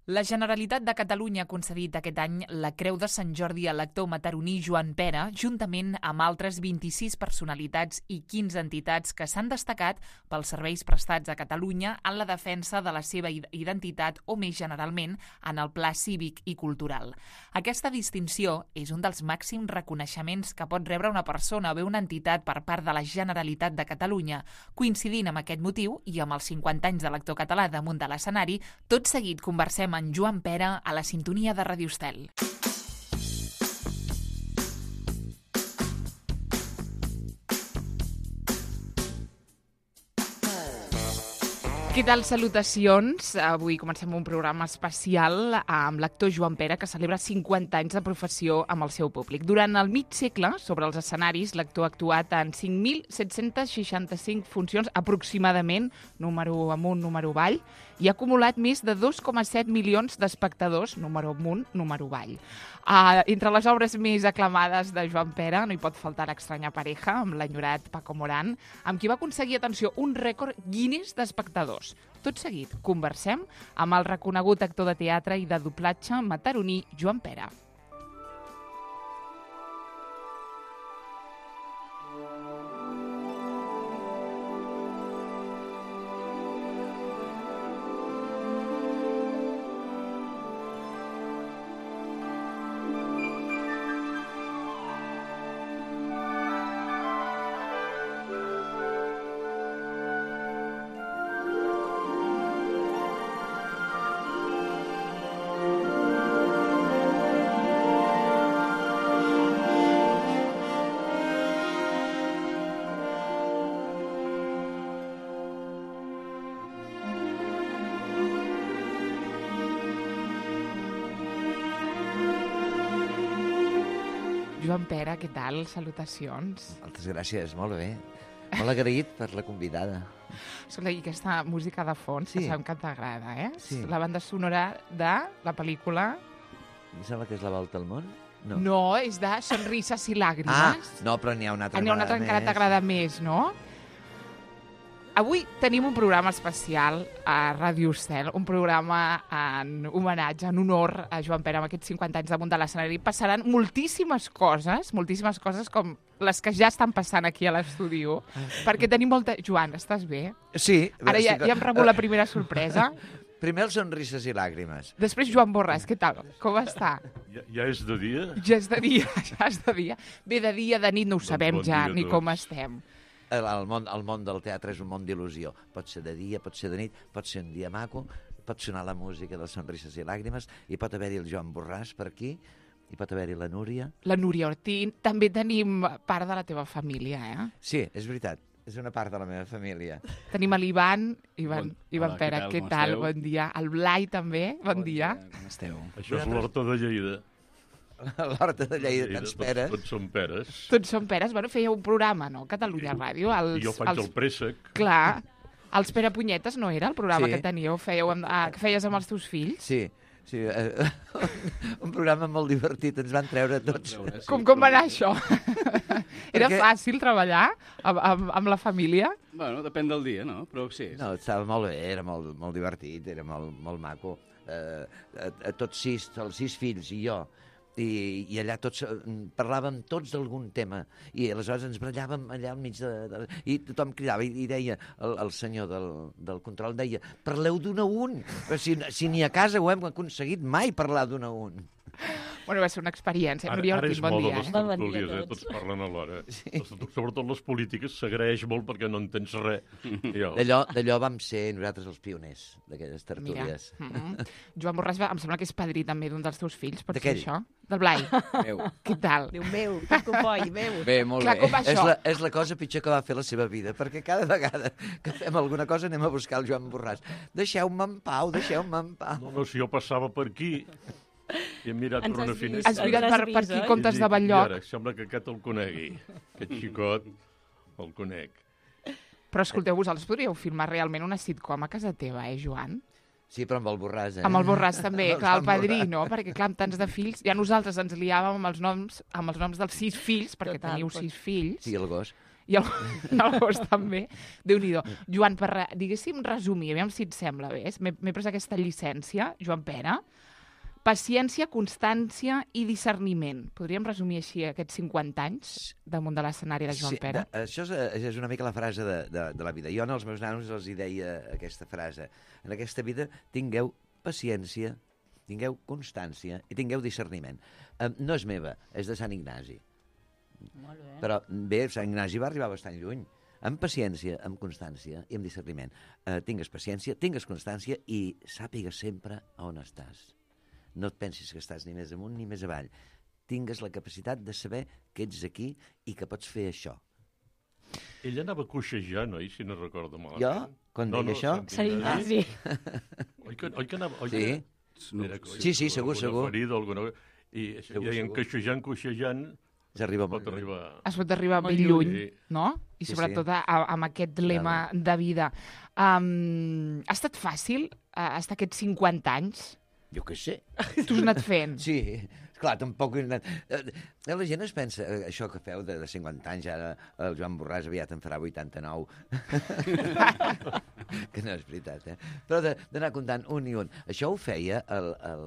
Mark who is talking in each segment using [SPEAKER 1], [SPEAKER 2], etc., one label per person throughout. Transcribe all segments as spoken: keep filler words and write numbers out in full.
[SPEAKER 1] La Generalitat de Catalunya ha concedit aquest any la Creu de Sant Jordi a l'actor mataroní Joan Pera, juntament amb altres vint-i-sis personalitats i quinze entitats que s'han destacat pels serveis prestats a Catalunya en la defensa de la seva identitat o, més generalment, en el pla cívic i cultural. Aquesta distinció és un dels màxims reconeixements que pot rebre una persona o bé una entitat per part de la Generalitat de Catalunya. Coincidint amb aquest motiu i amb els cinquanta anys de l'actor català damunt de l'escenari, tot seguit conversem en Joan Pera a la sintonia de Ràdio Estel. Què tal? Salutacions. Avui comencem un programa especial amb l'actor Joan Pera, que celebra cinquanta anys de professió amb el seu públic. Durant el mig segle, sobre els escenaris, l'actor ha actuat en cinc mil set-cents seixanta-cinc funcions, aproximadament, número amunt, número avall, i ha acumulat més de dos coma set milions d'espectadors, número amunt, número avall. Uh, entre les obres més aclamades de Joan Pera no hi pot faltar L'extranya pareja, amb l'enyorat Paco Morán, amb qui va aconseguir, atenció, un rècord Guinness d'espectadors. Tot seguit, conversem amb el reconegut actor de teatre i de doblatge mataroní Joan Pera. Joan Pera, què tal? Salutacions.
[SPEAKER 2] Moltes gràcies, molt bé. Molt agraït per la convidada.
[SPEAKER 1] Escolta, i aquesta música de fons, sí, que sabem que t'agrada, eh?
[SPEAKER 2] Sí.
[SPEAKER 1] La banda sonora de la pel·lícula...
[SPEAKER 2] Em sembla que és La volta al món? No,
[SPEAKER 1] no és de Sonrises i làgrimes.
[SPEAKER 2] Ah, no, però n'hi ha una altra.
[SPEAKER 1] Ah, n'hi ha una altra que encara t'agrada més, no? Avui tenim un programa especial a Ràdio Estel, un programa en homenatge, en honor a Joan Pera amb aquests cinquanta anys damunt de l'escenari. Passaran moltíssimes coses, moltíssimes coses com les que ja estan passant aquí a l'estudi, perquè tenim molta... Joan, estàs bé?
[SPEAKER 2] Sí.
[SPEAKER 1] Ara ja, ja hem rebut la primera sorpresa.
[SPEAKER 2] Primer els Sonrises i làgrimes.
[SPEAKER 1] Després Joan Borràs, què tal? Com està?
[SPEAKER 3] Ja, ja és de dia?
[SPEAKER 1] Ja és de dia, ja és de dia. Bé, de dia, de nit no ho sabem
[SPEAKER 3] bon
[SPEAKER 1] ja,
[SPEAKER 3] dia,
[SPEAKER 1] ni
[SPEAKER 3] tots.
[SPEAKER 1] com estem.
[SPEAKER 2] El, el, món, el món del teatre és un món d'il·lusió. Pot ser de dia, pot ser de nit, pot ser un dia maco, pot sonar la música de Sonrises i làgrimes, i pot haver-hi el Joan Borràs per aquí, i pot haver-hi la Núria.
[SPEAKER 1] La Núria Ortín. També tenim part de la teva família, eh?
[SPEAKER 2] Sí, és veritat. És una part de la meva família.
[SPEAKER 1] Tenim l'Ivan, Ivan,
[SPEAKER 4] Bon,
[SPEAKER 1] Ivan
[SPEAKER 4] hola,
[SPEAKER 1] Pera,
[SPEAKER 4] què
[SPEAKER 1] què
[SPEAKER 4] tal?
[SPEAKER 1] tal?
[SPEAKER 4] Com
[SPEAKER 1] Bon dia. El Blai també, bon, bon dia.
[SPEAKER 4] dia. Com esteu?
[SPEAKER 3] Això és l'Horta de Lleida.
[SPEAKER 2] L'Horta de Lleida, tants
[SPEAKER 3] tots,
[SPEAKER 2] peres.
[SPEAKER 3] tots són peres.
[SPEAKER 1] Tots són peres. Bueno, feia un programa, no? Catalunya Ràdio. Els,
[SPEAKER 3] I jo faig
[SPEAKER 1] els...
[SPEAKER 3] el préssec.
[SPEAKER 1] Clar. Els Pere Punyetes no era el programa
[SPEAKER 2] Sí.
[SPEAKER 1] que teníeu, fèieu amb, ah, que feies amb els teus fills?
[SPEAKER 2] Sí, sí. Eh, un programa molt divertit, ens van treure tots.
[SPEAKER 1] Com, com va anar això? Era
[SPEAKER 2] Perquè-
[SPEAKER 1] fàcil treballar amb, amb, amb la família?
[SPEAKER 4] Bueno, depèn del dia, no? Però sí.
[SPEAKER 2] No, estava molt bé, era molt, molt divertit, era molt, molt maco. Eh, a, a tots sis, els sis fills i jo, i, i allà tots eh, parlàvem tots d'algun tema, i aleshores ens barallàvem allà al mig de... de i tothom cridava i, i deia, el, el senyor del, del control deia, parleu d'un a un, però si, si ni a casa ho hem aconseguit mai parlar d'un a un.
[SPEAKER 1] Bueno, va ser una experiència.
[SPEAKER 3] Ara,
[SPEAKER 1] Núria
[SPEAKER 3] ara
[SPEAKER 1] Ortín,
[SPEAKER 3] és
[SPEAKER 1] bon
[SPEAKER 3] moda
[SPEAKER 1] dia.
[SPEAKER 3] les
[SPEAKER 1] Eh?
[SPEAKER 3] tertúlies, eh? Tots parlen alhora. Sí. Sobretot les polítiques s'agraeix molt perquè no entens res. Jo.
[SPEAKER 2] D'allò, d'allò vam ser nosaltres els pioners d'aquelles
[SPEAKER 1] Mira.
[SPEAKER 2] tertúlies.
[SPEAKER 1] Mm -hmm. Joan Borràs, va- em sembla que és padrí també d'un dels teus fills, pot ser
[SPEAKER 2] D'aquell.
[SPEAKER 1] això? Del Blai.
[SPEAKER 4] Meu.
[SPEAKER 1] Què tal?
[SPEAKER 5] Déu meu, que copoi, meu.
[SPEAKER 4] Bé, molt
[SPEAKER 1] Clar,
[SPEAKER 4] bé.
[SPEAKER 1] com va
[SPEAKER 2] És
[SPEAKER 1] això?
[SPEAKER 2] la, és la cosa pitjor que va fer la seva vida, perquè cada vegada que fem alguna cosa anem a buscar el Joan Borràs. Deixeu-me en pau, deixeu-me en pau.
[SPEAKER 3] No, no, si jo passava per aquí i hem mirat
[SPEAKER 5] Ens
[SPEAKER 3] per una
[SPEAKER 5] has vist.
[SPEAKER 3] finestra...
[SPEAKER 1] Has mirat per, per aquí
[SPEAKER 5] oi?
[SPEAKER 1] comptes
[SPEAKER 3] i
[SPEAKER 1] de
[SPEAKER 3] dic,
[SPEAKER 1] Batllloc.
[SPEAKER 3] I ara, sembla que aquest el conegui. Aquest xicot el conec.
[SPEAKER 1] Però escolteu, vosaltres podríeu filmar realment una sitcom a casa teva, eh, Joan?
[SPEAKER 2] Sí, però amb el Borràs, eh?
[SPEAKER 1] Amb el Borràs també,
[SPEAKER 2] Amb
[SPEAKER 1] clar, el
[SPEAKER 2] Joan
[SPEAKER 1] padrí,
[SPEAKER 2] Borràs.
[SPEAKER 1] no? Perquè, clar, amb tants de fills... Ja nosaltres ens liàvem amb els noms, amb els noms dels sis fills, perquè
[SPEAKER 5] Total,
[SPEAKER 1] teniu
[SPEAKER 5] pues.
[SPEAKER 1] sis fills.
[SPEAKER 2] Sí, el gos.
[SPEAKER 1] I el, i el gos també. Déu-n'hi-do. Joan, per, re- diguéssim, resumir, aviam si et sembla bé. M'he m'he pres aquesta llicència, Joan Pere. Paciència, constància i discerniment. Podríem resumir així aquests cinquanta anys damunt de l'escenari de Joan Pere?
[SPEAKER 2] de, això és, és una mica la frase de, de, de la vida. Jo als meus nanos els hi deia aquesta frase. En aquesta vida tingueu paciència, tingueu constància i tingueu discerniment. Um, no és meva, és de Sant Ignasi.
[SPEAKER 5] Molt bé.
[SPEAKER 2] Però bé, Sant Ignasi va arribar bastant lluny. Amb paciència, amb constància i amb discerniment. Uh, tingues paciència, tingues constància i sàpigues sempre on estàs. No et pensis que estàs ni més amunt ni més avall. Tingues la capacitat de saber que ets aquí i que pots fer això.
[SPEAKER 3] Ell anava coixejant, oi, si no recordo malament.
[SPEAKER 2] Jo? Quan deia això?
[SPEAKER 5] Sant Ignasi.
[SPEAKER 3] Oi que, oi que anava... Oi
[SPEAKER 2] Sí.
[SPEAKER 3] que... Era,
[SPEAKER 2] Sí, sí, segur,
[SPEAKER 3] alguna
[SPEAKER 2] segur.
[SPEAKER 3] ferida, alguna... I, això,
[SPEAKER 2] Segur,
[SPEAKER 3] i deien
[SPEAKER 2] segur.
[SPEAKER 3] coixejant, coixejant,
[SPEAKER 2] S'arriba molt
[SPEAKER 3] pot arribar...
[SPEAKER 1] Es pot arribar
[SPEAKER 5] Molt
[SPEAKER 1] ben lluny,
[SPEAKER 3] lluny.
[SPEAKER 1] no? I
[SPEAKER 2] Sí,
[SPEAKER 1] sobretot
[SPEAKER 2] sí.
[SPEAKER 1] a, amb aquest lema de vida. Um, ha estat fàcil uh, estar aquests cinquanta anys?
[SPEAKER 2] Jo què sé.
[SPEAKER 1] Tu has anat fent?
[SPEAKER 2] Sí, clar, tampoc... he anat- Eh, La gent es pensa, eh, això que feu de, de cinquanta anys, ara el Joan Borràs aviat en farà vuitanta-nou. Que no és veritat, eh? Però de- d'anar comptant un i un. Això ho feia el, el,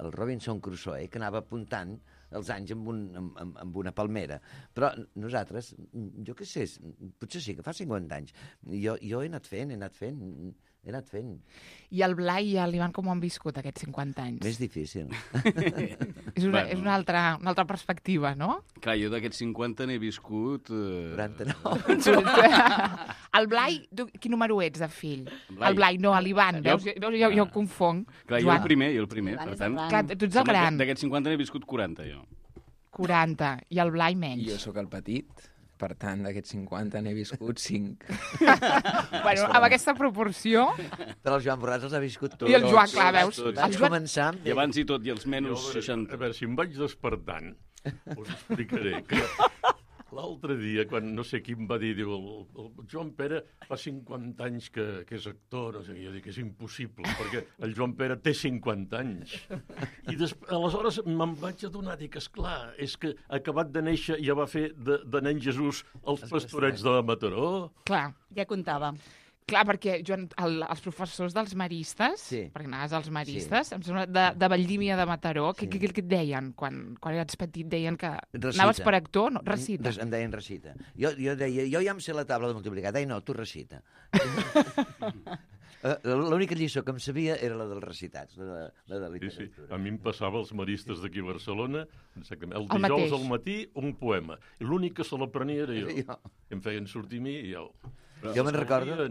[SPEAKER 2] el Robinson Crusoe, que anava apuntant els anys amb, un, amb, amb- amb una palmera. Però nosaltres, jo què sé, potser sí que fa cinquanta anys. Jo, jo he anat fent, he anat fent, he anat fent.
[SPEAKER 1] I el Blai i l'Ivan com ho han viscut aquests cinquanta anys?
[SPEAKER 2] Més difícil.
[SPEAKER 1] És una,
[SPEAKER 4] Bueno.
[SPEAKER 1] és una, altra, una altra perspectiva, no?
[SPEAKER 4] Clar, jo d'aquests cinquanta n'he viscut... Eh...
[SPEAKER 2] quaranta-nou.
[SPEAKER 1] El Blai, tu, quin número ets de fill?
[SPEAKER 4] Blai.
[SPEAKER 1] El Blai, no, l'Ivan.
[SPEAKER 4] Jo-
[SPEAKER 1] Veus? Jo, jo, jo
[SPEAKER 4] Ah.
[SPEAKER 1] confonc.
[SPEAKER 4] Clar, jo
[SPEAKER 1] Joan,
[SPEAKER 4] el primer, jo el primer,
[SPEAKER 5] Joan
[SPEAKER 4] per
[SPEAKER 5] és
[SPEAKER 4] tant...
[SPEAKER 5] el gran.
[SPEAKER 1] Clar, tu ets el
[SPEAKER 4] sembla que
[SPEAKER 1] gran.
[SPEAKER 4] D'aquests cinquanta n'he viscut quaranta, jo.
[SPEAKER 1] quaranta. I el Blai menys.
[SPEAKER 6] Jo sóc el petit, per tant, d'aquests cinquanta n'he viscut cinc.
[SPEAKER 1] Bueno, amb aquesta proporció...
[SPEAKER 2] Però el Joan Borràs els ha viscut tots.
[SPEAKER 1] I el Joan, clar,
[SPEAKER 4] tots,
[SPEAKER 1] veus?
[SPEAKER 4] tots.
[SPEAKER 1] El
[SPEAKER 2] Vaig
[SPEAKER 1] Joan...
[SPEAKER 2] començar amb...
[SPEAKER 4] I abans i tot, i els
[SPEAKER 3] Jo,
[SPEAKER 4] menys
[SPEAKER 3] a, veure, a
[SPEAKER 4] seixanta.
[SPEAKER 3] veure, si em vaig despertant, us explicaré que l'altre dia, quan no sé qui em va dir, diu, el, el Joan Pere fa cinquanta anys que, que és actor, no sé, jo dic que és impossible, perquè el Joan Pere té cinquanta anys. I des, aleshores me'n vaig adonar, dic, esclar, és que acabat de néixer ja va fer de, de nen Jesús els pastorets de Mataró.
[SPEAKER 1] Clar,
[SPEAKER 5] Ja comptava.
[SPEAKER 1] clar, perquè Joan, el, els professors dels maristes,
[SPEAKER 2] Sí.
[SPEAKER 1] perquè anaves als maristes, em sembla, de, de Valldímia de Mataró, què, què, què et deien quan, quan eres petit? Deien que
[SPEAKER 2] Recita.
[SPEAKER 1] anaves per actor? No, recita.
[SPEAKER 2] Res- Em deien recita. Jo, jo deia, jo ja em sé la taula de multiplicar. Deia, no, tu recita. Eh, L'única lliçó que em sabia era la dels recitats, la de, la de
[SPEAKER 3] Sí, sí.
[SPEAKER 2] literatura.
[SPEAKER 3] A mi em passava als maristes d'aquí a Barcelona, exactament, el
[SPEAKER 1] El
[SPEAKER 3] dijous
[SPEAKER 1] mateix.
[SPEAKER 3] al matí un poema. I l'únic que se l'aprenia era jo.
[SPEAKER 2] Jo.
[SPEAKER 3] Em feien sortir a mi i jo...
[SPEAKER 2] Jo me'n recordo,
[SPEAKER 3] Jo,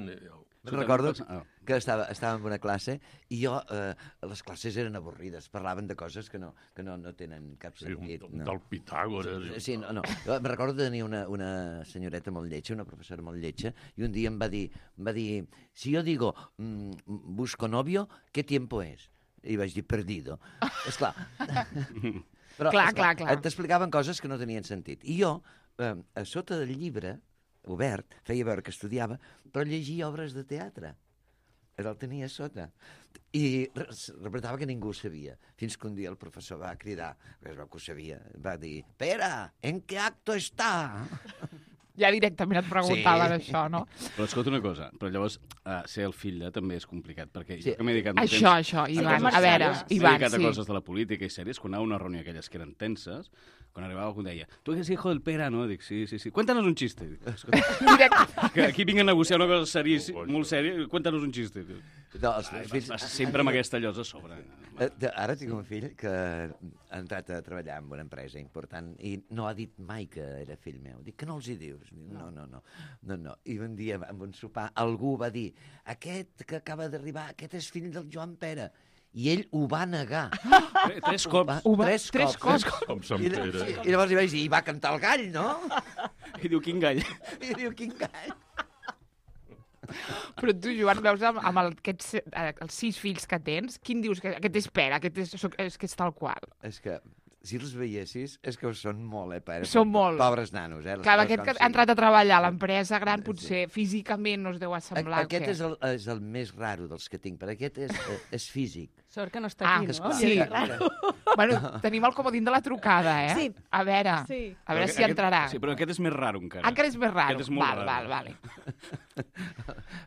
[SPEAKER 2] me'n recordo
[SPEAKER 4] Ah.
[SPEAKER 2] que estava, estava en una classe i jo, eh, les classes eren avorrides, parlaven de coses que no, que no, no tenen cap
[SPEAKER 3] sí, un,
[SPEAKER 2] sentit.
[SPEAKER 3] un
[SPEAKER 2] no.
[SPEAKER 3] tal Pitàgores.
[SPEAKER 2] Sí, no, no. Jo me'n recordo de tenir una, una senyoreta molt lletja, una professora molt lletja, i un dia em va dir, em va dir si jo digo mm, busco novio, ¿qué tiempo es? I vaig dir, perdido. Esclar. Però,
[SPEAKER 1] Clar,
[SPEAKER 2] esclar,
[SPEAKER 1] clar, clar.
[SPEAKER 2] t'explicaven coses que no tenien sentit. I jo, eh, a sota del llibre, obert, feia veure que estudiava, però llegia obres de teatre. El tenia a sota. I re- repetava que ningú ho sabia. Fins que un dia el professor va cridar, que es veu que ho sabia, va dir, Pere, ¿en qué acto está?
[SPEAKER 1] Ja directament et preguntaven
[SPEAKER 2] Sí.
[SPEAKER 1] això, no?
[SPEAKER 4] Però escolta una cosa, però llavors uh, ser el fill de també és complicat, perquè
[SPEAKER 2] Sí.
[SPEAKER 4] jo que m'he dedicat molt
[SPEAKER 1] Això,
[SPEAKER 4] temps...
[SPEAKER 1] això,
[SPEAKER 5] Sí,
[SPEAKER 1] Ivan.
[SPEAKER 5] que
[SPEAKER 1] A veure,
[SPEAKER 5] Marcel,
[SPEAKER 4] M'he
[SPEAKER 1] Ivan,
[SPEAKER 4] dedicat a
[SPEAKER 1] sí.
[SPEAKER 4] coses de la política i sèries, quan anava a una reunió aquelles que eren tenses, quan arribava algú em deia, tu eres hijo del Pere, no? Dic, sí, sí, sí. Cuéntanos un chiste. Dic, escolta,
[SPEAKER 1] Directe.
[SPEAKER 4] que aquí vinc a negociar una cosa seris,
[SPEAKER 3] Oh,
[SPEAKER 4] molt sèria, cuéntanos un chiste. Dic,
[SPEAKER 2] No, els meus
[SPEAKER 4] vas,
[SPEAKER 2] fills...
[SPEAKER 4] vas sempre amb aquesta llosa a sobre.
[SPEAKER 2] Eh, de- Ara tinc un fill que ha entrat a treballar en una empresa important i no ha dit mai que era fill meu. Dic, que no els hi dius? Dic, no, no, no. no, no. I un dia, en un sopar, algú va dir, aquest que acaba d'arribar, aquest és fill del Joan Pere. I ell ho va negar.
[SPEAKER 4] Tre- Tres cops.
[SPEAKER 1] Ho va-
[SPEAKER 2] tres,
[SPEAKER 1] tres
[SPEAKER 2] cops.
[SPEAKER 1] cops.
[SPEAKER 3] Com Sant
[SPEAKER 2] I,
[SPEAKER 3] Pere.
[SPEAKER 2] I llavors li vaig dir, i va cantar el gall, no?
[SPEAKER 4] I diu, quin gall.
[SPEAKER 2] I diu, quin gall?
[SPEAKER 1] Però tu, Joan, veus amb, amb el, aquests, eh, els sis fills que tens, quin dius que aquest és Pere, aquest és, soc- és que és tal qual?
[SPEAKER 2] És que, si els veiessis, és que ho són molt, eh, pare?
[SPEAKER 1] Són molt.
[SPEAKER 2] Pobres nanos, eh? les
[SPEAKER 1] Clar,
[SPEAKER 2] coses
[SPEAKER 1] aquest
[SPEAKER 2] com
[SPEAKER 1] que ha
[SPEAKER 2] siguin.
[SPEAKER 1] entrat a treballar a l'empresa gran,
[SPEAKER 2] Sí.
[SPEAKER 1] potser físicament no es deu
[SPEAKER 2] A-
[SPEAKER 1] assemblar.
[SPEAKER 2] Aquest
[SPEAKER 1] què?
[SPEAKER 2] és el, és el més raro dels que tinc, perquè aquest és, eh, és físic.
[SPEAKER 5] Sort que no està
[SPEAKER 1] Ah,
[SPEAKER 5] aquí, no?
[SPEAKER 1] sí.
[SPEAKER 5] Ja és raro.
[SPEAKER 1] Bueno, tenim el comodín de la trucada, eh?
[SPEAKER 5] Sí.
[SPEAKER 1] A veure,
[SPEAKER 5] Sí.
[SPEAKER 1] a veure
[SPEAKER 4] Però
[SPEAKER 1] si
[SPEAKER 4] aquest-
[SPEAKER 1] entrarà.
[SPEAKER 4] Sí, però aquest és més raro encara.
[SPEAKER 1] Encara és més raro.
[SPEAKER 4] Aquest és molt
[SPEAKER 1] val,
[SPEAKER 4] raro.
[SPEAKER 1] val,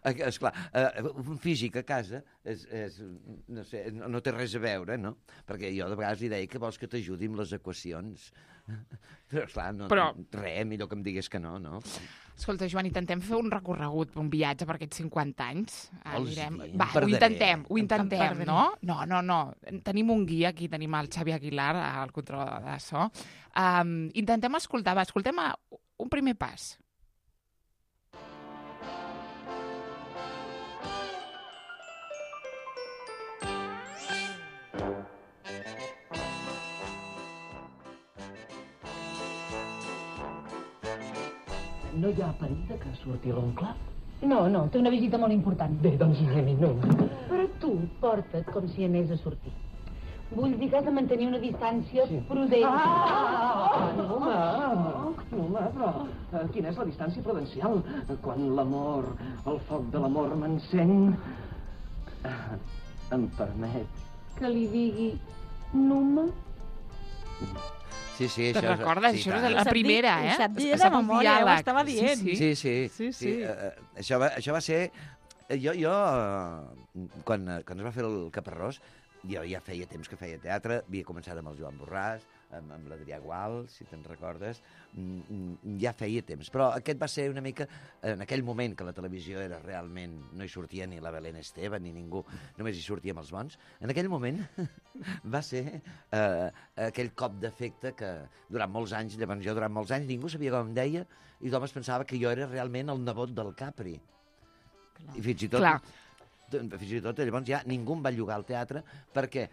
[SPEAKER 1] vale.
[SPEAKER 2] Esclar, eh, un físic a casa és, és, no, sé, no, no té res a veure, no? Perquè jo de vegades li deia que vols que t'ajudi amb les equacions. Però, esclar, no,
[SPEAKER 1] Però-
[SPEAKER 2] res, millor que em digués que no, no?
[SPEAKER 1] Escolta, Joan, intentem fer un recorregut, un viatge per aquests cinquanta anys.
[SPEAKER 2] Vols
[SPEAKER 1] Anirem...
[SPEAKER 2] dir?
[SPEAKER 1] Va,
[SPEAKER 2] Em
[SPEAKER 1] ho
[SPEAKER 2] perdré.
[SPEAKER 1] intentem, ho
[SPEAKER 5] Em
[SPEAKER 1] intentem,
[SPEAKER 5] perdré.
[SPEAKER 1] no? No, no, no. Tenim un guia aquí, tenim el Xavi Aguilar, al control de so. Um, intentem escoltar, va, escoltem a un primer pas.
[SPEAKER 7] No hi ha perill de que surti l'oncle?
[SPEAKER 8] No, no, té una visita molt important.
[SPEAKER 7] Bé, doncs anem-hi, anem.
[SPEAKER 8] Però tu porta't com si anés a sortir. Vull dir que has de mantenir una distància
[SPEAKER 7] Sí.
[SPEAKER 8] prudent.
[SPEAKER 7] Ah, no, home, no, home, però eh, quina és la distància prudencial? Quan l'amor, el foc de l'amor m'encén, eh, em permet.
[SPEAKER 8] Que li digui Numa?
[SPEAKER 2] Sí, sí,
[SPEAKER 1] Te'n
[SPEAKER 2] això...
[SPEAKER 1] recordes?
[SPEAKER 2] sí,
[SPEAKER 1] Això
[SPEAKER 2] tant.
[SPEAKER 1] és la
[SPEAKER 5] Ho sap dir-
[SPEAKER 1] primera,
[SPEAKER 5] ho
[SPEAKER 1] eh?
[SPEAKER 5] sap dir
[SPEAKER 1] Es-
[SPEAKER 5] de
[SPEAKER 1] sap el
[SPEAKER 5] memòria, ho
[SPEAKER 1] diàleg.
[SPEAKER 5] estava dient.
[SPEAKER 1] Sí, sí.
[SPEAKER 2] Sí, sí.
[SPEAKER 5] Sí, sí.
[SPEAKER 2] eh, eh, això, va, això va ser... eh, Jo, jo eh, quan, eh, quan es va fer el Caparrós, jo ja feia temps que feia teatre, havia començat amb el Joan Borràs, amb, amb l'Adrià Gual, si te'n recordes, mm, mm, ja feia temps. Però aquest va ser una mica, en aquell moment que la televisió era realment, no hi sortia ni la Belén Esteban ni ningú, només hi sortíem els bons, en aquell moment va ser eh, aquell cop d'efecte que durant molts anys, llavors jo durant molts anys, ningú sabia com em deia i tothom es pensava que jo era realment el nebot del Capri. I fins i tot...
[SPEAKER 1] Clar.
[SPEAKER 2] Fins i tot llavors ja ningú em va llogar al teatre perquè,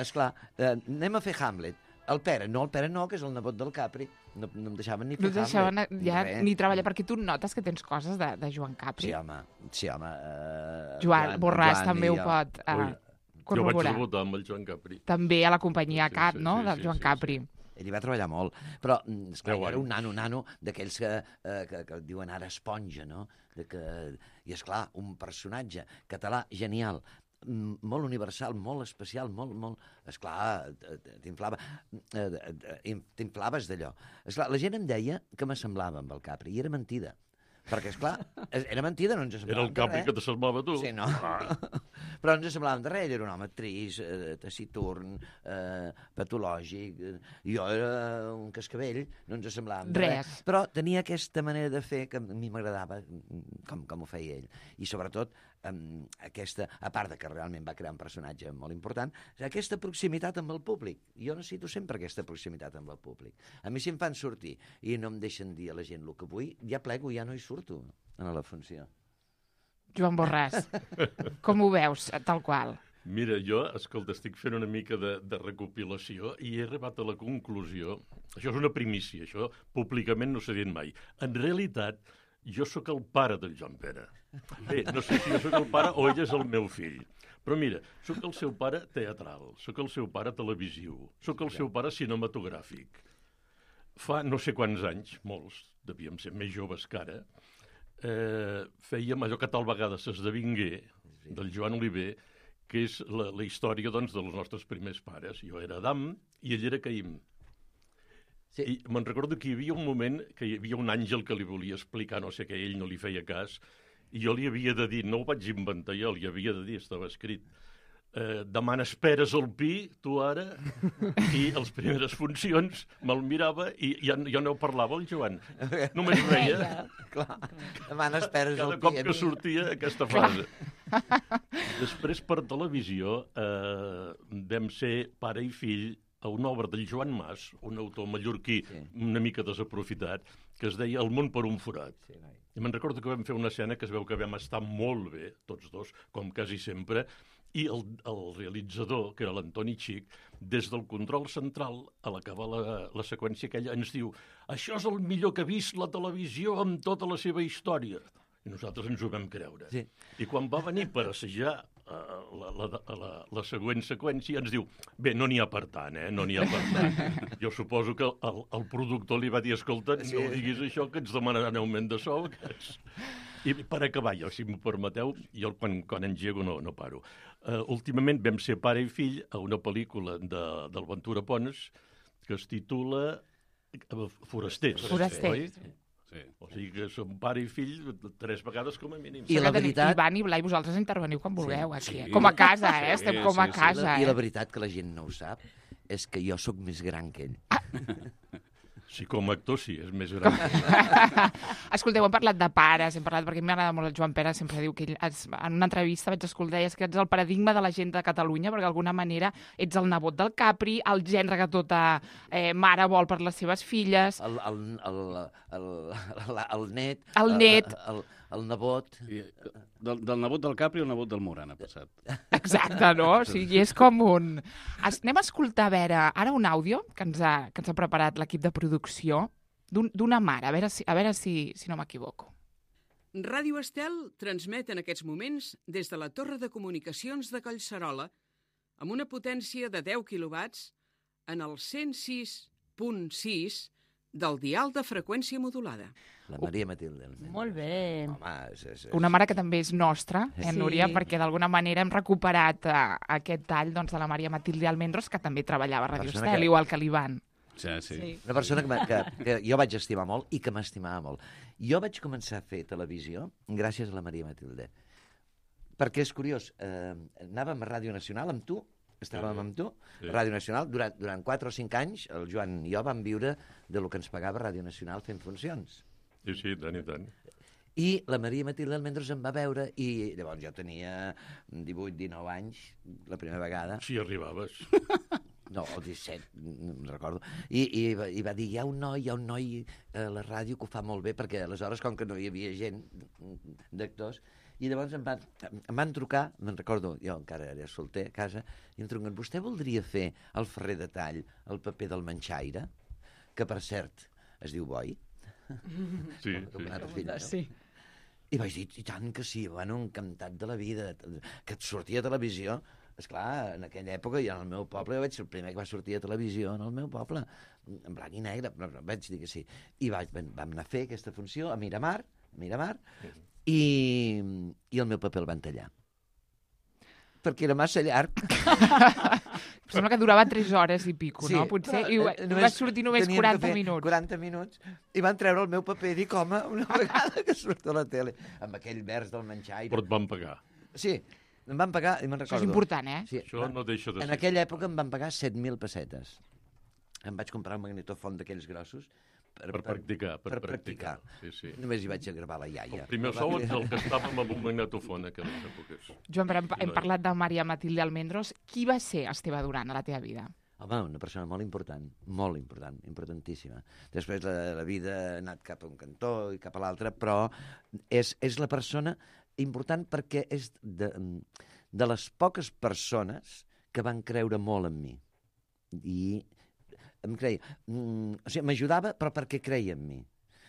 [SPEAKER 2] esclar, eh, anem a fer Hamlet. El Pere, no, el Pere no, que és el nebot del Capri. No, no em deixaven ni
[SPEAKER 1] No
[SPEAKER 2] fer
[SPEAKER 1] et deixaven
[SPEAKER 2] Hamlet.
[SPEAKER 1] ja
[SPEAKER 2] res.
[SPEAKER 1] ni treballar, perquè tu notes que tens coses de, de Joan Capri.
[SPEAKER 2] Sí, home, sí, home. Eh,
[SPEAKER 1] Joan Borràs
[SPEAKER 2] Joan
[SPEAKER 1] també
[SPEAKER 2] i
[SPEAKER 1] ho
[SPEAKER 2] jo.
[SPEAKER 1] pot eh,
[SPEAKER 3] Ui, Jo vaig
[SPEAKER 1] corroborar.
[SPEAKER 3] debutar amb el Joan Capri.
[SPEAKER 1] També a la companyia
[SPEAKER 3] Sí,
[SPEAKER 1] Cat,
[SPEAKER 3] sí,
[SPEAKER 1] no?,
[SPEAKER 3] sí,
[SPEAKER 1] del
[SPEAKER 3] sí,
[SPEAKER 1] Joan
[SPEAKER 3] sí,
[SPEAKER 1] Capri.
[SPEAKER 2] Ell hi va treballar molt, però mm, esclar,
[SPEAKER 3] Deu
[SPEAKER 2] jo era
[SPEAKER 3] anys.
[SPEAKER 2] un nano, nano, d'aquells que, eh, que, que diuen ara esponja, no? De que, I, esclar, un personatge català genial, mm, molt universal, molt especial, molt, molt... Esclar, t'inflava, eh, eh, t'inflaves d'allò. Esclar, la gent em deia que m'assemblava amb el Capri, i era mentida. Perquè, esclar, era mentida, no ens
[SPEAKER 3] Era
[SPEAKER 2] assemblàvem
[SPEAKER 3] el Capri
[SPEAKER 2] de
[SPEAKER 3] que
[SPEAKER 2] res.
[SPEAKER 3] t'assemblava a tu.
[SPEAKER 2] Sí, no?
[SPEAKER 3] Ah,
[SPEAKER 2] Però no ens semblàvem de res, ell era un home trist, eh, taciturn, eh, patològic, eh, jo era un cascavell, no ens semblàvem de res.
[SPEAKER 1] Res.
[SPEAKER 2] Però tenia aquesta manera de fer que a mi m'agradava mm, com, com ho feia ell. I sobretot, eh, aquesta, a part de que realment va crear un personatge molt important, aquesta proximitat amb el públic. Jo necessito sempre aquesta proximitat amb el públic. A mi si em fan sortir i no em deixen dir a la gent el que vull, ja plego, ja no hi surto a la funció.
[SPEAKER 1] Joan Borràs, com ho veus, tal qual?
[SPEAKER 3] Mira, jo, escolta, estic fent una mica de, de recopilació i he arribat a la conclusió, això és una primícia, això públicament no s'ha dit mai. En realitat, jo sóc el pare del Joan Pere. Bé, no sé si jo sóc el pare o ell és el meu fill. Però mira, sóc el seu pare teatral, sóc el seu pare televisiu, sóc el seu pare cinematogràfic. Fa no sé quants anys, molts, devíem ser més joves que ara, eh, fèiem allò que tal vegada s'esdevingué, del Joan Oliver, que és la, la història doncs, dels nostres primers pares. Jo era Adam i ell era Caïm.
[SPEAKER 2] Sí.
[SPEAKER 3] I me'n recordo que hi havia un moment que hi havia un àngel que li volia explicar no sé què, ell no li feia cas, i jo li havia de dir, no ho vaig inventar jo, li havia de dir, estava escrit, eh, demà n'esperes el pi, tu ara, i les primeres funcions me'l mirava i ja, jo no parlava el Joan. Només veia
[SPEAKER 2] Clar, demà n'esperes el
[SPEAKER 3] cada cop
[SPEAKER 2] pi a
[SPEAKER 3] que
[SPEAKER 2] mi.
[SPEAKER 3] sortia aquesta frase. Després, per televisió, eh, vam ser pare i fill a una obra del Joan Mas, un autor mallorquí
[SPEAKER 2] Sí.
[SPEAKER 3] una mica desaprofitat, que es deia El món per un forat.
[SPEAKER 2] Sí, noi.
[SPEAKER 3] I me'n recordo que vam fer una escena que es veu que vam estar molt bé, tots dos, com quasi sempre, i el, el realitzador, que era l'Antoni Xic, des del control central, a l'acabar la, la seqüència aquella, ens diu això és el millor que ha vist la televisió en tota la seva història. I nosaltres ens ho vam creure.
[SPEAKER 2] Sí.
[SPEAKER 3] I quan va venir per assajar uh, la, la, la, la següent seqüència, ens diu, bé, no n'hi ha per tant, eh? No n'hi ha per tant. Jo suposo que el, el productor li va dir, escolta,
[SPEAKER 2] Sí.
[SPEAKER 3] no diguis això, que ens demanaran augment de sou. Que és... I per acabar, jo, si m'ho permeteu, jo quan, quan engego no, no paro. Uh, últimament vam ser pare i fill a una pel·lícula de, del Ventura Pons que es titula Forasters.
[SPEAKER 1] Foraster.
[SPEAKER 3] Oi? Sí. O sigui que som pare i fill tres vegades com a mínim.
[SPEAKER 2] I la veritat...
[SPEAKER 1] Ivan i Blai, vosaltres interveniu quan vulgueu, aquí.
[SPEAKER 4] Sí.
[SPEAKER 1] Eh? Com a casa, eh?
[SPEAKER 4] Sí,
[SPEAKER 1] Estem com a
[SPEAKER 4] sí, sí.
[SPEAKER 1] casa,
[SPEAKER 2] I
[SPEAKER 1] eh?
[SPEAKER 2] la veritat que la gent no ho sap és que jo sóc més gran que ell.
[SPEAKER 3] Sí, com a actor sí, és més gran.
[SPEAKER 1] Escolteu, hem parlat de pares, hem parlat, perquè m'agrada molt el Joan Pere, sempre diu que ell, es, en una entrevista vaig escoltar, deies que ets el paradigma de la gent de Catalunya, perquè d'alguna manera ets el nebot del Capri, el gendre que tota eh, mare vol per les seves filles.
[SPEAKER 2] El, el, el, el, el, el net.
[SPEAKER 1] El net.
[SPEAKER 2] El, el, el nebot.
[SPEAKER 4] I, del, del nebot del Capri al nebot del Moran ha passat.
[SPEAKER 1] Exacte, no? O sigui, és com un... Es, anem a escoltar, a veure, ara un àudio que ens ha, que ens ha preparat l'equip de producció d'una mare, a veure si, a veure si, si no m'equivoco.
[SPEAKER 9] Ràdio Estel transmet en aquests moments des de la Torre de Comunicacions de Collserola amb una potència de deu quilowatts en el cent sis punt sis del dial de freqüència modulada.
[SPEAKER 2] La Maria Matilde.
[SPEAKER 5] Molt bé.
[SPEAKER 2] Home, és, és, és...
[SPEAKER 1] Una mare que també és nostra, eh,
[SPEAKER 5] Sí.
[SPEAKER 1] Núria, perquè d'alguna manera hem recuperat eh, aquest tall doncs, de la Maria Matilde Almendros, que també treballava a Ràdio
[SPEAKER 2] Persona
[SPEAKER 1] Estel,
[SPEAKER 2] que-
[SPEAKER 1] igual que l'Ivan.
[SPEAKER 4] Sí, sí.
[SPEAKER 5] Sí.
[SPEAKER 2] Una persona que, que, que jo vaig estimar molt i que m'estimava molt. Jo vaig començar a fer televisió gràcies a la Maria Matilde. Perquè és curiós, eh, anàvem a Ràdio Nacional amb tu, estàvem
[SPEAKER 3] Sí.
[SPEAKER 2] amb tu,
[SPEAKER 3] Sí.
[SPEAKER 2] Ràdio Nacional, durant, durant quatre o cinc anys, el Joan i jo vam viure de lo que ens pagava Ràdio Nacional fent funcions.
[SPEAKER 3] Sí, sí, tant i tant.
[SPEAKER 2] I la Maria Matilde Almendros em va veure i llavors jo tenia divuit dinou anys, la primera vegada.
[SPEAKER 3] Si arribaves.
[SPEAKER 2] No, o disset, no me'n recordo. I, i, va- I va dir, hi ha un noi, hi ha un noi a la ràdio que ho fa molt bé, perquè aleshores, com que no hi havia gent d'actors, i llavors em van, em van trucar, me'n recordo, jo encara era solter a casa, i em truquen, vostè voldria fer el Ferrer de Tall, el paper del Manxaire, que per cert es diu Boi?
[SPEAKER 3] Sí,
[SPEAKER 2] Com
[SPEAKER 3] sí.
[SPEAKER 2] un altre fill, no?
[SPEAKER 5] Sí.
[SPEAKER 2] I vaig dir, i tant que sí, bueno, encantat de la vida, que et sortia a televisió. Esclar, en aquella època, jo en el meu poble, jo vaig ser el primer que va sortir a televisió en el meu poble, en blanc i negre, però vaig dir que sí. I vaig, vam anar a fer aquesta funció a Miramar, Miramar, i, i el meu paper el van tallar. Perquè era massa llarg.
[SPEAKER 1] Sembla que durava tres hores i pico, no? Potser, i
[SPEAKER 2] eh,
[SPEAKER 1] va, va sortir només
[SPEAKER 2] teníem que
[SPEAKER 1] quaranta
[SPEAKER 2] fer
[SPEAKER 1] minuts.
[SPEAKER 2] quaranta minuts, i van treure el meu paper i dic, home, una vegada que surt a la tele, amb aquell vers del Manxaire.
[SPEAKER 3] Però et van pagar.
[SPEAKER 2] Sí, em van pagar, i me'n
[SPEAKER 1] Això
[SPEAKER 2] recordo.
[SPEAKER 1] és important, eh?
[SPEAKER 2] Sí,
[SPEAKER 3] Això no deixa de
[SPEAKER 2] en
[SPEAKER 3] ser.
[SPEAKER 2] aquella època em van pagar set mil pessetes. Em vaig comprar un magnetofon d'aquells grossos per,
[SPEAKER 3] Per practicar, per,
[SPEAKER 2] per practicar.
[SPEAKER 3] Sí, sí.
[SPEAKER 2] Només hi vaig a gravar la iaia.
[SPEAKER 3] El primer sou és el que estàvem amb un magnetofon a aquelles èpoques.
[SPEAKER 1] Joan, però hem, hem
[SPEAKER 3] No,
[SPEAKER 1] parlat de Maria Matilde Almendros. Qui va ser Esteve Duran a la teva vida?
[SPEAKER 2] Home, una persona molt important, molt important, importantíssima. Després la, la vida ha anat cap a un cantó i cap a l'altre, però és, és la persona important perquè és de, de les poques persones que van creure molt en mi. I em creia... Mm, o sigui, m'ajudava, però perquè creia en mi.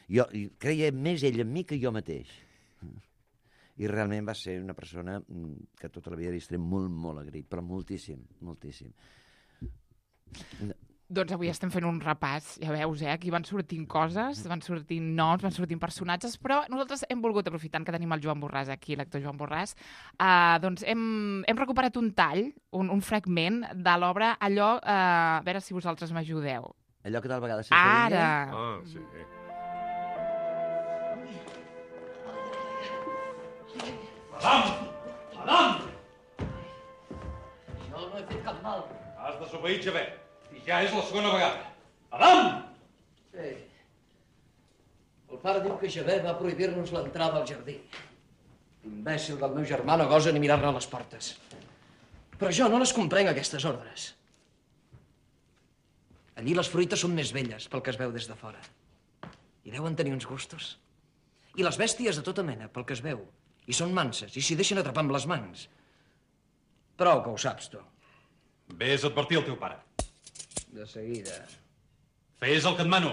[SPEAKER 2] Jo, i creia més ell en mi que jo mateix. I realment va ser una persona mm, que tota la vida li estaré molt, molt agraït, però moltíssim, moltíssim.
[SPEAKER 1] Doncs avui estem fent un repàs, ja veus, eh? Aquí van sortint coses, van sortint noms, van sortint personatges, però nosaltres hem volgut, aprofitant que tenim el Joan Borràs aquí, l'actor Joan Borràs, eh, doncs hem, hem recuperat un tall, un, un fragment de l'obra, allò, eh, a veure si vosaltres m'ajudeu.
[SPEAKER 2] Allò que tal vegada s'esdevingué...
[SPEAKER 1] Ara!
[SPEAKER 3] Ah, sí.
[SPEAKER 7] Jo no he fet cap mal.
[SPEAKER 10] Has desobeït, Javé. I ja és la segona vegada. Adam!
[SPEAKER 7] Sí. El pare diu que Javé va prohibir-nos l'entrada al jardí. L'imbècil del meu germà no gosa ni mirar-ne a les portes. Però jo no les comprenc, aquestes ordres. Allí les fruites són més velles pel que es veu des de fora. I deuen tenir uns gustos. I les bèsties de tota mena, pel que es veu. I són manses, i s'hi deixen atrapar amb les mans. Prou que ho saps, tu.
[SPEAKER 10] Ves a advertir el teu pare.
[SPEAKER 7] De seguida.
[SPEAKER 10] Fes el que et mano.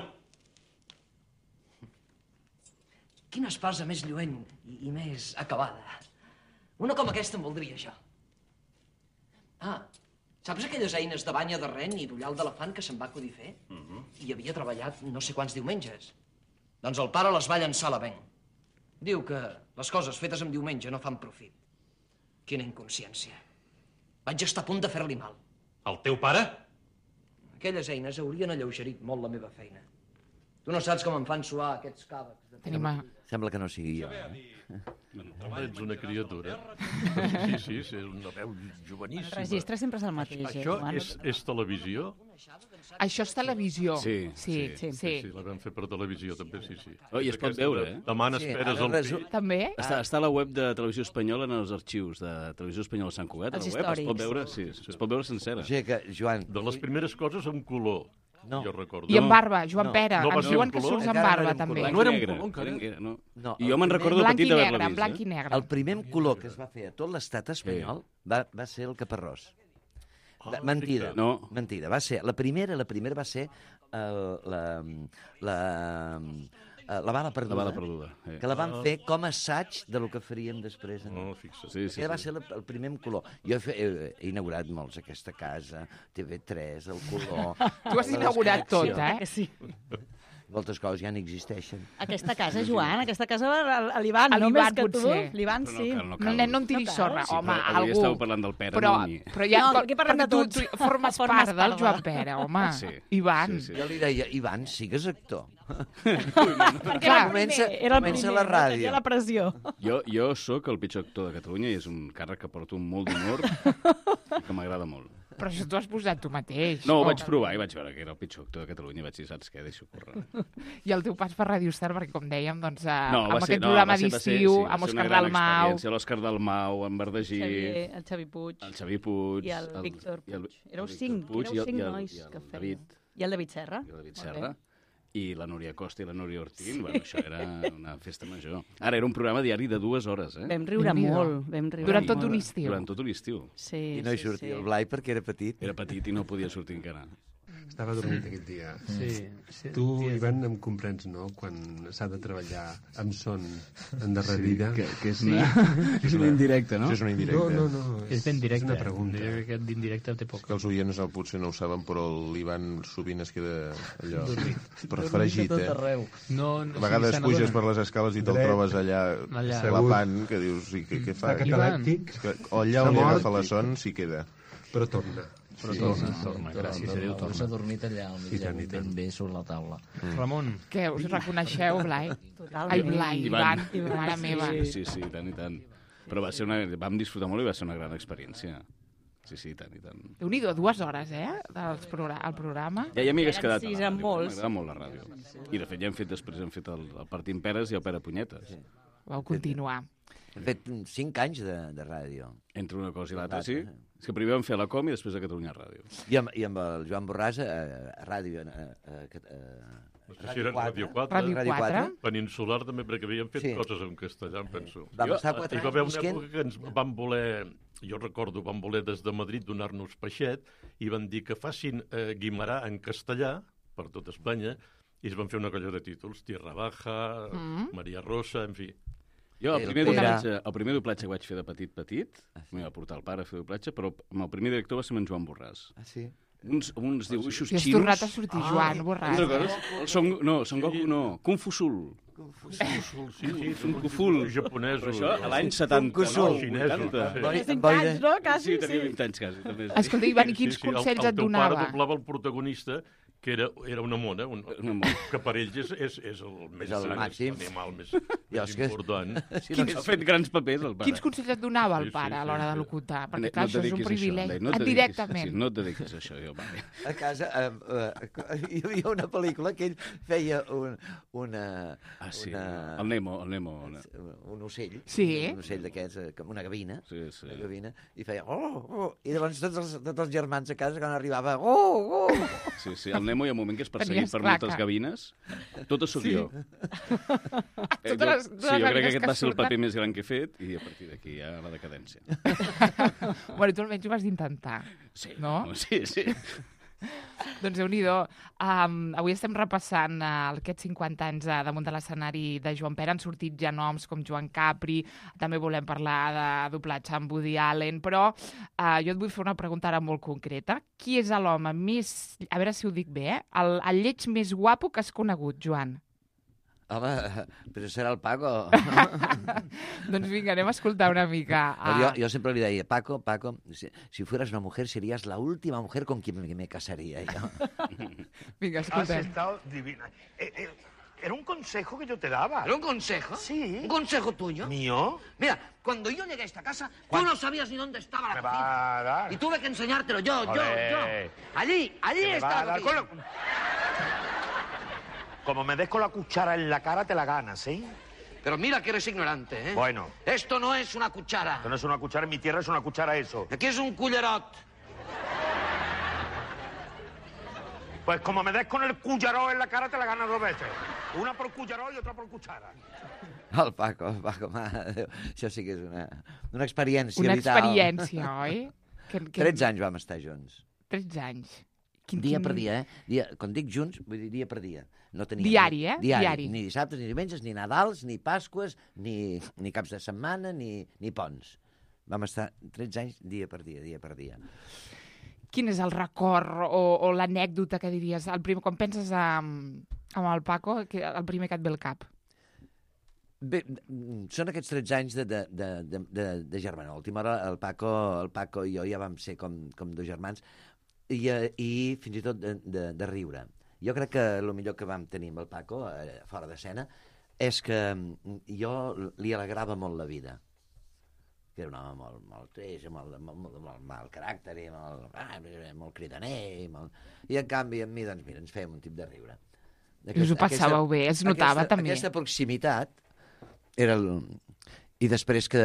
[SPEAKER 7] Quina espasa més lluent i, i més acabada. Una com aquesta em voldria jo. Ah, saps aquelles eines de banya de ren i d'ullal d'elefant que se'n va acudir fer? Uh -huh. I havia treballat no sé quants diumenges. Doncs el pare les va llançar a la venc. Diu que les coses fetes en diumenge no fan profit. Quina inconsciència. Vaig estar a punt de fer-li mal.
[SPEAKER 10] El teu pare?
[SPEAKER 7] Aquelles eines haurien alleugerit molt la meva feina. Tu no saps com em fan suar aquests càvecs. De...
[SPEAKER 1] Tenim a...
[SPEAKER 2] Sembla que no sigui jo. Eh?
[SPEAKER 3] Home, ets una criatura. Sí, sí, sí, és una veu joveníssima.
[SPEAKER 5] El registre sempre és el mateix, eh,
[SPEAKER 3] Això
[SPEAKER 5] Joan?
[SPEAKER 3] és, és televisió?
[SPEAKER 1] Això és televisió.
[SPEAKER 4] Sí,
[SPEAKER 1] sí, sí.
[SPEAKER 3] Sí, sí, la vam fer per televisió, també, sí, sí.
[SPEAKER 4] Oh, i es pot veure, eh?
[SPEAKER 3] Demanes
[SPEAKER 2] Sí,
[SPEAKER 3] peres
[SPEAKER 2] ara
[SPEAKER 3] al
[SPEAKER 2] resu-
[SPEAKER 3] pit.
[SPEAKER 1] També?
[SPEAKER 4] Està, està a la web de Televisió Espanyola en els arxius de Televisió Espanyola Sant Cugat. A
[SPEAKER 5] Els
[SPEAKER 4] la web es pot
[SPEAKER 5] històrics.
[SPEAKER 4] veure, sí, es pot veure sencera.
[SPEAKER 2] O sigui que, Joan...
[SPEAKER 3] De les primeres coses amb color,
[SPEAKER 2] No.
[SPEAKER 3] jo recordo.
[SPEAKER 1] I amb barba, Joan
[SPEAKER 2] No.
[SPEAKER 1] Pere.
[SPEAKER 3] No va
[SPEAKER 1] Ens
[SPEAKER 3] ser
[SPEAKER 1] diuen
[SPEAKER 3] en
[SPEAKER 1] que
[SPEAKER 3] color?
[SPEAKER 1] surts amb
[SPEAKER 2] Encara no
[SPEAKER 1] barba,
[SPEAKER 2] era en
[SPEAKER 1] també.
[SPEAKER 2] color.
[SPEAKER 3] No era en
[SPEAKER 4] Negre,
[SPEAKER 3] color, encara?
[SPEAKER 4] era negre, no.
[SPEAKER 2] No,
[SPEAKER 4] I jo
[SPEAKER 2] el
[SPEAKER 4] me'n
[SPEAKER 2] primer-
[SPEAKER 4] recordo
[SPEAKER 1] Blanc
[SPEAKER 4] petit
[SPEAKER 1] i
[SPEAKER 4] d'haver-la
[SPEAKER 1] negre,
[SPEAKER 4] vist.
[SPEAKER 1] blanc
[SPEAKER 4] eh?
[SPEAKER 1] i negre.
[SPEAKER 2] El primer color que es va fer a tot l'estat espanyol va, va ser el caparrós.
[SPEAKER 3] Ah,
[SPEAKER 2] Mentida.
[SPEAKER 3] fixa't.
[SPEAKER 4] No.
[SPEAKER 2] Mentida. Va ser, la primera, la primera va ser el, la, la, la, la bala perduda.
[SPEAKER 4] La bala perduda, eh.
[SPEAKER 2] Que la van fer com a assaig de lo que faríem després.
[SPEAKER 3] No, fixa't.
[SPEAKER 4] Sí, sí,
[SPEAKER 2] Aquell va
[SPEAKER 4] sí.
[SPEAKER 2] ser la, el primer en color. Jo he, fe- he, he inaugurat molts, aquesta casa, T V tres, el color...
[SPEAKER 1] Tu has
[SPEAKER 2] la
[SPEAKER 1] inaugurat tot,
[SPEAKER 2] desconnexió.
[SPEAKER 1] eh?
[SPEAKER 5] Que sí.
[SPEAKER 2] Moltes coses ja no existeixen.
[SPEAKER 5] Aquesta casa, Joan, aquesta casa va a l'Ivan,
[SPEAKER 1] A
[SPEAKER 5] no
[SPEAKER 1] l'Ivan,
[SPEAKER 5] més que tu.
[SPEAKER 1] potser.
[SPEAKER 5] L'Ivan
[SPEAKER 4] Però
[SPEAKER 5] sí.
[SPEAKER 4] no cal, no
[SPEAKER 1] No,
[SPEAKER 4] cal.
[SPEAKER 1] nen, no en tiris
[SPEAKER 5] No cal.
[SPEAKER 1] sorra,
[SPEAKER 4] Sí,
[SPEAKER 1] home,
[SPEAKER 4] però avui
[SPEAKER 1] algú.
[SPEAKER 4] estàveu parlant del Pere
[SPEAKER 1] però,
[SPEAKER 4] Núñez.
[SPEAKER 1] però ja,
[SPEAKER 5] No, aquí parlem
[SPEAKER 1] perquè
[SPEAKER 5] de
[SPEAKER 1] tu,
[SPEAKER 5] tots.
[SPEAKER 1] tu formes
[SPEAKER 5] Formes
[SPEAKER 1] part del
[SPEAKER 5] part de-
[SPEAKER 1] Joan Pere, home.
[SPEAKER 4] Sí.
[SPEAKER 1] Ivan.
[SPEAKER 4] Sí, sí.
[SPEAKER 2] Jo li deia, Ivan, sigues actor.
[SPEAKER 5] Perquè era el
[SPEAKER 2] Comença-
[SPEAKER 5] primer, era el
[SPEAKER 2] comença
[SPEAKER 5] primer,
[SPEAKER 2] la ràdio.
[SPEAKER 5] no tenia la pressió.
[SPEAKER 4] Jo, jo sóc el pitjor actor de Catalunya i és un càrrec que porto amb molt d'humor i que m'agrada molt.
[SPEAKER 1] Però això t'ho has posat tu mateix.
[SPEAKER 4] No, ho
[SPEAKER 1] Oh.
[SPEAKER 4] vaig provar i vaig veure que era el pitjor actor de Catalunya i vaig dir, saps què, deixo córrer.
[SPEAKER 1] I el teu pas per Radio Star, perquè com dèiem, doncs, eh,
[SPEAKER 4] No,
[SPEAKER 1] amb
[SPEAKER 4] va ser,
[SPEAKER 1] aquest
[SPEAKER 4] no,
[SPEAKER 1] programa
[SPEAKER 4] va ser, va ser,
[SPEAKER 1] d'estiu,
[SPEAKER 4] sí, va
[SPEAKER 1] amb
[SPEAKER 4] ser una
[SPEAKER 1] Òscar
[SPEAKER 4] gran
[SPEAKER 1] Dalmau...
[SPEAKER 4] experiència. L'Òscar Dalmau, en Verdagí,
[SPEAKER 5] Xavier, el Xavi Puig
[SPEAKER 4] el Xavi Puig...
[SPEAKER 5] i el Víctor
[SPEAKER 4] i el-
[SPEAKER 5] Puig. Éreu
[SPEAKER 4] el Víctor
[SPEAKER 5] cinc,
[SPEAKER 4] Puig
[SPEAKER 5] éreu
[SPEAKER 4] i el-
[SPEAKER 5] cinc
[SPEAKER 4] i el-
[SPEAKER 5] nois
[SPEAKER 4] i el
[SPEAKER 5] que feien.
[SPEAKER 4] David,
[SPEAKER 5] I el David Serra.
[SPEAKER 4] i el David
[SPEAKER 5] Molt
[SPEAKER 4] Serra.
[SPEAKER 5] bé.
[SPEAKER 4] I la Núria Costa i la Núria Ortín, bueno, això era una festa major. Ara, era un programa diari de dues hores, eh?
[SPEAKER 5] Vam riure
[SPEAKER 1] Déu-n'hi-do.
[SPEAKER 5] molt, vam riure
[SPEAKER 1] Durant tot
[SPEAKER 5] molt.
[SPEAKER 1] un estiu.
[SPEAKER 4] Durant tot un estiu.
[SPEAKER 5] Sí,
[SPEAKER 2] I no hi
[SPEAKER 5] sí,
[SPEAKER 2] sortia
[SPEAKER 5] sí.
[SPEAKER 2] el Blai perquè era petit.
[SPEAKER 4] Era petit i no podia sortir encara.
[SPEAKER 11] Estava dormit aquell dia.
[SPEAKER 12] Sí, sí.
[SPEAKER 11] Tu, Ivan, em comprens, no?, quan s'ha de treballar amb son endarrerida.
[SPEAKER 12] Sí, que, que sí. És una indirecta, no?
[SPEAKER 11] Això és una indirecta. No, no, no.
[SPEAKER 12] És ben directe.
[SPEAKER 11] És una pregunta.
[SPEAKER 12] Jo crec que d'indirecte té poc.
[SPEAKER 13] Que els oients no, potser no ho saben, però l'Ivan sovint es queda allò...
[SPEAKER 12] Dormit.
[SPEAKER 13] Per fregit,
[SPEAKER 12] Dormit a
[SPEAKER 13] eh?
[SPEAKER 12] tot arreu. No, no,
[SPEAKER 13] a vegades
[SPEAKER 12] sí, se
[SPEAKER 13] puges
[SPEAKER 12] n'adonen.
[SPEAKER 13] per les escales i te'l
[SPEAKER 11] Dret.
[SPEAKER 13] trobes allà,
[SPEAKER 12] Allà.
[SPEAKER 13] clapant, que dius, i què, què fa?
[SPEAKER 11] Està catalèptic.
[SPEAKER 13] Que, o allà
[SPEAKER 11] S'ha
[SPEAKER 13] on li
[SPEAKER 11] mort.
[SPEAKER 13] agafa la son, s'hi queda.
[SPEAKER 11] Però torna.
[SPEAKER 12] Però
[SPEAKER 13] Sí.
[SPEAKER 12] torna, torna, gràcies a Déu,
[SPEAKER 14] S'ha
[SPEAKER 12] torna.
[SPEAKER 14] dormit allà, al mig,
[SPEAKER 11] I tant, i tant.
[SPEAKER 14] ben bé sobre la taula.
[SPEAKER 12] Mm. Ramon.
[SPEAKER 1] Què, us reconeixeu, Blai?
[SPEAKER 5] Totalment.
[SPEAKER 1] Ai, Blai, Ivan,
[SPEAKER 4] Ivan.
[SPEAKER 1] mare meva.
[SPEAKER 4] Sí, sí, sí, i tant, i tant. Però va ser una... vam disfrutar molt i va ser una gran experiència. Sí, sí, i tant, i tant.
[SPEAKER 1] Déu-n'hi-do, dues hores, eh, del progra el programa.
[SPEAKER 4] Ja, ja m'hi hagués
[SPEAKER 5] Eren
[SPEAKER 4] quedat a
[SPEAKER 5] sis
[SPEAKER 4] la
[SPEAKER 5] en
[SPEAKER 4] ràdio,
[SPEAKER 5] molts.
[SPEAKER 4] m'agrada molt la ràdio. I, de fet, ja hem fet després, hem fet el, el Partim Peres i el Pere Punyetes.
[SPEAKER 1] Vau continuar.
[SPEAKER 2] Hem fet cinc anys de, de ràdio.
[SPEAKER 4] Entre una cosa i l'altra,
[SPEAKER 2] Data,
[SPEAKER 4] sí.
[SPEAKER 2] eh?
[SPEAKER 4] És que primer vam fer la Com i després a Catalunya Ràdio.
[SPEAKER 2] I amb, i amb el Joan Borràs a, a ràdio... A, a, a,
[SPEAKER 3] No sé si era Ràdio quatre.
[SPEAKER 1] Ràdio
[SPEAKER 2] Ràdio
[SPEAKER 1] quatre.
[SPEAKER 2] quatre.
[SPEAKER 3] Peninsular també, perquè havíem fet
[SPEAKER 2] Sí.
[SPEAKER 3] coses en castellà, em penso.
[SPEAKER 2] Vam
[SPEAKER 3] Jo,
[SPEAKER 2] estar quatre
[SPEAKER 3] hi va haver
[SPEAKER 2] anys
[SPEAKER 3] una
[SPEAKER 2] visquent.
[SPEAKER 3] època que ens van voler, jo recordo, van voler des de Madrid donar-nos peixet i van dir que facin eh, Guimarà en castellà per tot Espanya i es van fer una colla de títols, Tierra Baja,
[SPEAKER 1] Mm.
[SPEAKER 3] Maria Rosa, en fi.
[SPEAKER 4] Jo, el
[SPEAKER 2] El
[SPEAKER 4] primer,
[SPEAKER 2] Pere.
[SPEAKER 4] doblatge, el primer doblatge que vaig fer de petit-petit, m'hi va portar el pare a fer doblatge, però amb el primer director va ser amb en Joan Borràs.
[SPEAKER 2] Ah, sí?
[SPEAKER 4] Uns, uns dibuixos
[SPEAKER 1] I has
[SPEAKER 4] xinos...
[SPEAKER 1] tornat a sortir, Joan, Borràs.
[SPEAKER 4] No recordes? El Son, no, Son Goku no, Kung Fu Sul.
[SPEAKER 3] Sí, sí,
[SPEAKER 4] Kung Fu Sul.
[SPEAKER 3] Japonesos.
[SPEAKER 4] Però això, a l'any setanta,
[SPEAKER 2] Kung Fu Sul.
[SPEAKER 4] vuitanta.
[SPEAKER 3] Sí.
[SPEAKER 2] Boi-
[SPEAKER 5] Cinc
[SPEAKER 2] boira-
[SPEAKER 5] anys, no? Quasi,
[SPEAKER 4] Sí, tenia
[SPEAKER 5] sí.
[SPEAKER 4] vint anys, quasi. També.
[SPEAKER 1] Escolta, Ivan, i quins consells
[SPEAKER 3] el,
[SPEAKER 1] et
[SPEAKER 3] el teu
[SPEAKER 1] donava?
[SPEAKER 3] pare doblava el protagonista, que era, era una mona, un,
[SPEAKER 4] Una mona.
[SPEAKER 3] que per ells és, és, és el més
[SPEAKER 2] el
[SPEAKER 3] gran,
[SPEAKER 2] màxim.
[SPEAKER 3] l'animal més,
[SPEAKER 2] Jo,
[SPEAKER 3] més
[SPEAKER 2] és que-
[SPEAKER 3] important.
[SPEAKER 2] Si
[SPEAKER 4] Quins ha fet grans papers, el pare.
[SPEAKER 1] Quins consells et donava el
[SPEAKER 3] Sí, sí,
[SPEAKER 1] pare a
[SPEAKER 3] sí,
[SPEAKER 1] l'hora
[SPEAKER 3] sí.
[SPEAKER 1] de locutar? Perquè,
[SPEAKER 4] No
[SPEAKER 1] clar,
[SPEAKER 4] et
[SPEAKER 1] això és un
[SPEAKER 4] dediquis a això,
[SPEAKER 1] privilegi.
[SPEAKER 4] Blai, no et dediquis-
[SPEAKER 1] Directament.
[SPEAKER 4] Sí, no et dediquis a això, jo, vale.
[SPEAKER 2] A casa eh, eh, hi havia una pel·lícula que ell feia un, una,
[SPEAKER 4] Ah, sí,
[SPEAKER 2] una,
[SPEAKER 4] el Nemo, el Nemo. Una...
[SPEAKER 2] un ocell,
[SPEAKER 1] Sí.
[SPEAKER 2] un ocell d'aquests, eh, com una gavina,
[SPEAKER 4] Sí, sí.
[SPEAKER 2] una gavina, i feia oh, oh, i llavors tots els, tots els germans a casa quan arribava oh, oh.
[SPEAKER 4] Sí, sí, el Nemo hi ha un moment que és perseguit
[SPEAKER 1] Tenies
[SPEAKER 4] per
[SPEAKER 1] claca.
[SPEAKER 4] moltes gavines. Totes sóc
[SPEAKER 1] Sí.
[SPEAKER 4] jo. Eh,
[SPEAKER 1] Totes
[SPEAKER 4] jo-
[SPEAKER 1] les-
[SPEAKER 4] sí,
[SPEAKER 1] totes
[SPEAKER 4] jo
[SPEAKER 1] les
[SPEAKER 4] crec que
[SPEAKER 1] gavines
[SPEAKER 4] aquest
[SPEAKER 1] que
[SPEAKER 4] va ser el paper
[SPEAKER 1] surten.
[SPEAKER 4] més gran que he fet i a partir d'aquí ja la decadència.
[SPEAKER 1] Bueno, tu almenys ho vas intentar.
[SPEAKER 4] Sí,
[SPEAKER 1] No?
[SPEAKER 4] Sí, sí.
[SPEAKER 1] Doncs déu-n'hi-do. Um, avui estem repassant uh, aquests cinquanta anys uh, damunt de l'escenari de Joan Pere. Han sortit ja noms com Joan Capri, també volem parlar de doblatge amb Woody Allen, però uh, jo et vull fer una pregunta ara molt concreta. Qui és l'home més, a veure si ho dic bé, eh? el, el lleig més guapo que has conegut, Joan?
[SPEAKER 2] Home, però serà el Paco.
[SPEAKER 1] Doncs vinga, anem a escoltar una mica.
[SPEAKER 2] Ah. Jo, jo sempre li deia, Paco, Paco, si, si fueras una mujer, serías la última mujer con quien me, me casaría. Yo.
[SPEAKER 1] Vinga,
[SPEAKER 14] Has
[SPEAKER 1] escoltem.
[SPEAKER 14] estado divina. Eh, eh, era un consejo que yo te daba.
[SPEAKER 15] ¿Era un consejo?
[SPEAKER 14] Sí.
[SPEAKER 15] ¿Un consejo tuyo?
[SPEAKER 14] ¿Mío?
[SPEAKER 15] Mira, cuando yo llegué a esta casa,
[SPEAKER 14] ¿Cuál?
[SPEAKER 15] tú no sabías ni dónde estaba la
[SPEAKER 14] Me
[SPEAKER 15] cocina.
[SPEAKER 14] va a dar.
[SPEAKER 15] Y tuve que enseñártelo yo, yo,
[SPEAKER 14] Olé.
[SPEAKER 15] yo. Allí, allí
[SPEAKER 14] Que me
[SPEAKER 15] está
[SPEAKER 14] va a
[SPEAKER 15] la
[SPEAKER 14] dar
[SPEAKER 15] cocina.
[SPEAKER 14] con la- Como me des con la cuchara en la cara, te la ganas, ¿sí?
[SPEAKER 15] Pero mira que eres ignorante, ¿eh?
[SPEAKER 14] Bueno.
[SPEAKER 15] Esto no es una cuchara.
[SPEAKER 14] Esto no es una cuchara, en mi tierra es una cuchara eso.
[SPEAKER 15] Aquí es un cullerot.
[SPEAKER 14] Pues como me des con el culleró en la cara, te la ganas dos veces. Una por culleró y otra por cuchara.
[SPEAKER 2] El Paco, el Paco, mare de Déu. Això sí que és una, una experiència
[SPEAKER 1] Una
[SPEAKER 2] vital.
[SPEAKER 1] experiència, oi? Que, que...
[SPEAKER 2] tretze anys vam estar junts.
[SPEAKER 1] tretze anys. Quin,
[SPEAKER 2] Dia
[SPEAKER 1] quin...
[SPEAKER 2] per dia, eh? Dia, quan dic junts, vull dir dia per dia. No tenia
[SPEAKER 1] Diari,
[SPEAKER 2] ni,
[SPEAKER 1] eh?
[SPEAKER 2] Diari.
[SPEAKER 1] Diari.
[SPEAKER 2] Ni dissabtes, ni diumenges, ni Nadals, ni Pasques, ni, ni caps de setmana, ni, ni ponts. Vam estar tretze anys dia per dia, dia per dia.
[SPEAKER 1] Quin és el record o, o l'anècdota que diries? El primer, quan penses en, en el Paco, que el primer que et ve al cap?
[SPEAKER 2] Bé, són aquests tretze anys de, de, de, de, de, de germana. A l'última hora el Paco, el Paco i jo ja vam ser com, com dos germans i, i fins i tot de, de, de riure. Jo crec que el millor que vam tenir amb el Paco, eh, fora d'escena, és que jo li alegrava molt la vida. Que era un home molt, molt trist, molt, molt, molt, molt mal caràcter, i molt, ah, molt cridaner, i, molt... i en canvi amb mi, doncs mira, ens fèiem un tip de riure.
[SPEAKER 1] I us ho passàveu bé, es notava
[SPEAKER 2] aquesta,
[SPEAKER 1] també.
[SPEAKER 2] Aquesta proximitat era el... I després que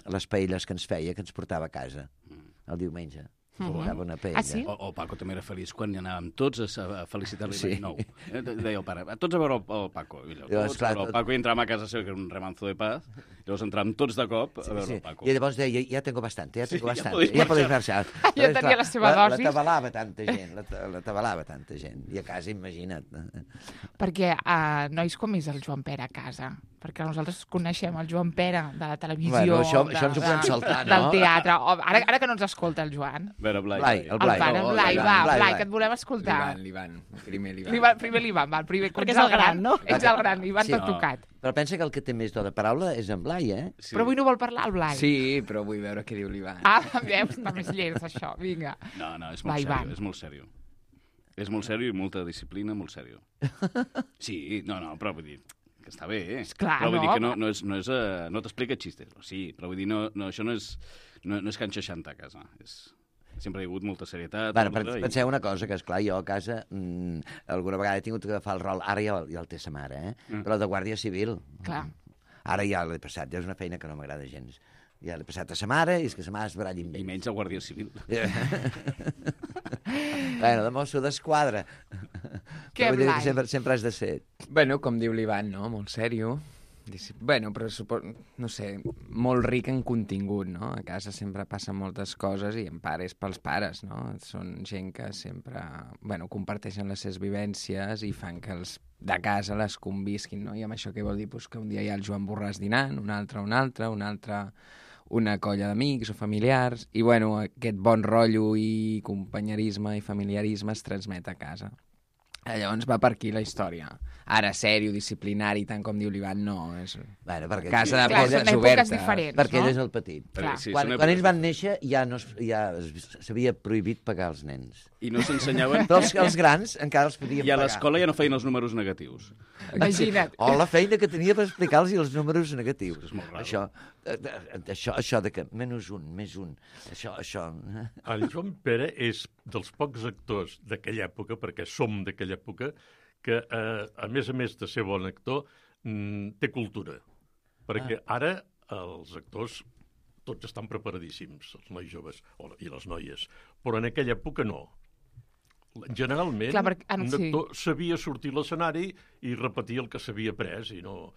[SPEAKER 2] les paelles que ens feia, que ens portava a casa, el diumenge.
[SPEAKER 4] Mm-hmm.
[SPEAKER 2] Portava una paella.
[SPEAKER 1] Ah, sí?
[SPEAKER 4] O, o Paco també era feliç quan hi anàvem tots a, a felicitar-li
[SPEAKER 2] Sí.
[SPEAKER 4] l'any nou. Eh, deia el pare, tots a veure el, el Paco. I allò,
[SPEAKER 2] Jo,
[SPEAKER 4] tots
[SPEAKER 2] esclar,
[SPEAKER 4] a veure el
[SPEAKER 2] tot-
[SPEAKER 4] Paco i entràvem a casa seva, que era un remanzo de paz, i llavors entràvem tots de cop a
[SPEAKER 2] Sí,
[SPEAKER 4] veure
[SPEAKER 2] sí.
[SPEAKER 4] el Paco.
[SPEAKER 2] I llavors deia, ja tengo bastante, ja
[SPEAKER 4] Sí,
[SPEAKER 2] tengo
[SPEAKER 4] ja
[SPEAKER 2] bastante,
[SPEAKER 4] podeu
[SPEAKER 2] ja podeu
[SPEAKER 4] marxar.
[SPEAKER 2] marxar.
[SPEAKER 1] Ja tenia la seva
[SPEAKER 2] la,
[SPEAKER 1] dosis.
[SPEAKER 2] La tabalava tanta gent, la, ta- la tabalava tanta gent. I a casa, imagina't.
[SPEAKER 1] Perquè, uh, nois, com és el Joan Pere a casa? Perquè nosaltres coneixem el Joan Pere de la televisió,
[SPEAKER 2] Bueno, això-
[SPEAKER 1] de,
[SPEAKER 2] això ens ho podem
[SPEAKER 1] de-
[SPEAKER 2] saltar, no?
[SPEAKER 1] del teatre. O, ara, ara que no ens escolta el Joan.
[SPEAKER 4] A veure, Blai.
[SPEAKER 2] Blai, el Blai.
[SPEAKER 1] El pare,
[SPEAKER 2] Oh,
[SPEAKER 1] Blai,
[SPEAKER 2] Blai,
[SPEAKER 1] va,
[SPEAKER 2] Blai,
[SPEAKER 1] Blai,
[SPEAKER 2] Blai.
[SPEAKER 1] que et volem escoltar.
[SPEAKER 6] L'Ivan, l'Ivan. Primer l'Ivan.
[SPEAKER 1] L'Ivan, primer l'Ivan, va, el primer.
[SPEAKER 5] Perquè
[SPEAKER 1] ets
[SPEAKER 5] és el gran, no?
[SPEAKER 1] Ets el gran, l'Ivan
[SPEAKER 2] Sí.
[SPEAKER 1] t'ha tocat.
[SPEAKER 2] Però pensa que el que té més do de paraula és en Blai, eh?
[SPEAKER 4] Sí.
[SPEAKER 1] Però avui no vol parlar el Blai.
[SPEAKER 6] Sí, però vull veure què diu l'Ivan.
[SPEAKER 1] Ah, veus, està més llest, això. Vinga.
[SPEAKER 4] No, no, és
[SPEAKER 1] Va,
[SPEAKER 4] molt
[SPEAKER 1] Ivan.
[SPEAKER 4] sèrio, és molt sèrio. És molt sèrio i molta disciplina, molt sèrio. Sí, no, no, però vull dir que està bé, eh?
[SPEAKER 1] Esclar,
[SPEAKER 4] però vull
[SPEAKER 1] no,
[SPEAKER 4] dir que no,
[SPEAKER 1] home.
[SPEAKER 4] no, és, no, és, uh, no t'explica xistes. Sí, però vull dir, no, no, això no és, no, no és Can seixanta a casa. És... Sempre hi ha hagut molta serietat.
[SPEAKER 2] Bueno,
[SPEAKER 4] molta, i-
[SPEAKER 2] penseu una cosa, que esclar, jo a casa mmm, alguna vegada he tingut que agafar el rol, ara ja, el- ja el té sa mare, eh?
[SPEAKER 4] Mm.
[SPEAKER 2] Però de guàrdia civil.
[SPEAKER 1] Clar.
[SPEAKER 2] Ara ja l'he passat, ja és una feina que no m'agrada gens. Ja l'he passat a sa mare i és que sa mare es baralla amb
[SPEAKER 4] I
[SPEAKER 2] ell.
[SPEAKER 4] menys a Guàrdia Civil.
[SPEAKER 2] Bueno, de mosso d'esquadra.
[SPEAKER 1] Què,
[SPEAKER 2] Però vull dir
[SPEAKER 1] Blai?
[SPEAKER 2] que sempre, sempre has de ser.
[SPEAKER 6] Bueno, com diu l'Ivan, no? Molt sèrio. Disci- Bueno, però supo... no sé, molt ric en contingut, no? A casa sempre passen moltes coses i en pares pels pares, no? Són gent que sempre, bueno, comparteixen les seves vivències i fan que els de casa les convisquin, no? I amb això què vol dir? Pues que un dia hi ha el Joan Borràs dinant, un altre un altre, un altre una colla d'amics o familiars, i bueno, aquest bon rotllo i companyerisme i familiarisme es transmet a casa. Llavors va per aquí la història. Ara, sèrio, disciplinari, tant com diu l'Ivan, no. És
[SPEAKER 2] Bueno, perquè
[SPEAKER 6] casa de
[SPEAKER 1] Clar,
[SPEAKER 6] portes
[SPEAKER 1] són èpoques
[SPEAKER 6] obertes.
[SPEAKER 1] diferents,
[SPEAKER 2] perquè
[SPEAKER 1] no?
[SPEAKER 2] ell és el petit.
[SPEAKER 1] Clar.
[SPEAKER 4] Sí,
[SPEAKER 2] quan,
[SPEAKER 4] són
[SPEAKER 2] quan ells
[SPEAKER 4] èpoques-
[SPEAKER 2] van néixer ja no es- ja es- s'havia prohibit pagar els nens.
[SPEAKER 4] I no s'ensenyaven...
[SPEAKER 2] Però els, els grans encara els podien
[SPEAKER 4] I a
[SPEAKER 2] pagar.
[SPEAKER 4] l'escola ja no feien els números negatius.
[SPEAKER 1] Imagina't.
[SPEAKER 2] O la feina que tenia per explicar-los els números negatius.
[SPEAKER 4] És molt raro.
[SPEAKER 2] Això, eh, eh, això, això de que menys un, més un, això, això...
[SPEAKER 3] El Joan Pere és dels pocs actors d'aquella època, perquè som d'aquella època, que, eh, a més a més de ser bon actor, mm, té cultura. Perquè ara els actors tots estan preparadíssims, els nois joves o, i les noies, però en aquella època no. Generalment,
[SPEAKER 1] Clar, perquè- ah,
[SPEAKER 3] un
[SPEAKER 1] sí.
[SPEAKER 3] actor sabia sortir a l'escenari i repetir el que s'havia après, i no...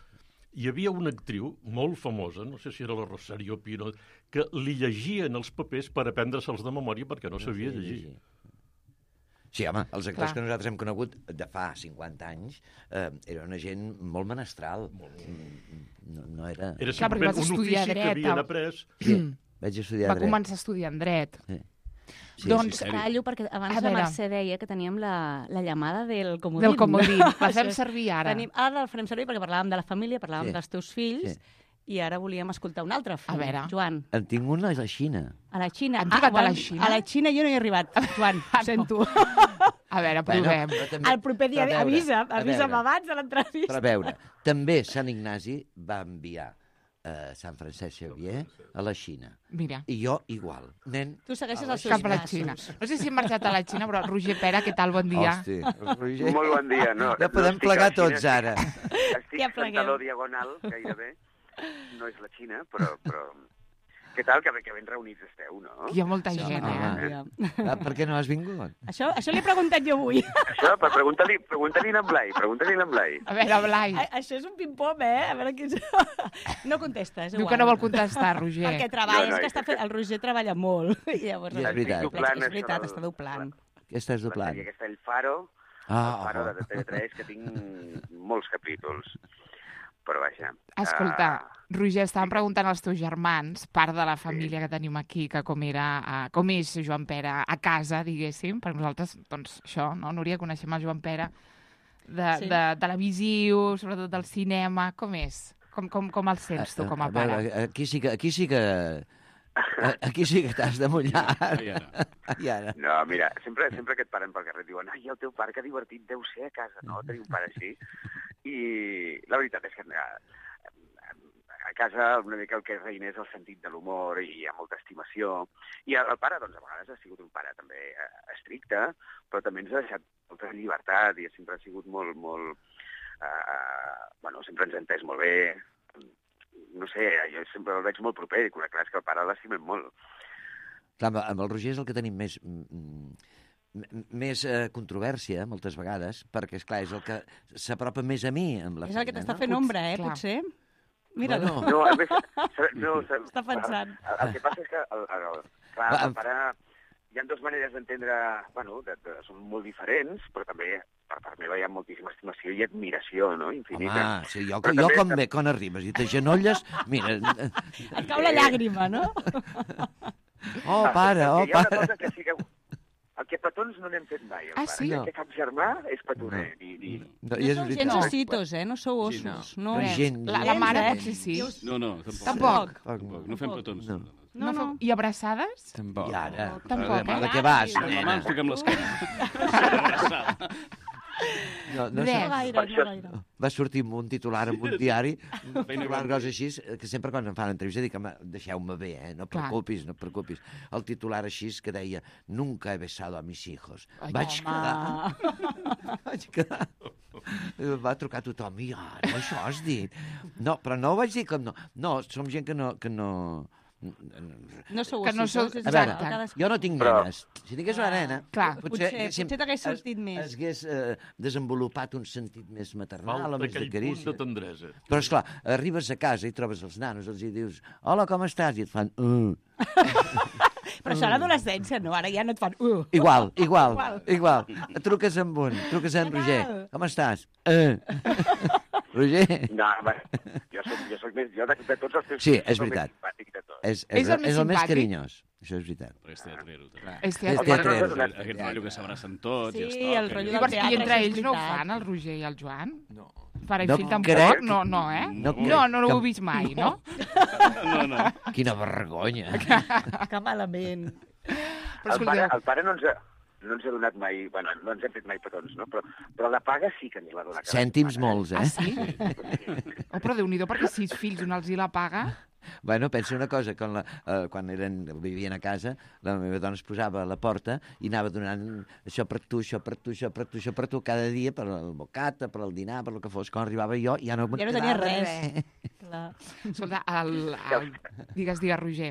[SPEAKER 3] Hi havia una actriu molt famosa, no sé si era la Rosario Pino, que li llegien els papers per aprendre-se'ls de memòria perquè no sabia llegir.
[SPEAKER 2] Sí, home, els actors
[SPEAKER 1] Clar.
[SPEAKER 2] que nosaltres hem conegut de fa cinquanta anys eh, era una gent molt menestral. No, no era...
[SPEAKER 3] Era
[SPEAKER 1] Clar, perquè
[SPEAKER 3] simplement
[SPEAKER 1] vas
[SPEAKER 3] un
[SPEAKER 1] estudiar
[SPEAKER 3] ofici que
[SPEAKER 1] dret,
[SPEAKER 3] havien
[SPEAKER 1] a-
[SPEAKER 3] après.
[SPEAKER 2] Sí, vaig estudiar
[SPEAKER 1] Va
[SPEAKER 2] dret.
[SPEAKER 1] començar a estudiar en dret.
[SPEAKER 2] Sí. Sí,
[SPEAKER 1] Doncs,
[SPEAKER 2] sí,
[SPEAKER 5] Callo, perquè abans
[SPEAKER 1] A
[SPEAKER 5] la
[SPEAKER 1] veure.
[SPEAKER 5] Mercè deia que teníem la, la llamada del comodín.
[SPEAKER 1] Del comodín. La
[SPEAKER 5] Això
[SPEAKER 1] fem
[SPEAKER 5] és-
[SPEAKER 1] servir ara.
[SPEAKER 5] Tenim, ara la farem servir perquè parlàvem de la família, parlàvem
[SPEAKER 2] Sí.
[SPEAKER 5] dels teus fills,
[SPEAKER 2] Sí.
[SPEAKER 5] i ara volíem escoltar un altre fill.
[SPEAKER 1] A veure.
[SPEAKER 5] Joan,
[SPEAKER 2] En tinc una a la Xina.
[SPEAKER 5] a la Xina.
[SPEAKER 1] Han trucat a la
[SPEAKER 5] bueno,
[SPEAKER 1] Xina?
[SPEAKER 5] A la Xina jo no hi he arribat, Joan,
[SPEAKER 1] Ah,
[SPEAKER 5] ho sento.
[SPEAKER 1] A veure, provem.
[SPEAKER 2] però també-
[SPEAKER 5] El proper dia
[SPEAKER 2] però a veure,
[SPEAKER 5] avisa,
[SPEAKER 2] a
[SPEAKER 5] avisa'm
[SPEAKER 2] veure.
[SPEAKER 5] abans de
[SPEAKER 2] Però a
[SPEAKER 5] l'entrevista.
[SPEAKER 2] veure, també Sant Ignasi va enviar a Sant Francesc Xavier a la Xina.
[SPEAKER 1] Mira.
[SPEAKER 2] I jo igual. Nen,
[SPEAKER 5] Tu segueixes
[SPEAKER 2] a la
[SPEAKER 5] els seus
[SPEAKER 1] Cap a la
[SPEAKER 5] passos.
[SPEAKER 1] Xina. No sé si hem marxat a la Xina, però Roger Pera, què tal? Bon dia.
[SPEAKER 2] Hosti, Roger.
[SPEAKER 16] Molt bon dia. No,
[SPEAKER 2] Ja podem
[SPEAKER 16] no estic
[SPEAKER 2] plegar
[SPEAKER 16] a la Xina,
[SPEAKER 2] tots ara.
[SPEAKER 16] Estic
[SPEAKER 5] Ja
[SPEAKER 16] ja
[SPEAKER 5] pleguem.
[SPEAKER 16] taló diagonal, gairebé. No és la Xina, però... però... Què tal? Que, ben- que ben reunits esteu, no?
[SPEAKER 1] Hi ha molta
[SPEAKER 2] Sí,
[SPEAKER 1] gent,
[SPEAKER 2] home.
[SPEAKER 1] eh?
[SPEAKER 2] Ah, per què no has vingut?
[SPEAKER 5] Això, això l'he preguntat jo avui.
[SPEAKER 16] Això, per preguntar-li preguntar a Blai, pregunta-li a Blai.
[SPEAKER 1] A veure, Blai.
[SPEAKER 5] A- Això és un pim-pom, eh? A veure qui... No contesta, és
[SPEAKER 1] Diu
[SPEAKER 5] igual.
[SPEAKER 1] que no vol contestar, Roger.
[SPEAKER 5] Perquè treballa,
[SPEAKER 16] No, no,
[SPEAKER 5] és que
[SPEAKER 16] és
[SPEAKER 5] està fent... El Roger treballa molt. I llavors,
[SPEAKER 2] I és veritat.
[SPEAKER 16] Estic doblant
[SPEAKER 5] és
[SPEAKER 16] això
[SPEAKER 5] veritat,
[SPEAKER 16] del-
[SPEAKER 5] està doblant.
[SPEAKER 2] Què estàs
[SPEAKER 16] La
[SPEAKER 2] doblant?
[SPEAKER 16] sèrie aquesta, El Faro,
[SPEAKER 2] Ah,
[SPEAKER 16] El Faro
[SPEAKER 2] oh.
[SPEAKER 16] de T V tres, que tinc molts capítols. Però vaja...
[SPEAKER 1] Escolta,
[SPEAKER 16] ah,
[SPEAKER 1] Roger, estàvem preguntant als teus germans, part de la família que tenim aquí, que com era, uh, com és Joan Pera a casa, diguéssim, perquè nosaltres, doncs, això, no? Núria, coneixem el Joan Pera de,
[SPEAKER 5] Sí.
[SPEAKER 1] de televisiu, sobretot del cinema, com és? Com, com, com el sents tu, com a,
[SPEAKER 2] a
[SPEAKER 1] pare?
[SPEAKER 2] veure, aquí sí que... Aquí sí que... Aquí sí que t'has de mullar.
[SPEAKER 4] I ara.
[SPEAKER 2] I ara.
[SPEAKER 16] No, mira, sempre, sempre que et paren pel carrer et diuen ai, el teu pare, que divertit deu ser a casa, no? Tenir un pare així. I la veritat és que a, a casa una mica el que reina és el sentit de l'humor i hi ha molta estimació. I el, el pare, doncs, a vegades ha sigut un pare també eh, estricte, però també ens ha deixat molta llibertat i sempre ha sigut molt, molt... Eh, bueno, sempre ens ha entès molt bé. No sé, jo sempre el veig molt proper i clar, és que el pare l'estimem molt.
[SPEAKER 2] Clar, amb- amb el Roger és el que tenim més... mm, m- més eh, controvèrsia, moltes vegades, perquè, és clar és el que s'apropa més a mi amb la
[SPEAKER 5] És el que
[SPEAKER 2] feina,
[SPEAKER 5] t'està
[SPEAKER 2] no?
[SPEAKER 5] fent ombra, eh,
[SPEAKER 1] Clar.
[SPEAKER 5] potser? Mira-lo.
[SPEAKER 2] Bueno.
[SPEAKER 16] No, a més, no,
[SPEAKER 5] Està pensant.
[SPEAKER 16] El, el que passa és que, el, el, el, clar,
[SPEAKER 2] Va,
[SPEAKER 16] el pare... Hi ha dues maneres d'entendre... Bueno, de, de, són molt diferents, però també per part meva hi ha moltíssima estimació i admiració, no? Infinita.
[SPEAKER 2] Home, sí, jo,
[SPEAKER 16] Però
[SPEAKER 2] jo
[SPEAKER 16] també-
[SPEAKER 2] com bé, quan arribes i t'agenolles, mira...
[SPEAKER 5] Et cau la llàgrima, no?
[SPEAKER 2] Oh, pare, oh,
[SPEAKER 16] Perquè hi ha una
[SPEAKER 2] pare.
[SPEAKER 16] cosa que sí que... El que petons no n'hem fet mai, el
[SPEAKER 1] Ah,
[SPEAKER 16] pare.
[SPEAKER 1] sí?
[SPEAKER 16] El que cap germà és petoner. I, i...
[SPEAKER 2] No,
[SPEAKER 5] No
[SPEAKER 2] i és
[SPEAKER 5] sou
[SPEAKER 2] veritat.
[SPEAKER 5] gens ositos, eh? No sou ossos. No.
[SPEAKER 2] Res. Gent-
[SPEAKER 1] La, la mare
[SPEAKER 5] Gens, eh?
[SPEAKER 1] potser sí.
[SPEAKER 4] No, no, tampoc.
[SPEAKER 1] Tampoc.
[SPEAKER 4] Tampoc. No fem petons.
[SPEAKER 2] No.
[SPEAKER 1] No, no. I abraçades?
[SPEAKER 6] Tampoc.
[SPEAKER 2] I ara?
[SPEAKER 1] Tampoc,
[SPEAKER 2] De
[SPEAKER 1] eh?
[SPEAKER 2] què vas,
[SPEAKER 4] La mà
[SPEAKER 2] nena?
[SPEAKER 4] ens toquem l'esquena.
[SPEAKER 2] No, no,
[SPEAKER 1] Res.
[SPEAKER 2] sé.
[SPEAKER 5] No gaire,
[SPEAKER 16] Per
[SPEAKER 5] no
[SPEAKER 16] això-
[SPEAKER 5] gaire.
[SPEAKER 2] Va sortir amb un titular en un diari, un titular cosa així, que sempre quan em fan entrevista dic, home, deixeu-me bé, eh? no et
[SPEAKER 1] Clar.
[SPEAKER 2] preocupis, no et preocupis. El titular així que deia, nunca he besado a mis hijos.
[SPEAKER 1] Ai,
[SPEAKER 2] Vaig
[SPEAKER 5] home.
[SPEAKER 2] quedar... Vaig quedar... Em va trucar tothom, i ara, això has dit? No, però no ho vaig dir com no. No, som gent que no... Que no...
[SPEAKER 5] No sou
[SPEAKER 1] Que no
[SPEAKER 5] ositos,
[SPEAKER 1] sou-
[SPEAKER 5] és
[SPEAKER 2] A veure,
[SPEAKER 5] cadascú.
[SPEAKER 2] jo no tinc
[SPEAKER 16] Però-
[SPEAKER 2] nenes. Si tingués una nena,
[SPEAKER 1] Clar,
[SPEAKER 5] potser- potser t'hagués
[SPEAKER 2] es-
[SPEAKER 5] sortit més.
[SPEAKER 2] Es hagués eh, desenvolupat un sentit més maternal,
[SPEAKER 3] Falta
[SPEAKER 2] o més de
[SPEAKER 3] aquell punt
[SPEAKER 2] carícia.
[SPEAKER 3] de tendresa.
[SPEAKER 2] Però, esclar, arribes a casa i trobes els nanos, els hi dius, hola, com estàs? I et fan, uh.
[SPEAKER 5] Però això a l'adolescència, no? Ara ja no et fan... Uh.
[SPEAKER 2] Igual, igual,
[SPEAKER 5] Igual.
[SPEAKER 2] igual. Truques amb un, truques amb
[SPEAKER 5] Què
[SPEAKER 2] Roger.
[SPEAKER 5] tal?
[SPEAKER 2] Com estàs? Uh. Roger?
[SPEAKER 16] No, home, jo soc, jo soc més... Jo de, de tots els teus
[SPEAKER 2] Sí,
[SPEAKER 16] fills
[SPEAKER 2] és
[SPEAKER 16] soc el més
[SPEAKER 2] veritat.
[SPEAKER 16] simpàtic de tots.
[SPEAKER 2] És, és,
[SPEAKER 1] És el més
[SPEAKER 2] és el més
[SPEAKER 1] simpàtic?
[SPEAKER 2] carinyós. Això és veritat.
[SPEAKER 4] Però és teatrero, també.
[SPEAKER 1] És
[SPEAKER 2] És
[SPEAKER 1] teatre.
[SPEAKER 2] teatrero.
[SPEAKER 4] Aquest, aquest rotllo que s'abracen tots i
[SPEAKER 5] Sí,
[SPEAKER 4] es toquen.
[SPEAKER 5] el rotllo
[SPEAKER 4] i-
[SPEAKER 5] del
[SPEAKER 1] Llavors,
[SPEAKER 5] teatre,
[SPEAKER 1] I entre
[SPEAKER 5] això és
[SPEAKER 1] ells no ho
[SPEAKER 5] veritat.
[SPEAKER 1] fan, el Roger i el Joan?
[SPEAKER 6] No.
[SPEAKER 1] Pare i
[SPEAKER 2] No
[SPEAKER 1] fill tampoc?
[SPEAKER 2] crec.
[SPEAKER 1] No, no, eh?
[SPEAKER 2] No
[SPEAKER 1] No,
[SPEAKER 2] crec
[SPEAKER 1] no, no
[SPEAKER 2] que-
[SPEAKER 1] ho he vist mai, no?
[SPEAKER 4] No, no.
[SPEAKER 2] Quina vergonya.
[SPEAKER 5] Que malament.
[SPEAKER 1] Però
[SPEAKER 16] El pare,
[SPEAKER 1] escolteu,
[SPEAKER 16] el pare no ens ha, no ens ha donat mai... Bueno, no ens hem fet mai petons, no? Però, però la paga sí que ens la dona. cada
[SPEAKER 2] Cèntims
[SPEAKER 16] setmana,
[SPEAKER 2] molts,
[SPEAKER 1] ah,
[SPEAKER 2] eh?
[SPEAKER 1] sí? Oh, però Déu-n'hi-do, perquè sis fills un els hi la paga.
[SPEAKER 2] Bueno, pensa una cosa, quan, la, eh, quan eren, vivien a casa, la meva dona es posava a la porta i anava donant això per tu, això per tu, això per tu, això per tu, cada dia, per el bocata, per el dinar, per el que fos. Quan arribava jo, ja no,
[SPEAKER 5] Ja no tenia res. Clar.
[SPEAKER 1] Escolta, el, el... digues, digues, Roger.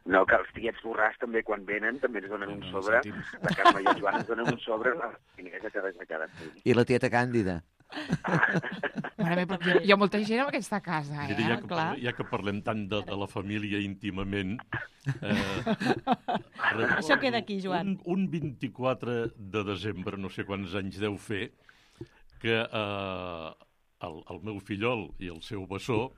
[SPEAKER 16] No, que els tiets borràs també, quan venen, també ens donen un
[SPEAKER 4] No,
[SPEAKER 16] sobre.
[SPEAKER 4] cèntims.
[SPEAKER 16] La Carme i el Joan ens donen un sobre, la finesa que de cada fill.
[SPEAKER 2] I la tieta Càndida.
[SPEAKER 1] Mare meva, però hi ha molta gent en aquesta casa, eh?
[SPEAKER 3] Mira, ja, que
[SPEAKER 1] Clar.
[SPEAKER 3] parlem, ja que parlem tant de, de la família íntimament... Eh,
[SPEAKER 5] Això queda aquí, Joan.
[SPEAKER 3] Un, un vint-i-quatre de desembre, no sé quants anys deu fer, que eh, el, el meu fillol i el seu bessó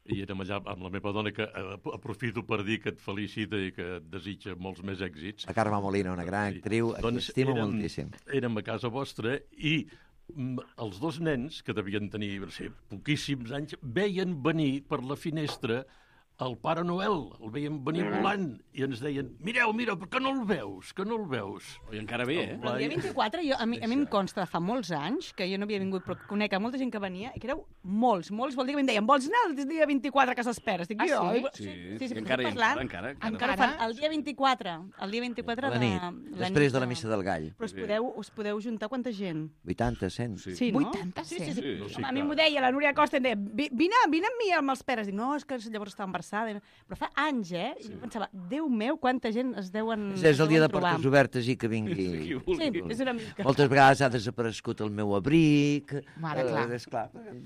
[SPEAKER 3] i érem allà amb la meva dona, que eh, aprofito per dir que et felicita i que et desitja molts més èxits.
[SPEAKER 2] La Carme Molina, una gran actriu,
[SPEAKER 3] Doncs
[SPEAKER 2] estimo
[SPEAKER 3] érem,
[SPEAKER 2] moltíssim.
[SPEAKER 3] Érem a casa vostra i mm, els dos nens, que devien tenir no sé, poquíssims anys, veien venir per la finestra el Pare Noel, el veiem venir volant i ens deien, mireu, mireu, per què no el veus? Que no el veus?
[SPEAKER 4] I encara bé, eh?
[SPEAKER 5] El dia vint-i-quatre, jo, a, mi, a mi em consta de fa molts anys, que jo no havia vingut, però conec a molta gent que venia, i que éreu molts, molts, vol dir que em deien, vols anar el dia vint-i-quatre a casa Esperes? Dic,
[SPEAKER 1] Ah,
[SPEAKER 5] jo,
[SPEAKER 1] sí?
[SPEAKER 5] i-
[SPEAKER 4] Sí,
[SPEAKER 5] sí, sí,
[SPEAKER 4] i encara, i
[SPEAKER 5] parlant,
[SPEAKER 4] encara, encara.
[SPEAKER 5] encara fan el dia vint-i-quatre, el dia vint-i-quatre
[SPEAKER 2] La
[SPEAKER 5] de...
[SPEAKER 2] nit, després de la missa del gall.
[SPEAKER 5] Però us podeu, us podeu juntar quanta gent?
[SPEAKER 2] vuitanta, cent.
[SPEAKER 5] Sí, no?
[SPEAKER 1] vuitanta,
[SPEAKER 5] sí, sí, sí.
[SPEAKER 3] Sí, no, sí,
[SPEAKER 5] a mi
[SPEAKER 3] clar.
[SPEAKER 5] m'ho deia la Núria Costa, em deia, "Vi- vine, vine amb mi amb els peres. Dic, no, és que llavors estava embarassada. Però fa anys, eh? I jo pensava, Déu meu, quanta gent es deuen
[SPEAKER 2] És el dia de
[SPEAKER 5] deuen trobar.
[SPEAKER 2] portes obertes i que vingui...
[SPEAKER 5] Sí, és una mica.
[SPEAKER 2] Moltes vegades ha desaparegut el meu abric.
[SPEAKER 1] Mare,
[SPEAKER 2] eh,
[SPEAKER 1] clar.
[SPEAKER 2] És clar,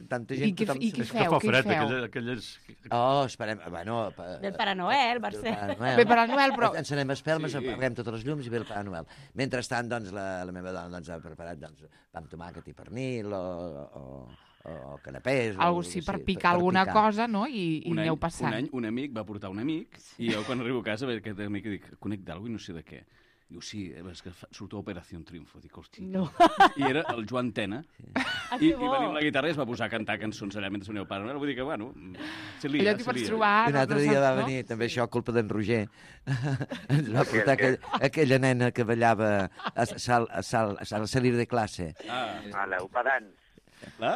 [SPEAKER 2] tanta
[SPEAKER 1] I
[SPEAKER 2] gent...
[SPEAKER 1] què-
[SPEAKER 2] tothom
[SPEAKER 1] i què
[SPEAKER 2] se-
[SPEAKER 1] feu?
[SPEAKER 3] Que fa
[SPEAKER 1] Què
[SPEAKER 3] fred,
[SPEAKER 1] feu?
[SPEAKER 3] aquelles... aquelles...
[SPEAKER 2] Oh, esperem... Bueno, pa-
[SPEAKER 5] Del Pare Noel, Mercè.
[SPEAKER 2] Pare Noel.
[SPEAKER 1] Bé, Pare Noel, però-
[SPEAKER 2] Encenem espelmes,
[SPEAKER 4] Sí.
[SPEAKER 2] sí. apaguem totes les llums i ve el Pare Noel. Mentrestant, doncs, la, la meva dona doncs, ha preparat doncs, pa amb tomàquet i pernil o, o, o canapés.
[SPEAKER 1] Algo
[SPEAKER 2] o,
[SPEAKER 1] sí, per picar alguna cosa, no? I, i
[SPEAKER 4] un any,
[SPEAKER 1] aneu passant.
[SPEAKER 4] Un any un amic va portar un amic i jo quan arribo a casa veig aquest amic i dic, conec d'algú i no sé de què. Diu, sí, és que fa- surto a Operació Triunfo. Dic, hosti.
[SPEAKER 5] No.
[SPEAKER 4] I era el Joan Tena.
[SPEAKER 5] Ah,
[SPEAKER 4] I,
[SPEAKER 5] que
[SPEAKER 4] I
[SPEAKER 5] bo.
[SPEAKER 4] va venir amb la guitarra i es va posar a cantar cançons allà mentre venia el Pare Noel. Vull dir que, bueno, se lia,
[SPEAKER 1] Allò t'hi
[SPEAKER 4] se
[SPEAKER 1] pots
[SPEAKER 4] lia.
[SPEAKER 1] trobar...
[SPEAKER 2] I un altre
[SPEAKER 1] no
[SPEAKER 2] dia va
[SPEAKER 1] saps, no?
[SPEAKER 2] venir, també això, culpa d'en Roger. Ens va portar aquell, aquella nena que ballava a sal, a sal, a sal, a salir de classe.
[SPEAKER 4] Ah,
[SPEAKER 16] A l'Eupadans,
[SPEAKER 4] la?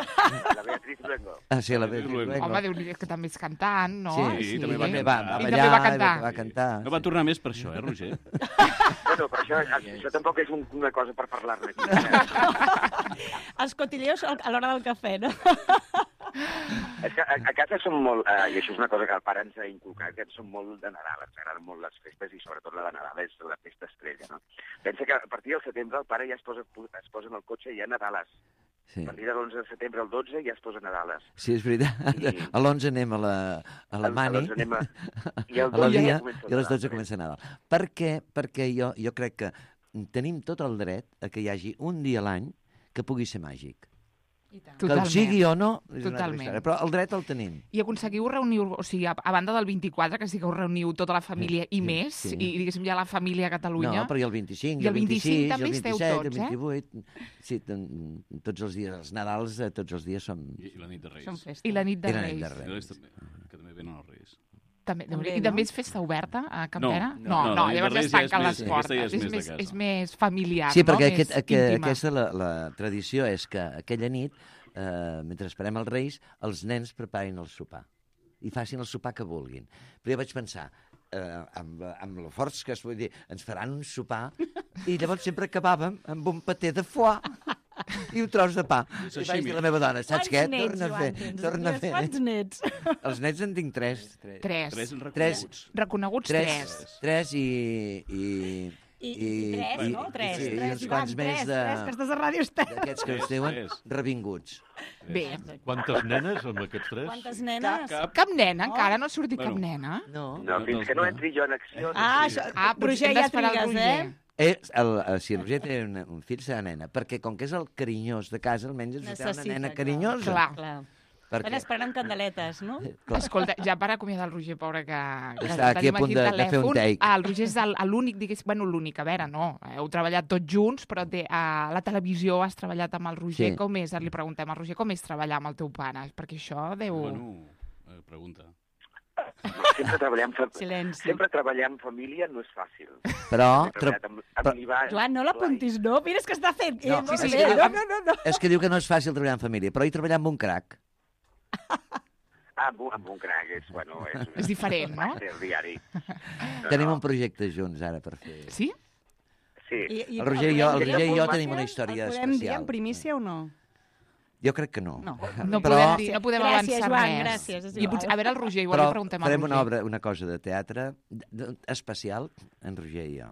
[SPEAKER 16] la Beatriz Luengo.
[SPEAKER 2] Ah, sí, la Beatriz
[SPEAKER 4] Luengo.
[SPEAKER 2] Luengo.
[SPEAKER 1] Home, déu nhi que també és cantant, no?
[SPEAKER 2] Sí,
[SPEAKER 4] també va
[SPEAKER 2] també
[SPEAKER 4] cantar.
[SPEAKER 2] va, va
[SPEAKER 1] I
[SPEAKER 2] ballar,
[SPEAKER 1] també va
[SPEAKER 2] i
[SPEAKER 1] cantar.
[SPEAKER 2] va cantar.
[SPEAKER 4] No va tornar més per això, eh, Roger?
[SPEAKER 16] Bueno, però això, això tampoc és un, una cosa per parlar-ne aquí.
[SPEAKER 5] Els cotilleos a l'hora del cafè, no?
[SPEAKER 16] És que a, a casa som molt, eh, i això és una cosa que el pare ens ha inculcat, que som molt de Nadal, ens agraden molt les festes i sobretot la de Nadal és la festa estrella, no? Pensa que a partir del setembre el pare ja es posa, es posa en el cotxe i ja Nadales.
[SPEAKER 2] Sí.
[SPEAKER 16] A partir de l'onze de setembre al dotze ja es posa Nadales.
[SPEAKER 2] Sí, és veritat.
[SPEAKER 16] I-
[SPEAKER 2] A l'onze anem a la, a la
[SPEAKER 16] A
[SPEAKER 2] Mani,
[SPEAKER 16] l'onze anem a... I al
[SPEAKER 2] a la
[SPEAKER 16] dotze
[SPEAKER 2] dia,
[SPEAKER 16] ja comença el
[SPEAKER 2] i a les
[SPEAKER 16] Nadal.
[SPEAKER 2] dotze comença Nadal. Per què? Perquè jo, jo crec que tenim tot el dret a que hi hagi un dia a l'any que pugui ser màgic. Que el
[SPEAKER 1] Totalment.
[SPEAKER 2] sigui o no, és una altra
[SPEAKER 1] Totalment.
[SPEAKER 2] història, però el dret el tenim.
[SPEAKER 1] I aconseguiu reunir, o sigui, a, a banda del vint-i-quatre, que sí que us reuniu tota la família i
[SPEAKER 2] sí,
[SPEAKER 1] més,
[SPEAKER 2] sí.
[SPEAKER 1] i diguéssim ja la família a Catalunya.
[SPEAKER 2] No, però i el vint-i-cinc,
[SPEAKER 1] I el vint-i-cinc
[SPEAKER 2] vint-i-sis,
[SPEAKER 1] també
[SPEAKER 2] el
[SPEAKER 1] esteu
[SPEAKER 2] vint-i-set,
[SPEAKER 1] tots,
[SPEAKER 2] el vint-i-vuit... Sí, ten- tots els dies, els Nadals, eh, tots els dies som...
[SPEAKER 4] I, i la nit de Reis.
[SPEAKER 5] Som festa.
[SPEAKER 1] I la nit de
[SPEAKER 2] I la nit
[SPEAKER 1] Reis.
[SPEAKER 2] de
[SPEAKER 4] I
[SPEAKER 2] Reis.
[SPEAKER 4] Reis també, que també venen els Reis.
[SPEAKER 1] També,
[SPEAKER 5] També,
[SPEAKER 1] I
[SPEAKER 5] no?
[SPEAKER 1] també és festa oberta a Campera?
[SPEAKER 4] No,
[SPEAKER 1] no,
[SPEAKER 4] no,
[SPEAKER 1] no,
[SPEAKER 4] la nit de
[SPEAKER 1] llavors ja
[SPEAKER 4] Reis
[SPEAKER 1] es
[SPEAKER 4] ja és
[SPEAKER 1] tanquen
[SPEAKER 4] més-
[SPEAKER 1] les
[SPEAKER 4] aquesta ja
[SPEAKER 1] portes.
[SPEAKER 4] és
[SPEAKER 1] És,
[SPEAKER 4] més de
[SPEAKER 1] més,
[SPEAKER 4] casa.
[SPEAKER 1] és més familiar,
[SPEAKER 2] Sí, perquè
[SPEAKER 1] no?
[SPEAKER 2] aquest,
[SPEAKER 1] Més
[SPEAKER 2] aquest,
[SPEAKER 1] íntima.
[SPEAKER 2] aquesta la, la tradició és que aquella nit, eh, mentre esperem els Reis, els nens preparin el sopar i facin el sopar que vulguin. Però jo vaig pensar, eh, amb, amb lo forts que es vull dir, ens faran un sopar i llavors sempre acabàvem amb un paté de foie i un tros de pa. I vaig dir a la meva dona, saps
[SPEAKER 5] Quants
[SPEAKER 2] què?
[SPEAKER 5] nets,
[SPEAKER 2] Torna a
[SPEAKER 5] Joan,
[SPEAKER 2] fer.
[SPEAKER 5] tens?
[SPEAKER 2] Torna a fer.
[SPEAKER 5] Quants nets?
[SPEAKER 2] Els nets en tinc tres.
[SPEAKER 1] Tres.
[SPEAKER 4] Tres en
[SPEAKER 2] Tres.
[SPEAKER 4] reconeguts.
[SPEAKER 1] Reconeguts
[SPEAKER 2] Tres,
[SPEAKER 1] tres.
[SPEAKER 2] tres i... i
[SPEAKER 5] I, i tres, no? Tres.
[SPEAKER 2] Sí, i
[SPEAKER 5] tres,
[SPEAKER 2] uns
[SPEAKER 5] Joan,
[SPEAKER 2] quants més
[SPEAKER 5] tres,
[SPEAKER 2] de...
[SPEAKER 5] tres, que estàs a Ràdio Estel.
[SPEAKER 2] D'aquests que es diuen
[SPEAKER 4] Tres.
[SPEAKER 2] revinguts.
[SPEAKER 1] Bé.
[SPEAKER 3] Quantes nenes amb aquests tres?
[SPEAKER 5] Quantes nenes?
[SPEAKER 4] Cap.
[SPEAKER 1] Cap nena, encara no ha sortit
[SPEAKER 4] Bueno.
[SPEAKER 1] cap nena.
[SPEAKER 2] No.
[SPEAKER 16] No, fins que no entri jo en acció...
[SPEAKER 5] Ah,
[SPEAKER 16] no
[SPEAKER 5] això,
[SPEAKER 1] Ah, potser
[SPEAKER 5] Roger,
[SPEAKER 1] hem
[SPEAKER 5] ja
[SPEAKER 1] d'esperar el
[SPEAKER 5] trigues,
[SPEAKER 1] Roger.
[SPEAKER 5] eh?
[SPEAKER 2] Eh, el, el, si el Roger té un, un fill, serà nena, perquè com que és el carinyós de casa, almenys ens té una
[SPEAKER 5] Necessita,
[SPEAKER 2] nena
[SPEAKER 5] clar.
[SPEAKER 2] carinyosa.
[SPEAKER 1] Clar.
[SPEAKER 5] Clar.
[SPEAKER 2] Perquè
[SPEAKER 5] Estan esperant candeletes, no?
[SPEAKER 2] clar,
[SPEAKER 1] Escolta, ja per acomiadar el Roger, pobre, que, que
[SPEAKER 2] Està aquí a
[SPEAKER 1] tenim
[SPEAKER 2] punt de-
[SPEAKER 1] al
[SPEAKER 2] de fer un
[SPEAKER 1] telèfon.
[SPEAKER 2] take.
[SPEAKER 1] Ah, el Roger és el- l'únic, digués, bueno, l'únic, a veure, no, heu treballat tots junts, però té, a la televisió has treballat amb el Roger.
[SPEAKER 2] Sí.
[SPEAKER 1] Com és? Li preguntem al Roger com és treballar amb el teu pare, perquè això deu...
[SPEAKER 4] Bueno, eh, pregunta.
[SPEAKER 16] Sempre treballar, amb fa...
[SPEAKER 5] Silenci.
[SPEAKER 16] Sempre treballar en família no és fàcil.
[SPEAKER 2] però...
[SPEAKER 16] He
[SPEAKER 2] Tra...
[SPEAKER 16] treballat amb, amb
[SPEAKER 2] però-
[SPEAKER 16] l'Ivan,
[SPEAKER 5] Joan, no l'apuntis, no? Mira, és que està fent...
[SPEAKER 2] No,
[SPEAKER 5] eh, molt
[SPEAKER 2] sí, sí,
[SPEAKER 5] bé.
[SPEAKER 2] sí,
[SPEAKER 5] no,
[SPEAKER 2] amb-
[SPEAKER 5] no, no, no.
[SPEAKER 2] És que diu que no és fàcil treballar en família, però hi treballar amb un crac.
[SPEAKER 16] Ah, amb, un- amb un crac, és, bueno, és,
[SPEAKER 1] És diferent, no?
[SPEAKER 16] És el diari. No,
[SPEAKER 2] Tenim
[SPEAKER 16] no.
[SPEAKER 2] un projecte junts ara per fer...
[SPEAKER 1] Sí?
[SPEAKER 16] Sí.
[SPEAKER 5] I, i,
[SPEAKER 2] El Roger i jo- el
[SPEAKER 5] podem dir
[SPEAKER 2] Roger i jo
[SPEAKER 5] en
[SPEAKER 2] tenim una
[SPEAKER 5] primícia?
[SPEAKER 2] història
[SPEAKER 5] El podem dir
[SPEAKER 2] especial.
[SPEAKER 5] en primícia o no?
[SPEAKER 2] Jo crec que no.
[SPEAKER 5] No.
[SPEAKER 1] No
[SPEAKER 2] Però-
[SPEAKER 1] podem dir, no podem
[SPEAKER 5] Gràcies,
[SPEAKER 1] avançar
[SPEAKER 5] Joan,
[SPEAKER 1] més.
[SPEAKER 5] gràcies, és
[SPEAKER 1] I
[SPEAKER 5] igual.
[SPEAKER 1] potser, a veure, el Roger, igual
[SPEAKER 2] Però
[SPEAKER 1] li preguntem al
[SPEAKER 2] farem
[SPEAKER 1] Roger.
[SPEAKER 2] una obra, una cosa de teatre de- de- especial, en Roger i jo.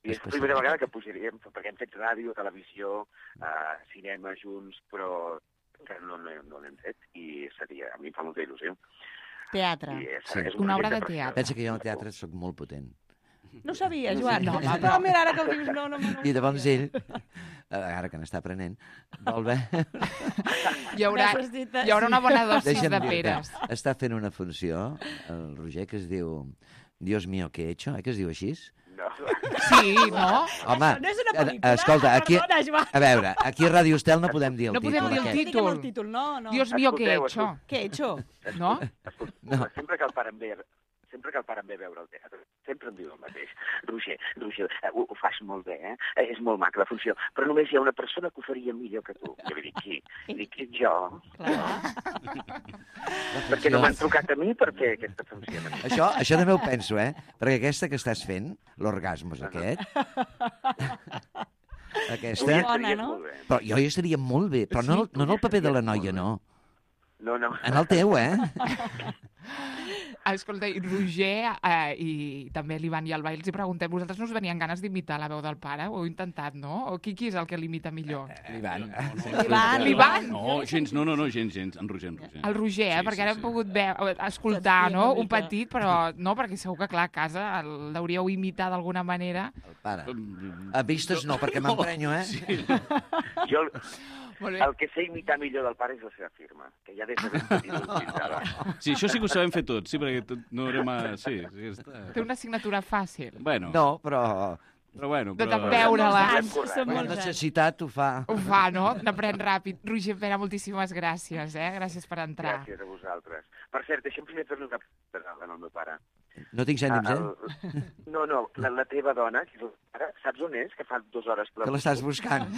[SPEAKER 16] I és la primera vegada que pujaríem, perquè hem fet ràdio, televisió, eh, cinema junts, però encara no, no, no l'hem fet i seria, a mi em fa molta il·lusió.
[SPEAKER 5] Teatre.
[SPEAKER 16] I és,
[SPEAKER 2] Sí.
[SPEAKER 16] és un
[SPEAKER 1] Una obra
[SPEAKER 16] projecte
[SPEAKER 1] de
[SPEAKER 16] preciós.
[SPEAKER 1] teatre.
[SPEAKER 2] Pensa que jo en el teatre sóc molt potent.
[SPEAKER 5] No ho sabia, Joan.
[SPEAKER 1] No, home,
[SPEAKER 5] no, mira, ara que ho dius, no, no, no.
[SPEAKER 2] I llavors ell ara que n'està aprenent, vol veure...
[SPEAKER 1] Hi haurà, hi haurà una bona dosi
[SPEAKER 2] Deixa'm
[SPEAKER 1] de
[SPEAKER 2] dir-te,
[SPEAKER 1] peres.
[SPEAKER 2] està fent una funció, el Roger, que es diu Dios mío, ¿qué he hecho? Eh, que es diu així?
[SPEAKER 16] No.
[SPEAKER 1] Sí, no?
[SPEAKER 2] Home,
[SPEAKER 5] Això no és una
[SPEAKER 2] eh,
[SPEAKER 5] pel·lícula,
[SPEAKER 2] escolta, aquí,
[SPEAKER 5] perdona, Joan.
[SPEAKER 2] a veure, aquí a Ràdio Estel no podem dir el
[SPEAKER 1] No podem
[SPEAKER 2] títol
[SPEAKER 1] dir el
[SPEAKER 2] aquest.
[SPEAKER 1] títol.
[SPEAKER 5] el títol, no, no.
[SPEAKER 1] Dios mío, ¿qué he
[SPEAKER 16] Escolteu,
[SPEAKER 1] hecho?
[SPEAKER 5] ¿Qué he hecho?
[SPEAKER 1] No?
[SPEAKER 2] No.
[SPEAKER 16] Sempre que el pare em ve, sempre que el pare em ve a veure el teatre, sempre em diu el mateix. Roger, Roger, eh, ho, ho fas molt bé, eh? Eh, És molt maca la funció, però només hi ha una persona que ho faria millor que tu. Jo li dic, qui? Li dic, jo. Perquè no m'han trucat a mi per fer aquesta funció.
[SPEAKER 2] Això, això també ho penso, eh? Perquè aquesta que estàs fent, l'orgasmos aquest... Aquesta...
[SPEAKER 5] Bona, no?
[SPEAKER 2] Però jo hi estaria molt bé, però no, no en el paper de la noia, no.
[SPEAKER 16] No, no.
[SPEAKER 2] En el teu, eh?
[SPEAKER 1] Escolta, i Roger eh, i també l'Ivan i el Bai els hi preguntem, vosaltres no us venien ganes d'imitar la veu del pare? Ho heu intentat, no? O qui, qui és el que l'imita millor?
[SPEAKER 6] L'Ivan.
[SPEAKER 1] L'Ivan. L'Ivan.
[SPEAKER 4] No, gens, no, no, no, gens, gens. En Roger, en Roger.
[SPEAKER 1] El Roger, eh?
[SPEAKER 4] Sí,
[SPEAKER 1] Perquè
[SPEAKER 4] sí,
[SPEAKER 1] ara hem
[SPEAKER 4] sí.
[SPEAKER 1] pogut veure, escoltar, no? Un petit, però no, perquè segur que, clar, a casa l'hauríeu imitat d'alguna manera.
[SPEAKER 2] El pare. A vistes no, perquè m'emprenyo, eh?
[SPEAKER 4] Sí.
[SPEAKER 16] Jo,
[SPEAKER 1] Molt bé.
[SPEAKER 16] el que sé imitar millor del pare és la seva firma, que ja des de ben petit l'utilitzava.
[SPEAKER 4] Sí, això sí que ho sabem fer tots, sí, perquè tot, no haurem a... Sí, sí, està...
[SPEAKER 1] Té una assignatura fàcil.
[SPEAKER 4] Bueno,
[SPEAKER 2] No, però...
[SPEAKER 4] però bueno...
[SPEAKER 1] De
[SPEAKER 4] Però...
[SPEAKER 1] veure-la.
[SPEAKER 5] Són
[SPEAKER 2] Quan
[SPEAKER 5] molts anys.
[SPEAKER 2] necessitat ho fa.
[SPEAKER 1] Ho fa, no? N'aprèn ràpid. Roger Pera, moltíssimes gràcies, eh? Gràcies per entrar.
[SPEAKER 16] Gràcies a vosaltres. Per cert, deixa'm primer fer-li una pregunta al meu pare.
[SPEAKER 2] No tinc ànims, eh?
[SPEAKER 16] El... No, no, la, la teva dona, que és el pare, saps on és? Que fa dues hores...
[SPEAKER 2] Que l'estàs buscant.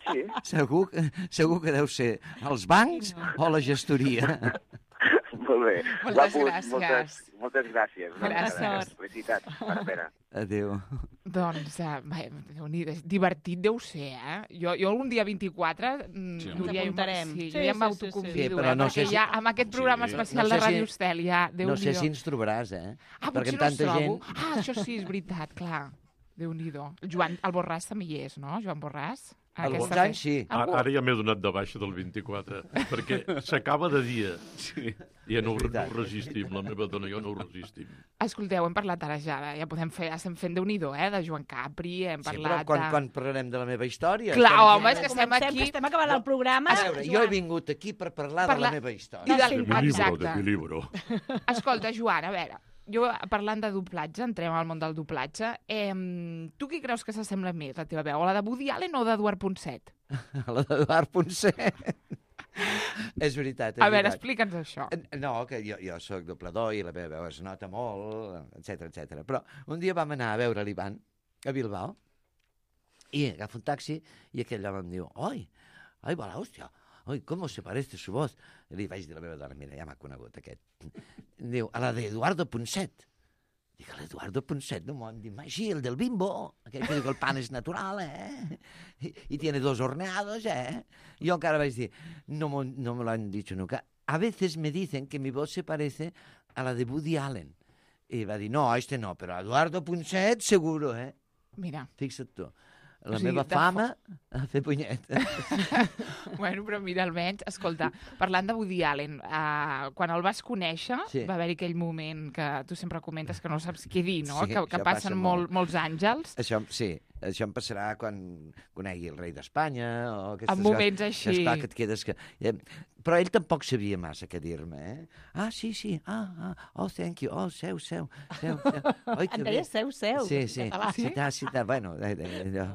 [SPEAKER 16] Sí.
[SPEAKER 2] Segur, que- segur que deu ser als bancs o la gestoria.
[SPEAKER 16] Molt bé.
[SPEAKER 1] Moltes
[SPEAKER 16] Guapos,
[SPEAKER 1] gràcies.
[SPEAKER 16] Moltes, moltes gràcies. Una
[SPEAKER 1] Gràcies.
[SPEAKER 16] vegada. Felicitats. Espera, espera.
[SPEAKER 2] Adéu.
[SPEAKER 1] Doncs, uh, bé, Déu-n'hi-do, divertit deu ser, eh? Jo, jo un dia vint-i-quatre, mm,
[SPEAKER 4] Sí,
[SPEAKER 1] Núria,
[SPEAKER 5] Ens apuntarem.
[SPEAKER 1] Sí,
[SPEAKER 5] Sí,
[SPEAKER 1] jo ja
[SPEAKER 5] sí,
[SPEAKER 1] m'autoconvido,
[SPEAKER 2] sí, sí. Sí, però
[SPEAKER 1] eh?
[SPEAKER 2] no
[SPEAKER 1] Perquè
[SPEAKER 2] sé si-
[SPEAKER 1] ja amb aquest programa
[SPEAKER 4] Sí.
[SPEAKER 1] especial
[SPEAKER 2] No sé
[SPEAKER 1] de Ràdio
[SPEAKER 2] si-
[SPEAKER 1] Estel, ja, déu
[SPEAKER 2] No sé si ens trobaràs, eh?
[SPEAKER 1] Ah,
[SPEAKER 2] Perquè
[SPEAKER 1] potser
[SPEAKER 2] amb
[SPEAKER 1] no els
[SPEAKER 2] tanta
[SPEAKER 1] trobo.
[SPEAKER 2] gent...
[SPEAKER 1] Ah, això sí, és veritat, clar. Déu-n'hi-do. El Joan, el Borràs també hi és, no? Joan Borràs?
[SPEAKER 2] Alguns
[SPEAKER 1] Aquesta
[SPEAKER 2] anys
[SPEAKER 1] fe-
[SPEAKER 2] sí.
[SPEAKER 1] Algú?
[SPEAKER 3] Ara ja m'he donat de baixa del vint-i-quatre, perquè s'acaba de dia.
[SPEAKER 4] Sí.
[SPEAKER 3] I ja no, ho- no ho resistim, la meva dona i jo no ho resistim.
[SPEAKER 1] Escolteu, hem parlat ara ja, de- ja podem fer, estem fent Déu-n'hi-do, eh? De Joan Capri, hem
[SPEAKER 2] Sí, però
[SPEAKER 1] parlat
[SPEAKER 2] quan,
[SPEAKER 1] de...
[SPEAKER 2] quan parlarem de la meva història...
[SPEAKER 1] Clar,
[SPEAKER 2] estem
[SPEAKER 1] home,
[SPEAKER 2] aquí-
[SPEAKER 1] és que estem
[SPEAKER 5] Comencem,
[SPEAKER 1] aquí...
[SPEAKER 5] que estem acabant el programa.
[SPEAKER 2] A veure, jo he vingut aquí per parlar de
[SPEAKER 1] Parlar-
[SPEAKER 2] la meva història.
[SPEAKER 1] I de...
[SPEAKER 5] Sí,
[SPEAKER 3] De mi libro,
[SPEAKER 1] Exacte.
[SPEAKER 3] de mi libro.
[SPEAKER 1] Escolta, Joan, a veure, jo parlant de doblatge, entrem al món del doblatge, eh, tu qui creus que s'assembla més, la teva veu? A la de Woody Allen o d'Eduard Ponset?
[SPEAKER 2] La d'Eduard Ponset. És veritat, és
[SPEAKER 1] A veure,
[SPEAKER 2] veritat.
[SPEAKER 1] explica'ns això.
[SPEAKER 2] Eh, No, que jo, jo sóc doblador i la meva veu es nota molt, etcètera, etcètera. Però un dia vam anar a veure l'Ivan a Bilbao i agafo un taxi i aquell home em diu «Oi, ai, va l'hòstia, oi, com se parece su voz?» I li vaig dir a la meva dona, mira, ja m'ha conegut aquest. Em diu, a la de Eduardo Ponset. Dic, l'Eduardo Ponset, no m'ho han dit mai. Sí, el del Bimbo, aquell que diu que el pan és natural, eh? I, i tiene dos horneados, eh? Jo encara vaig dir, no, mo, no me lo han dicho nunca. A veces me dicen que mi voz se parece a la de Woody Allen. I va dir, no, este no, però Eduardo Ponset seguro, eh?
[SPEAKER 1] Mira.
[SPEAKER 2] Fixa't tu. La
[SPEAKER 1] O sigui,
[SPEAKER 2] meva
[SPEAKER 1] de
[SPEAKER 2] fama a fer punyeta.
[SPEAKER 1] Bueno, però mira, almenys, escolta, parlant de Woody Allen, uh, quan el vas conèixer,
[SPEAKER 2] Sí.
[SPEAKER 1] va haver-hi aquell moment que tu sempre comentes que no saps què dir, no?
[SPEAKER 2] Sí,
[SPEAKER 1] que, que
[SPEAKER 2] això
[SPEAKER 1] passen
[SPEAKER 2] passa
[SPEAKER 1] molt,
[SPEAKER 2] molt.
[SPEAKER 1] molts àngels.
[SPEAKER 2] Això, sí, això em passarà quan conegui el rei d'Espanya o aquestes
[SPEAKER 1] En moments
[SPEAKER 2] coses.
[SPEAKER 1] així.
[SPEAKER 2] Esclar, que et quedes que... Eh, però ell tampoc sabia massa què dir-me, eh? Ah, sí, sí, ah, ah, oh, thank you, oh, seu, seu, seu, seu. Oi, que
[SPEAKER 5] En
[SPEAKER 2] bé.
[SPEAKER 5] deia seu, seu,
[SPEAKER 2] Sí,
[SPEAKER 5] en
[SPEAKER 2] sí,
[SPEAKER 5] català.
[SPEAKER 2] sí, tal, sí, tal, bueno, eh, eh, allò,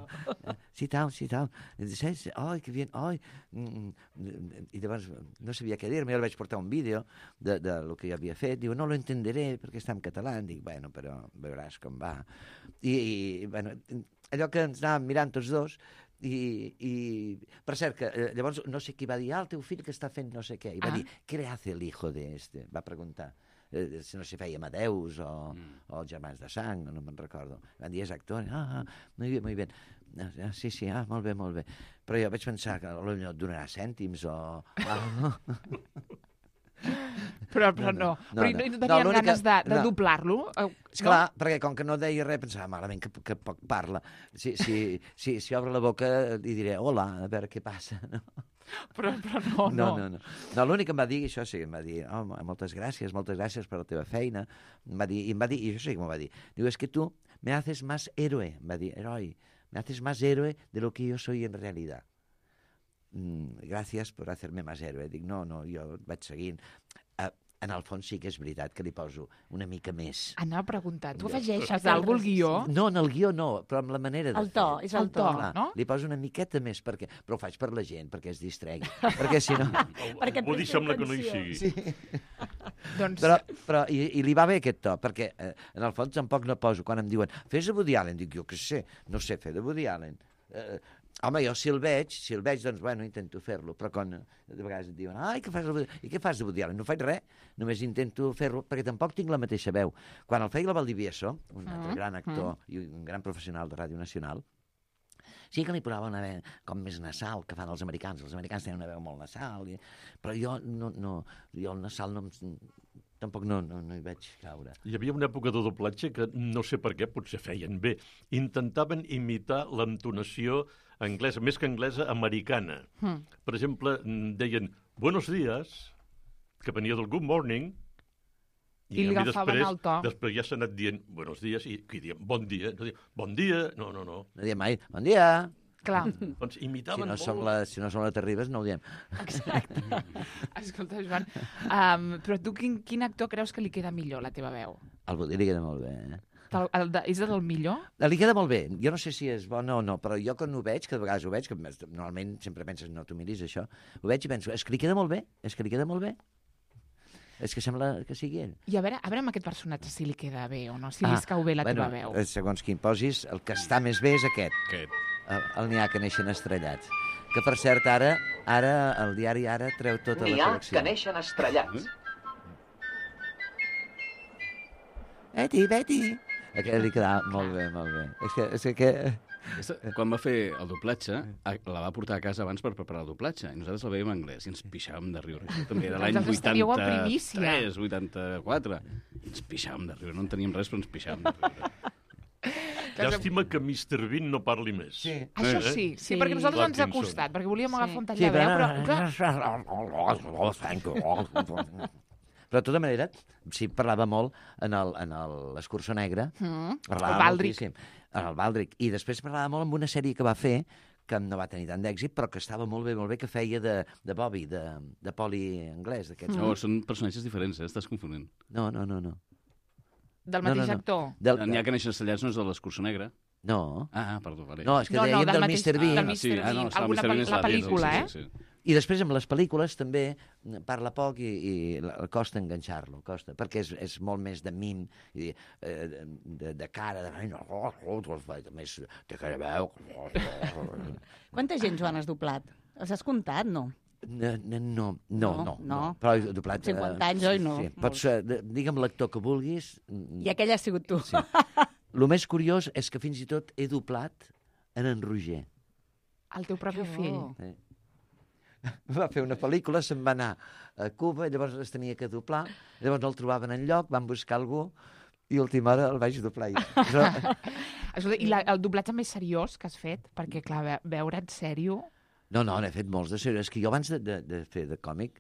[SPEAKER 2] eh, sí, tal, sí, tal. Sí, sí, ai, que bien, ai. Mm, mm, I llavors no sabia què dir-me, jo li vaig portar un vídeo de, de lo que jo havia fet, diu, no lo entenderé perquè està en català. Dic, bueno, però veuràs com va. I, i bueno, allò que ens anàvem mirant tots dos, i, i per cert, que eh, llavors no sé qui va dir, ah, el teu fill que està fent no sé què, i va
[SPEAKER 1] Ah.
[SPEAKER 2] dir, què le hace el hijo de este? Va preguntar eh, si no se feia Amadeus o, mm. o els germans de sang, no me'n recordo. Van dir, és actor, ah, ah, muy bien, muy bien. Ah, sí, sí, ah, molt bé, molt bé. Però jo vaig pensar que potser et donarà cèntims o... Ah.
[SPEAKER 1] Però, però no.
[SPEAKER 2] no,
[SPEAKER 1] Però
[SPEAKER 2] no.
[SPEAKER 1] no, no
[SPEAKER 2] No,
[SPEAKER 1] tenien
[SPEAKER 2] l'única-
[SPEAKER 1] ganes de, de
[SPEAKER 2] no.
[SPEAKER 1] doblar-lo? Eh,
[SPEAKER 2] Esclar, no? Perquè com que no deia res, pensava, malament, que, que poc parla. Si, si, si, si obre la boca, li diré, hola, a veure què passa, no?
[SPEAKER 1] Però, però no,
[SPEAKER 2] no. No, no, no. no l'únic que em va dir, això sí, em va dir, oh, moltes gràcies, moltes gràcies per la teva feina. Em va dir, i em va dir, i això sí que m'ho va dir, diu, és es que tu me haces más héroe, em va dir, heroi, me haces más héroe de lo que yo soy en realidad. Mm, gràcies per hacerme más héroe. Dic, no, no, jo vaig seguint. Uh, en el fons sí que és veritat que li poso una mica més.
[SPEAKER 1] Anava a preguntar, tu afegeixes alguna al guió?
[SPEAKER 2] No, en el guió no, però amb la manera de
[SPEAKER 5] el to,
[SPEAKER 2] fer.
[SPEAKER 5] És el to,
[SPEAKER 1] Clar, no?
[SPEAKER 2] Li poso una miqueta més, perquè, però ho faig per la gent, perquè es distregui. perquè si no...
[SPEAKER 3] perquè Woody sembla que no hi sigui.
[SPEAKER 2] Sí.
[SPEAKER 1] doncs...
[SPEAKER 2] Però, però i, i li va bé aquest to, perquè eh, en el fons tampoc no poso. Quan em diuen, fes de Woody Allen, dic, jo què sé, no sé fer de Woody Allen. Eh, home, jo si el veig, si el veig, doncs, bueno, intento fer-lo, però quan de vegades et diuen, ai, què fas de Woody Allen? I què fas de Woody Allen? No faig res, només intento fer-lo, perquè tampoc tinc la mateixa veu. Quan el feia la Valdivieso, un altre
[SPEAKER 1] Mm,
[SPEAKER 2] gran actor
[SPEAKER 1] mm.
[SPEAKER 2] i un gran professional de Ràdio Nacional, sí que li posava una veu com més nasal, que fan els americans. Els americans tenen una veu molt nasal, i... però jo, no, no, jo el nasal no em... tampoc no, no, no hi vaig caure.
[SPEAKER 3] Hi havia una època de doblatge que no sé per què potser feien bé. Intentaven imitar l'entonació anglesa, més que anglesa, americana.
[SPEAKER 1] Mm.
[SPEAKER 3] Per exemple, deien buenos días, que venia del good morning,
[SPEAKER 1] I li
[SPEAKER 3] a mi
[SPEAKER 1] agafaven
[SPEAKER 3] després,
[SPEAKER 1] el to.
[SPEAKER 3] després ja s'ha anat dient buenos días i qui diem bon dia. No diem bon dia, no, no, no.
[SPEAKER 2] No diem mai, bon dia.
[SPEAKER 1] Clar.
[SPEAKER 3] Doncs
[SPEAKER 2] Si
[SPEAKER 3] imitaven
[SPEAKER 2] no,
[SPEAKER 3] molt.
[SPEAKER 2] som la, si no som la Terribas, no ho diem.
[SPEAKER 1] Exacte. Escolta, Joan, um, però tu quin, quin actor creus que li queda millor, la teva veu?
[SPEAKER 2] El Woody li queda molt bé, eh?
[SPEAKER 1] El, el de, és el millor?
[SPEAKER 2] Li queda molt bé. Jo no sé si és bo o no, però jo quan ho veig, que de vegades ho veig, que normalment sempre penses, no t'ho miris, això, ho veig i penso, és que li queda molt bé, és que li queda molt bé. És que sembla que sigui ell.
[SPEAKER 1] I a veure, a veure amb aquest personatge si li queda bé o no, si li escau bé la
[SPEAKER 2] bueno,
[SPEAKER 1] teva veu.
[SPEAKER 2] eh, segons quin posis, el que està més bé és aquest.
[SPEAKER 4] Aquest.
[SPEAKER 2] El, el n'hi ha que neixen estrellats. Que, per cert, ara, ara el diari Ara treu tota
[SPEAKER 15] N'hi
[SPEAKER 2] la
[SPEAKER 15] ha
[SPEAKER 2] col·lecció.
[SPEAKER 15] que neixen estrellats.
[SPEAKER 2] Betty, Betty! Aquest li quedava molt bé, molt bé. És que... És que...
[SPEAKER 4] Aquesta, quan va fer el doblatge, a- la va portar a casa abans per preparar el doblatge, i nosaltres la veiem en anglès, i ens pixàvem de riure. Això també era l'any
[SPEAKER 1] Vosaltres estaríeu a primícia.
[SPEAKER 4] vuitanta-tres, vuitanta-quatre. I ens pixàvem de riure. No en teníem res, però ens pixàvem de riure.
[SPEAKER 3] Llàstima que mister Bean no parli més.
[SPEAKER 2] Sí.
[SPEAKER 1] Això sí, sí, sí, perquè nosaltres ens ha
[SPEAKER 3] Parkinson.
[SPEAKER 1] costat, perquè volíem agafar un tall
[SPEAKER 2] Sí,
[SPEAKER 1] de veu,
[SPEAKER 2] però...
[SPEAKER 1] però...
[SPEAKER 2] però... Però, de tota manera, sí, parlava molt en el- en el- l'Escurçó Negre.
[SPEAKER 1] Mm.
[SPEAKER 2] Parlava
[SPEAKER 1] El Baldric.
[SPEAKER 2] moltíssim. En el Baldric. I després parlava molt amb una sèrie que va fer, que no va tenir tant d'èxit, però que estava molt bé, molt bé, que feia de, de Bobby, de, de poli anglès. d'aquests.
[SPEAKER 4] No, són personatges diferents, eh? Estàs confonent.
[SPEAKER 2] No, no, no, no.
[SPEAKER 1] Del
[SPEAKER 2] No,
[SPEAKER 1] mateix
[SPEAKER 2] no, no.
[SPEAKER 1] actor?
[SPEAKER 2] Del...
[SPEAKER 4] N'hi ha que neixen estellats, no és de l'Escurçó Negre?
[SPEAKER 2] No.
[SPEAKER 4] Ah, perdó, vale.
[SPEAKER 2] No, és que
[SPEAKER 1] No, no,
[SPEAKER 2] dèiem
[SPEAKER 1] del
[SPEAKER 2] del
[SPEAKER 1] mateix-
[SPEAKER 2] mister Bean.
[SPEAKER 1] del mister
[SPEAKER 4] sí, ah, no,
[SPEAKER 1] Bean.
[SPEAKER 4] esclar,
[SPEAKER 1] Alguna
[SPEAKER 4] mister Bean
[SPEAKER 1] pel-
[SPEAKER 4] és
[SPEAKER 1] la
[SPEAKER 4] l'àvia,
[SPEAKER 1] pel·lícula,
[SPEAKER 4] sí,
[SPEAKER 1] eh?
[SPEAKER 4] sí, sí.
[SPEAKER 2] I després amb les pel·lícules també parla poc i, i la- costa enganxar-lo, costa, perquè és, és molt més de mim, i, eh, de, de cara, de... més de cara veu.
[SPEAKER 5] Quanta gent, Joan, has doblat? Els has comptat, no?
[SPEAKER 2] No, no, no, no, no,
[SPEAKER 5] no.
[SPEAKER 2] Però he doblat...
[SPEAKER 5] cinquanta anys, oi, no?
[SPEAKER 2] Sí, pots, eh, de- digue'm l'actor que vulguis.
[SPEAKER 5] I aquell has sigut tu.
[SPEAKER 2] Sí. El més curiós és que fins i tot he doblat en en Roger.
[SPEAKER 1] El teu propi fill.
[SPEAKER 2] Sí. Va fer una pel·lícula, se'n va anar a Cuba, llavors es tenia que doblar, llavors no el trobaven enlloc, van buscar algú i a última hora el vaig doblar. Però...
[SPEAKER 1] Escolta, I la, el doblatge més seriós que has fet? Perquè, clar, ve, veure't sèrio...
[SPEAKER 2] No, no, n'he fet molts de seriós. És que jo abans de, de, de fer de còmic,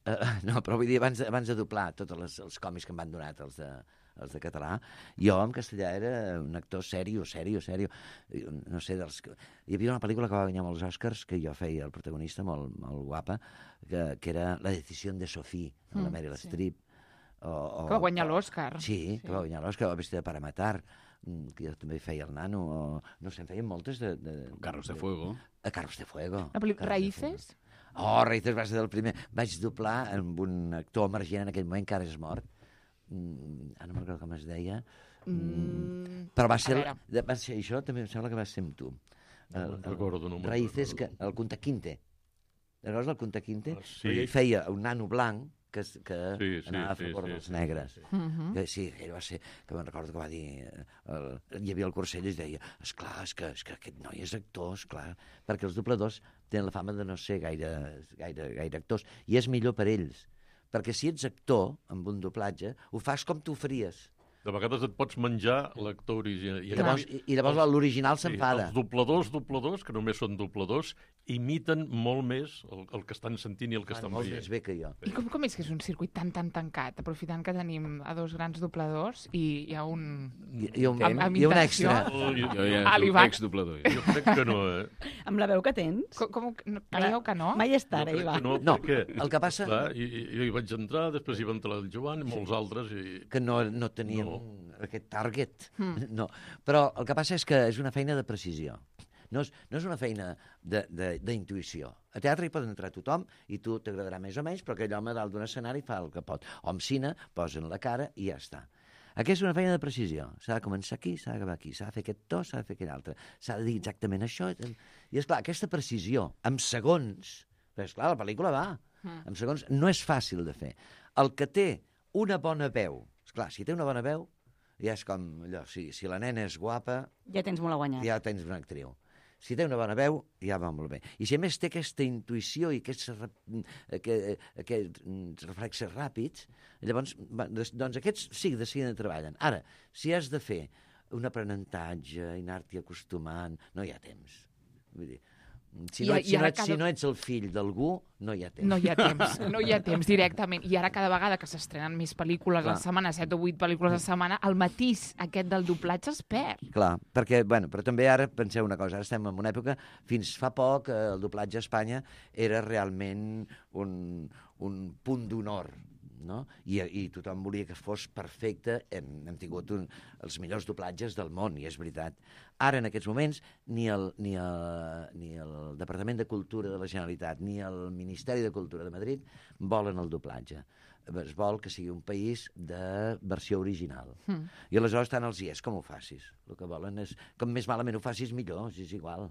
[SPEAKER 2] eh, no, però vull dir, abans, de- abans de doblar tots les, els còmics que em van donat, els de, els de català, jo en castellà era un actor serio, serio, serio. No sé, dels... que- Hi havia una pel·lícula que va guanyar molts Oscars, que jo feia el protagonista, molt, molt guapa, que, que era La decisió de Sophie, de la
[SPEAKER 1] Mm,
[SPEAKER 2] Meryl
[SPEAKER 1] sí.
[SPEAKER 2] Streep. O, o,
[SPEAKER 1] Que va guanyar l'Oscar.
[SPEAKER 2] Sí, sí, que va guanyar l'Oscar, o Vestida para matar, mm, que jo també feia el nano, o no sé, en feien moltes de... de
[SPEAKER 4] Carros de Fuego.
[SPEAKER 2] A Carros de Fuego.
[SPEAKER 1] La pel·lícula
[SPEAKER 2] Carros de
[SPEAKER 1] Raíces?
[SPEAKER 2] Oh, Raíces va ser el primer. Vaig doblar amb un actor emergent en aquell moment, que ara és mort. Mm, ara no recordo com es deia.
[SPEAKER 1] Mm,
[SPEAKER 2] Però va
[SPEAKER 1] a
[SPEAKER 2] ser,
[SPEAKER 1] veure.
[SPEAKER 2] de- va ser això, també em sembla que va ser amb tu.
[SPEAKER 3] No me'n recordo, no me'n
[SPEAKER 2] Raíces, que,
[SPEAKER 3] recordo.
[SPEAKER 2] el Kunta Quinte. Recordes el Kunta Quinte?
[SPEAKER 3] Ah, sí.
[SPEAKER 2] Perquè ell feia un nano blanc que, es- que
[SPEAKER 3] Sí, sí,
[SPEAKER 2] anava a
[SPEAKER 3] sí,
[SPEAKER 2] favor
[SPEAKER 3] sí,
[SPEAKER 2] dels
[SPEAKER 3] sí,
[SPEAKER 2] negres.
[SPEAKER 3] sí,
[SPEAKER 1] Mhm.
[SPEAKER 2] Que sí, ell va ser, que me'n recordo que va dir, eh, el, hi havia el Corcell i es deia, esclar, és que, és que aquest noi és actor, esclar, perquè els dobladors tenen la fama de no ser gaire, gaire, gaire actors, i és millor per ells, perquè si ets actor amb un doblatge, ho fas com tu ho faries.
[SPEAKER 3] de vegades et pots menjar l'actor original.
[SPEAKER 2] I llavors, i, i llavors l'original s'enfada.
[SPEAKER 3] Sí, els dobladors, dobladors, que només són dobladors, imiten molt més el, el que estan sentint i el que
[SPEAKER 2] Fan
[SPEAKER 3] estan
[SPEAKER 2] molt
[SPEAKER 3] veient.
[SPEAKER 2] més bé que jo.
[SPEAKER 1] I com, com és que és un circuit tan, tan tancat, aprofitant que tenim a dos grans dobladors i hi ha un...
[SPEAKER 2] Hi, hi ha un,
[SPEAKER 1] amb, amb
[SPEAKER 2] hi ha un
[SPEAKER 1] intenció?
[SPEAKER 2] extra.
[SPEAKER 3] Oh, jo,
[SPEAKER 4] Jo ja
[SPEAKER 1] Ah,
[SPEAKER 4] soc
[SPEAKER 1] l'Ivan.
[SPEAKER 4] ex-doblador.
[SPEAKER 3] jo crec que no, eh?
[SPEAKER 5] Amb la veu que tens?
[SPEAKER 1] Com, com no, creieu que no?
[SPEAKER 5] Mai és tard,
[SPEAKER 3] Jo crec
[SPEAKER 5] Ivan.
[SPEAKER 3] que no,
[SPEAKER 2] No,
[SPEAKER 3] perquè,
[SPEAKER 2] el que passa-
[SPEAKER 3] Clar, i, i, jo hi vaig entrar, després hi va entrar el Joan i molts altres. I...
[SPEAKER 2] Que no, no teníem
[SPEAKER 3] No.
[SPEAKER 2] aquest target.
[SPEAKER 1] Mm.
[SPEAKER 2] No. Però el que passa és que és una feina de precisió. No és, no és una feina d'intuïció. A teatre hi pot entrar tothom i tu t'agradarà més o menys, però aquell home dalt d'un escenari fa el que pot. O en cine, posen la cara i ja està. Aquí és una feina de precisió. S'ha de començar aquí, s'ha d'acabar aquí. S'ha de fer aquest to, s'ha de fer aquell altre. S'ha de dir exactament això. I, esclar, aquesta precisió, amb segons... Però, esclar, la pel·lícula va.
[SPEAKER 1] Mm.
[SPEAKER 2] En segons no és fàcil de fer. El que té una bona veu, esclar, si té una bona veu, ja és com allò, si, si la nena és guapa,
[SPEAKER 5] Ja tens molt a guanyar.
[SPEAKER 2] ja tens una actriu. Si té una bona veu, ja va molt bé. I si a més té aquesta intuïció i aquests, aquest, aquests reflexes ràpids, llavors, va, doncs aquests sí, de seguida treballen. Ara, si has de fer un aprenentatge i anar-t'hi acostumant, no hi ha temps. Vull dir, si no,
[SPEAKER 1] I-
[SPEAKER 2] ets,
[SPEAKER 1] i
[SPEAKER 2] si, no
[SPEAKER 1] ara
[SPEAKER 2] ets,
[SPEAKER 1] cada-
[SPEAKER 2] si no ets el fill d'algú, no hi ha temps.
[SPEAKER 1] No hi ha temps, no hi ha temps directament. I ara cada vegada que s'estrenen més pel·lícules a la
[SPEAKER 2] Clar.
[SPEAKER 1] setmana, set o vuit pel·lícules a la setmana, el matís aquest del doblatge es perd.
[SPEAKER 2] Clar, perquè, bueno, però també ara penseu una cosa, ara estem en una època, fins fa poc, eh, el doblatge a Espanya era realment un, un punt d'honor, no? I, I tothom volia que fos perfecte. Hem, hem tingut un, els millors doblatges del món, i és veritat. Ara, en aquests moments, ni el, ni, el, ni el Departament de Cultura de la Generalitat ni el Ministeri de Cultura de Madrid volen el doblatge. Es vol que sigui un país de versió original.
[SPEAKER 1] Mm.
[SPEAKER 2] I aleshores tant els hi és com ho facis. El que volen és, com més malament ho facis, millor, si és igual.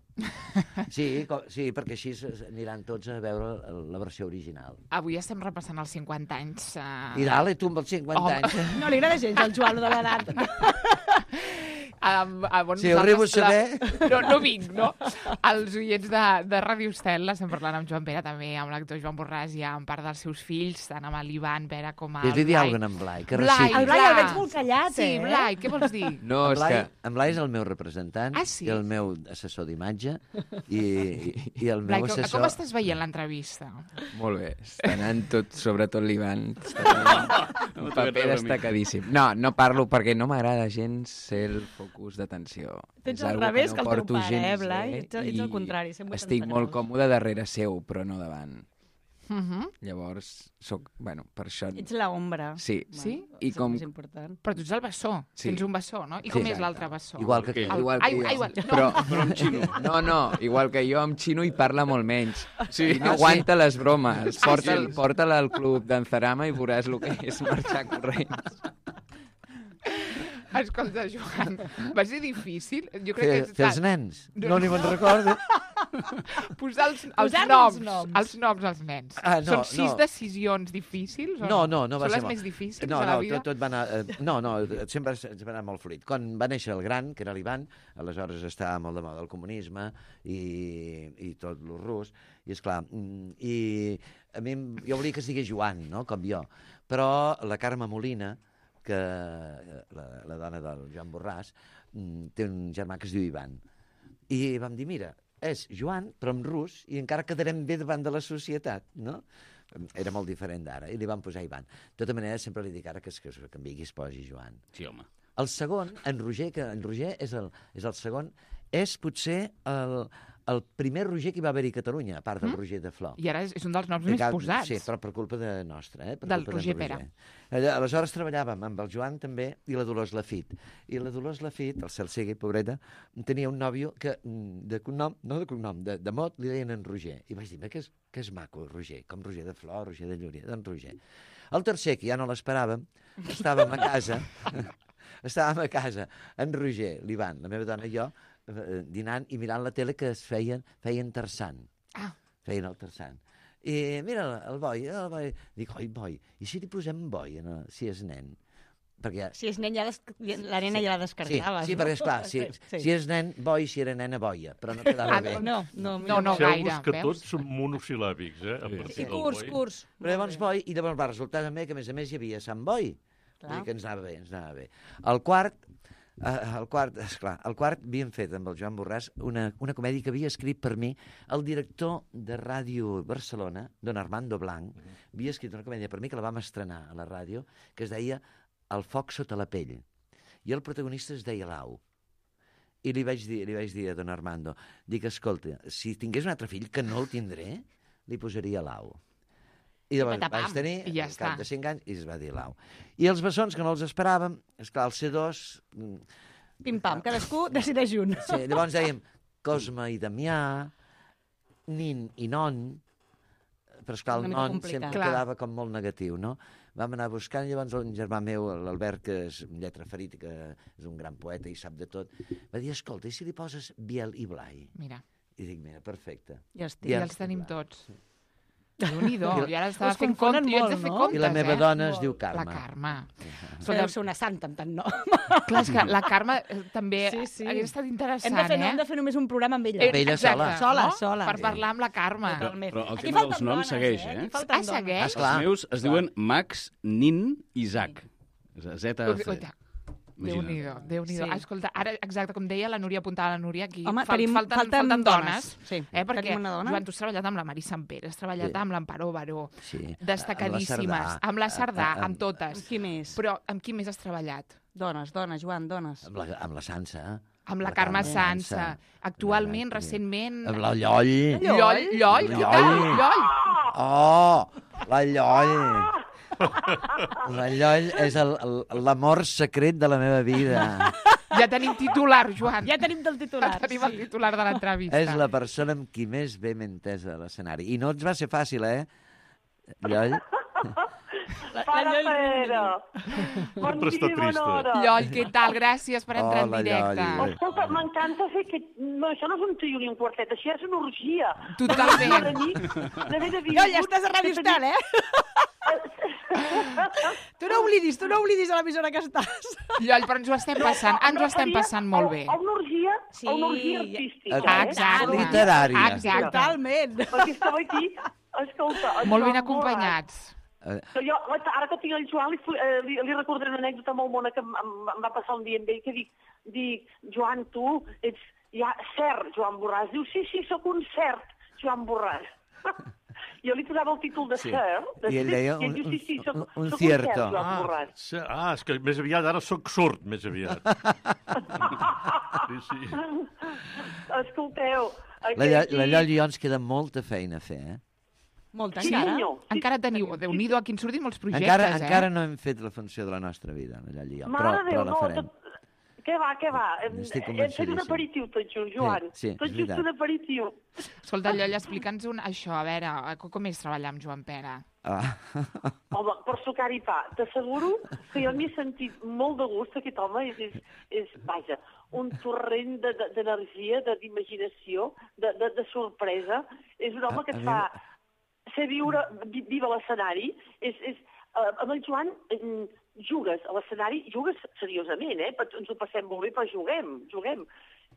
[SPEAKER 2] Sí, com, sí, perquè així s- aniran tots a veure la versió original.
[SPEAKER 1] Avui estem repassant els cinquanta anys. Uh...
[SPEAKER 2] I dale, tu amb els cinquanta
[SPEAKER 1] Home.
[SPEAKER 2] anys.
[SPEAKER 5] No li agrada gens al Joan, lo de l'edat.
[SPEAKER 1] Um, uh, bueno,
[SPEAKER 2] Si ho arribo a saber...
[SPEAKER 1] No, no vinc, no? Els oients de, de Ràdio Estel, estem parlant amb Joan Pera, també amb l'actor Joan Borràs i amb part dels seus fills, tant amb l'Ivan Pera com amb el
[SPEAKER 2] Fes-li dir
[SPEAKER 1] Blai.
[SPEAKER 2] alguna cosa en Blai, que
[SPEAKER 1] Blai,
[SPEAKER 2] reciti.
[SPEAKER 5] El Blai el veig molt callat,
[SPEAKER 1] Sí,
[SPEAKER 5] eh?
[SPEAKER 1] Blai, què vols dir?
[SPEAKER 6] No,
[SPEAKER 2] en
[SPEAKER 6] és
[SPEAKER 2] Blai,
[SPEAKER 6] que...
[SPEAKER 2] en Blai és el meu representant
[SPEAKER 1] Ah, sí?
[SPEAKER 2] i el meu assessor d'imatge i, i, i el
[SPEAKER 1] Blai,
[SPEAKER 2] meu
[SPEAKER 1] com,
[SPEAKER 2] assessor...
[SPEAKER 1] com estàs veient l'entrevista?
[SPEAKER 6] Molt bé, està anant tot, sobretot l'Ivan. Està anant-
[SPEAKER 4] No
[SPEAKER 6] un
[SPEAKER 4] t'ho
[SPEAKER 6] paper
[SPEAKER 4] veure a mi.
[SPEAKER 6] destacadíssim. No, no parlo perquè no m'agrada gens ser el focus d'atenció.
[SPEAKER 5] Tens
[SPEAKER 6] És
[SPEAKER 5] al
[SPEAKER 6] algo
[SPEAKER 5] revés
[SPEAKER 6] no
[SPEAKER 5] que el teu
[SPEAKER 6] porto
[SPEAKER 5] pare,
[SPEAKER 6] gens
[SPEAKER 5] eh, Blai?
[SPEAKER 6] bé
[SPEAKER 5] Ets, ets el
[SPEAKER 6] i
[SPEAKER 5] contrari, cent vuitanta
[SPEAKER 6] Estic molt
[SPEAKER 5] graus.
[SPEAKER 6] còmode darrere seu, però no davant.
[SPEAKER 1] Uh -huh.
[SPEAKER 6] Llavors, soc, bueno, per això...
[SPEAKER 5] Ets la ombra.
[SPEAKER 6] Sí.
[SPEAKER 1] Sí?
[SPEAKER 6] I com...
[SPEAKER 5] És important.
[SPEAKER 1] Però tu ets el bessó,
[SPEAKER 6] Sí.
[SPEAKER 1] tens un bessó, no? I
[SPEAKER 6] Sí,
[SPEAKER 1] com és
[SPEAKER 6] exacte.
[SPEAKER 1] l'altre bessó?
[SPEAKER 2] Igual que
[SPEAKER 3] Què?
[SPEAKER 2] tu.
[SPEAKER 6] Igual
[SPEAKER 1] Ai,
[SPEAKER 6] que jo.
[SPEAKER 1] ai, igual, no.
[SPEAKER 6] Però,
[SPEAKER 4] Però amb xino.
[SPEAKER 6] No, no, igual que jo amb xino i parla molt menys.
[SPEAKER 4] Sí.
[SPEAKER 6] I no aguanta les bromes.
[SPEAKER 1] Ah,
[SPEAKER 6] Porta'l
[SPEAKER 1] sí?
[SPEAKER 6] porta al club d'Anzarama i veuràs el que és marxar corrents.
[SPEAKER 1] Escolta, Joan, va ser difícil? Jo crec
[SPEAKER 2] Fer,
[SPEAKER 1] que...
[SPEAKER 2] fer els nens. No ni me'n recordo.
[SPEAKER 1] Posar els, els,
[SPEAKER 5] Posar-li
[SPEAKER 1] noms,
[SPEAKER 5] els noms.
[SPEAKER 1] els noms als nens.
[SPEAKER 2] Ah, no,
[SPEAKER 1] Són sis
[SPEAKER 2] no.
[SPEAKER 1] decisions difícils? O
[SPEAKER 2] No, no, no va
[SPEAKER 1] Són
[SPEAKER 2] ser
[SPEAKER 1] les
[SPEAKER 2] molt-
[SPEAKER 1] més difícils
[SPEAKER 2] no,
[SPEAKER 1] de la
[SPEAKER 2] no,
[SPEAKER 1] vida?
[SPEAKER 2] Tot, tot va anar... Eh, no, no, sempre es va anar molt fluid. Quan va néixer el gran, que era l'Ivan, aleshores estava molt de moda el comunisme i, i tot lo rus, i esclar, mm, i a mi em- jo volia que es digués Joan, no?, com jo, però la Carme Molina, que la, la dona del Joan Borràs, mm, té un germà que es diu Ivan. I vam dir, mira, és Joan, però en rus, i encara quedarem bé davant de la societat, no? Era molt diferent d'ara, i li van posar Ivan. De tota manera, sempre li dic ara que es, que es canviï, que es posi Joan.
[SPEAKER 4] Sí, home.
[SPEAKER 2] El segon, en Roger, que en Roger és el, és el segon, és potser el, el primer Roger que hi va haver-hi a Catalunya, a part del
[SPEAKER 1] Mm?
[SPEAKER 2] Roger de Flor.
[SPEAKER 1] I ara és, és un dels noms
[SPEAKER 2] I
[SPEAKER 1] més
[SPEAKER 2] cal-
[SPEAKER 1] posats.
[SPEAKER 2] Sí, però per culpa de nostra, eh? Per
[SPEAKER 1] Del
[SPEAKER 2] culpa
[SPEAKER 1] Roger
[SPEAKER 2] d'en
[SPEAKER 1] Pera.
[SPEAKER 2] Allà, aleshores treballàvem amb el Joan també i la Dolors Lafit. I la Dolors Lafit, el cel sigui, pobreta, tenia un nòvio que mm, de cognom, no de cognom, de, de mot li deien en Roger. I vaig dir, que és, que és maco, Roger, com Roger de Flor, Roger de Llúria, d'en Roger. El tercer, que ja no l'esperàvem, estàvem a casa, estàvem a casa, en Roger, l'Ivan, la meva dona i jo, eh, dinant i mirant la tele que es feien, feien terçant.
[SPEAKER 1] Ah.
[SPEAKER 2] Feien el terçant. I mira, el boi, el boi. Dic, oi, boi, i si li posem boi, en el, si és nen? Perquè...
[SPEAKER 5] Si és nen, ja des... la nena ja la
[SPEAKER 2] Sí,
[SPEAKER 5] descartaves.
[SPEAKER 2] sí,
[SPEAKER 5] no?
[SPEAKER 2] perquè, esclar, si,
[SPEAKER 5] Sí.
[SPEAKER 2] si és nen, boi, si era nena, boia, però no quedava
[SPEAKER 5] Ah,
[SPEAKER 2] bé.
[SPEAKER 5] no, no,
[SPEAKER 1] No, no
[SPEAKER 3] Fixeu-vos
[SPEAKER 1] gaire,
[SPEAKER 3] que
[SPEAKER 1] veus?
[SPEAKER 3] tots són monosil·làbics, eh? A partir
[SPEAKER 5] I
[SPEAKER 3] del
[SPEAKER 5] curs,
[SPEAKER 3] boi.
[SPEAKER 5] curs.
[SPEAKER 2] Però llavors boi, i llavors va resultar també que, a més a més, hi havia Sant Boi, Vull dir que ens anava bé, ens anava bé. El quart, eh, el quart, esclar, el quart havíem fet amb el Joan Borràs una, una comèdia que havia escrit per mi el director de Ràdio Barcelona, don Armando Blanc, uh-huh. havia escrit una comèdia per mi que la vam estrenar a la ràdio, que es deia El foc sota la pell. I el protagonista es deia Lau. I li vaig dir, li vaig dir a don Armando, dic, escolta, si tingués un altre fill, que no el tindré, li posaria Lau. I llavors vaig tenir,
[SPEAKER 1] I ja
[SPEAKER 2] al cap
[SPEAKER 1] està.
[SPEAKER 2] de cinc anys, i es va dir Lau. I els bessons, que no els esperàvem, esclar, el C dos...
[SPEAKER 5] Pim-pam, cadascú decideix un.
[SPEAKER 2] Sí, llavors dèiem Cosme i Damià, Nin i Non, però esclar, el Non sempre
[SPEAKER 5] Clar.
[SPEAKER 2] quedava com molt negatiu, no? Vam anar buscant, llavors un germà meu, l'Albert, que és un lletra ferit, que és un gran poeta i sap de tot, va dir, escolta, i si li poses Biel i Blai?
[SPEAKER 1] Mira.
[SPEAKER 2] I dic, mira, perfecte.
[SPEAKER 1] Ja, estic. I els tenim tots. Déu-n'hi-do,
[SPEAKER 2] I-
[SPEAKER 1] jo ara estava
[SPEAKER 5] Us
[SPEAKER 1] fent
[SPEAKER 5] confonen
[SPEAKER 1] comptes, jo haig de
[SPEAKER 5] molt,
[SPEAKER 1] fer
[SPEAKER 5] no?
[SPEAKER 1] comptes,
[SPEAKER 2] I la meva
[SPEAKER 1] eh?
[SPEAKER 2] dona es
[SPEAKER 1] Molt.
[SPEAKER 2] diu Carme.
[SPEAKER 1] La Carme.
[SPEAKER 5] Però deu ser una santa amb tant nom.
[SPEAKER 1] Clar, és que la Carme eh, també
[SPEAKER 5] Sí, sí.
[SPEAKER 1] hagués estat interessant,
[SPEAKER 5] Hem de fer,
[SPEAKER 1] eh?
[SPEAKER 5] hem de fer només un programa amb ella.
[SPEAKER 1] Eh, exacte,
[SPEAKER 5] Sola,
[SPEAKER 1] no?
[SPEAKER 5] sola.
[SPEAKER 1] Per parlar amb la Carme.
[SPEAKER 5] Totalment.
[SPEAKER 4] Però el
[SPEAKER 5] Aquí
[SPEAKER 4] tema dels
[SPEAKER 5] falten
[SPEAKER 4] noms
[SPEAKER 5] dones,
[SPEAKER 4] segueix,
[SPEAKER 5] eh?
[SPEAKER 4] eh?
[SPEAKER 5] Aquí falten
[SPEAKER 1] Ah, segueix?
[SPEAKER 5] dones.
[SPEAKER 4] Els meus es diuen Max, Nin i Isaac. Z A C.
[SPEAKER 1] Déu-n'hi-do, Déu-n'hi-do.
[SPEAKER 5] Sí.
[SPEAKER 1] Ah, escolta, ara, exacte, com deia la Núria, apuntava la Núria, aquí
[SPEAKER 5] Home,
[SPEAKER 1] fal
[SPEAKER 5] tenim-
[SPEAKER 1] falten,
[SPEAKER 5] falten
[SPEAKER 1] falten dones.
[SPEAKER 5] dones. Sí,
[SPEAKER 1] Eh, perquè,
[SPEAKER 5] tenim una dona.
[SPEAKER 1] Joan, tu has treballat amb la Mari Sampere, has treballat
[SPEAKER 2] Sí.
[SPEAKER 1] amb l'Amparó Baró,
[SPEAKER 2] Sí.
[SPEAKER 1] destacadíssimes,
[SPEAKER 2] Amb la Cerdà.
[SPEAKER 1] amb la Cerdà,
[SPEAKER 2] Ah, ah,
[SPEAKER 1] amb totes.
[SPEAKER 5] Amb qui més?
[SPEAKER 1] Però amb qui més has treballat?
[SPEAKER 5] Dones, dones, Joan, dones.
[SPEAKER 2] Amb la, amb la Sansa.
[SPEAKER 1] Amb la Carme Sansa. Actualment, recentment...
[SPEAKER 2] Amb la Lloll.
[SPEAKER 1] Lloll, Lloll, què tal? Lloll.
[SPEAKER 2] Oh, la Lloll. La Lloll és el- el- l'amor secret de la meva vida.
[SPEAKER 1] Ja tenim titular, Joan.
[SPEAKER 5] Ja tenim del titular.
[SPEAKER 1] Ja tenim el titular de l'entrevista.
[SPEAKER 2] És la persona amb qui més bé m'he entès a l'escenari. I no ens va ser fàcil, eh? Lloll.
[SPEAKER 17] Para Pere. Bon
[SPEAKER 3] Sempre està
[SPEAKER 17] dia i bona
[SPEAKER 3] trista.
[SPEAKER 17] hora.
[SPEAKER 1] Lloll, què tal? Gràcies per entrar
[SPEAKER 2] Hola,
[SPEAKER 1] en directe.
[SPEAKER 2] Lloll.
[SPEAKER 17] Escolta, m'encanta fer que... No, això no és un trio ni un quartet, això és una orgia.
[SPEAKER 1] Totalment.
[SPEAKER 17] De nit, d'haver de
[SPEAKER 5] Jo, ja estàs a Ràdio Estel, eh? Tu no oblidis, tu no oblidis a l'emissora que estàs.
[SPEAKER 1] Lloll, però ens ho estem passant, ens ho estem passant molt bé.
[SPEAKER 17] A una orgia,
[SPEAKER 5] Sí.
[SPEAKER 17] a una orgia artística.
[SPEAKER 2] Ah,
[SPEAKER 17] eh?
[SPEAKER 1] exacte.
[SPEAKER 2] Literària.
[SPEAKER 1] Exacte.
[SPEAKER 5] Totalment.
[SPEAKER 17] Perquè estava aquí, escolta... en
[SPEAKER 1] Molt ben
[SPEAKER 17] Joan
[SPEAKER 1] acompanyats.
[SPEAKER 2] Eh,
[SPEAKER 17] Que jo, ara que tinc el Joan, li, fu- eh, li, li recordaré una anècdota molt bona que em, em, em va passar un dia amb ell, que dic, dic Joan, tu ets ja cert, Joan Borràs. Diu, sí, sí, sóc un cert, Joan Borràs. Jo li posava el títol de
[SPEAKER 2] Sí.
[SPEAKER 17] cert. de
[SPEAKER 2] I ell
[SPEAKER 17] cert,
[SPEAKER 2] deia
[SPEAKER 17] i ell
[SPEAKER 2] un-
[SPEAKER 17] diu, sí, sí, soc,
[SPEAKER 2] un- un
[SPEAKER 17] soc
[SPEAKER 2] cierto.
[SPEAKER 17] un cert, Joan
[SPEAKER 3] Ah,
[SPEAKER 17] Borràs.
[SPEAKER 3] se- ah, és que més aviat ara sóc sord, més aviat. Sí, sí.
[SPEAKER 17] Escolteu...
[SPEAKER 2] La, Lloll,
[SPEAKER 17] aquí-
[SPEAKER 2] la Lloll i jo ens queda molta feina a fer, eh?
[SPEAKER 5] Molta,
[SPEAKER 17] Sí,
[SPEAKER 5] encara.
[SPEAKER 17] senyor.
[SPEAKER 1] Encara teniu, Déu-n'hi-do, aquí en surtin molts projectes,
[SPEAKER 2] Encara,
[SPEAKER 1] eh?
[SPEAKER 2] encara no hem fet la funció de la nostra vida, la Lloll i jo, però,
[SPEAKER 17] Mare de
[SPEAKER 2] però
[SPEAKER 17] Déu,
[SPEAKER 2] la
[SPEAKER 17] no,
[SPEAKER 2] farem.
[SPEAKER 17] tot... Què va, què va? Hem,
[SPEAKER 2] Estic
[SPEAKER 17] hem fet un
[SPEAKER 2] convencidíssim.
[SPEAKER 17] aperitiu tot just, Joan.
[SPEAKER 2] Sí, sí,
[SPEAKER 17] tot
[SPEAKER 2] és
[SPEAKER 17] just
[SPEAKER 2] veritat.
[SPEAKER 17] un aperitiu.
[SPEAKER 1] Escolta, Lloll, explica'ns un, això, a veure, co- com és treballar amb Joan Pere?
[SPEAKER 2] Ah.
[SPEAKER 17] Home, per sucar i pa, t'asseguro que jo m'hi he sentit molt de gust, aquest home és, és, és vaja, un torrent de- de- d'energia, de, d'imaginació, de, de, de sorpresa. És un home
[SPEAKER 2] A-
[SPEAKER 17] que
[SPEAKER 2] a
[SPEAKER 17] et
[SPEAKER 2] mi-
[SPEAKER 17] fa ser viure, vi- viure a l'escenari. És, és, uh, amb el Joan mm, jugues a l'escenari, jugues seriosament, eh? Però ens ho passem molt bé, però juguem, juguem.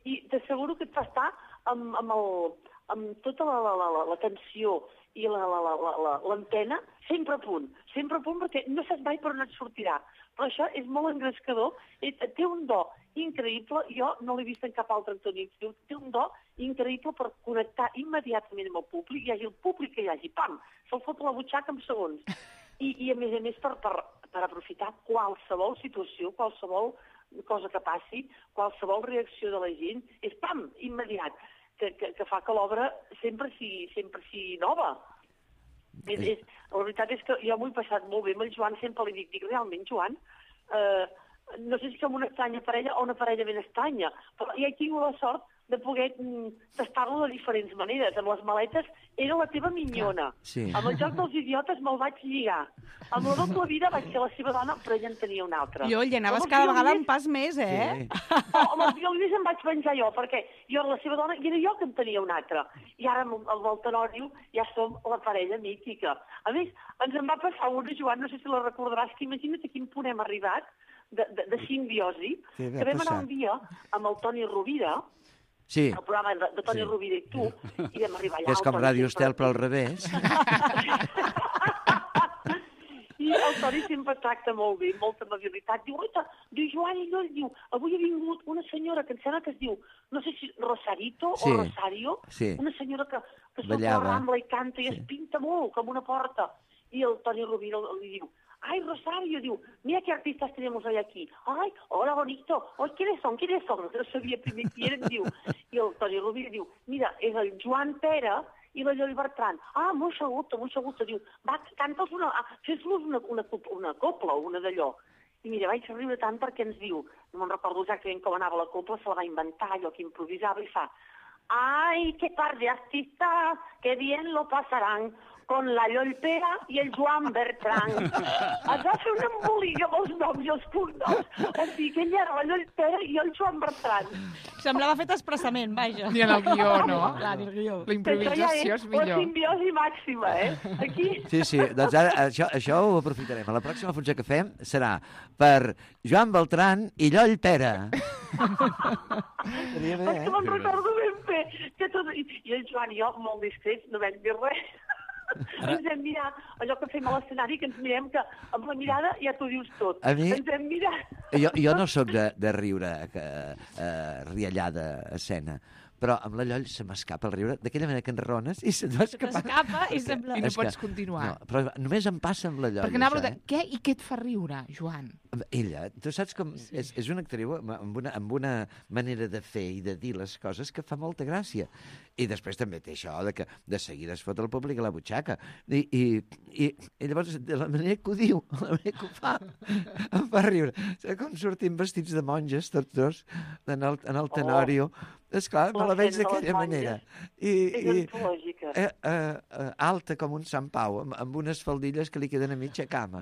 [SPEAKER 17] I t'asseguro que et fa estar amb, amb, el, amb tota la, la, la, la tensió i la, la, la, la, la, l'antena sempre a punt, sempre a punt, perquè no saps mai per on et sortirà. Però això és molt engrescador, i té un do increïble, jo no l'he vist en cap altre actor ni actriu, té un do increïble per connectar immediatament amb el públic, hi hagi el públic que hi hagi, pam, se'l fot a la butxaca en segons. I, i a més a més per, per, per aprofitar qualsevol situació, qualsevol cosa que passi, qualsevol reacció de la gent, és pam, immediat, que, que, que fa que l'obra sempre sigui, sempre sigui nova. És, és, la veritat és que jo m'ho he passat molt bé amb el Joan, sempre li dic, dic realment, Joan, eh, no sé si som una estranya parella o una parella ben estranya, però ja he tingut la sort de poder mm, tastar-lo de diferents maneres. Amb les maletes era la teva minyona.
[SPEAKER 2] Sí.
[SPEAKER 17] Amb el joc dels idiotes me'l vaig lligar. Amb la doble vida vaig ser la seva dona, però ella en tenia una altra.
[SPEAKER 5] Jo, hi anaves
[SPEAKER 17] Amb els
[SPEAKER 5] cada vegada
[SPEAKER 17] violins-
[SPEAKER 5] un pas més, eh?
[SPEAKER 17] no, amb els violins em vaig venjar jo, perquè jo era la seva dona i era jo que en tenia una altra. I ara amb el del Tenòrio ja som la parella mítica. A més, ens en va passar una, Joan, no sé si la recordaràs, que imagina't a quin punt hem arribat de, de, de simbiosi,
[SPEAKER 2] Què va
[SPEAKER 17] que vam anar
[SPEAKER 2] passar?
[SPEAKER 17] un dia amb el Toni Rovira,
[SPEAKER 2] Sí,
[SPEAKER 17] el programa de, de Toni
[SPEAKER 2] Sí.
[SPEAKER 17] Rovira i tu, i vam arribar allà...
[SPEAKER 2] que és
[SPEAKER 17] el
[SPEAKER 2] com
[SPEAKER 17] Toni
[SPEAKER 2] Ràdio
[SPEAKER 17] sempre-
[SPEAKER 2] Estel, però al revés.
[SPEAKER 17] I el Toni sempre tracta molt bé, molta amabilitat. Diu, oita, diu Joan i Lloll, diu, avui ha vingut una senyora que em sembla que es diu, no sé si Rosarito
[SPEAKER 2] Sí,
[SPEAKER 17] o Rosario,
[SPEAKER 2] sí.
[SPEAKER 17] una senyora que, que surt a la
[SPEAKER 2] Ballava.
[SPEAKER 17] Rambla i canta i es pinta molt, com una porta. I el Toni Rovira li diu, ay, Rosario, diu, mira qué artistas tenemos hoy aquí. Ay, hola, bonito. Ay, ¿quiénes son? ¿Quiénes son? No sabia primer qui eren, diu. I el Toni Rovira diu, mira, és el Joan Pera i la Lloll Bertran. Ah, molt gusto, molt gusto. Diu, va, canta'ls una, fes-los una, una, una copla o una d'allò. I mira, vaig riure tant perquè ens diu, no me'n recordo exactament com anava la copla, se la va inventar, allò que improvisava, i fa, ay, qué par de artistas, que bien lo pasarán con la Lloll Pera i el Joan Bertran. Es va fer un embolic amb els noms i els cognoms. O sigui que ell era la Lloll Pera i el Joan Bertran.
[SPEAKER 5] Semblava fet expressament, vaja.
[SPEAKER 1] Ni en el guió, no?
[SPEAKER 5] Clar, ni el guió.
[SPEAKER 1] La improvisació és millor.
[SPEAKER 17] La simbiosi màxima, eh? Aquí...
[SPEAKER 2] Sí, sí, doncs ara això, això ho aprofitarem. A la pròxima funció que fem serà per Joan Beltran i Lloll Pera. Seria bé,
[SPEAKER 17] És
[SPEAKER 2] eh?
[SPEAKER 17] que me'n recordo ben bé. Que tot... I el Joan i jo, molt discrets, no vam dir res. Ens vam mirar, allò que fem a l'escenari, que ens mirem que amb la mirada ja t'ho dius tot.
[SPEAKER 2] A mi-
[SPEAKER 17] Ens vam mirar...
[SPEAKER 2] Jo, jo no sóc de, de riure que, eh, riallada a escena, però amb la Lloll se m'escapa el riure d'aquella manera que enraones i se't va escapar.
[SPEAKER 5] T'escapa i sembla...
[SPEAKER 1] I no
[SPEAKER 2] És que-
[SPEAKER 1] pots continuar.
[SPEAKER 2] No, però només em passa amb la Lloll,
[SPEAKER 1] Perquè anava a
[SPEAKER 2] això,
[SPEAKER 1] preguntar, què i què et fa riure, Joan?
[SPEAKER 2] Ella, tu saps com... Sí. És, és una actriu amb una, amb una manera de fer i de dir les coses que fa molta gràcia. I després també té això de que de seguida es fot el públic a la butxaca. I, i, i, i llavors, de la manera que ho diu, la manera que ho fa, em fa riure. Saps com sortim vestits de monges, tots dos, en el, en el Tenorio. Oh. Esclar, me la veig d'aquella manera. I,
[SPEAKER 17] És
[SPEAKER 2] i,
[SPEAKER 17] antològica.
[SPEAKER 2] eh, eh, eh, alta com un Sant Pau, amb, amb unes faldilles que li queden a mitja cama.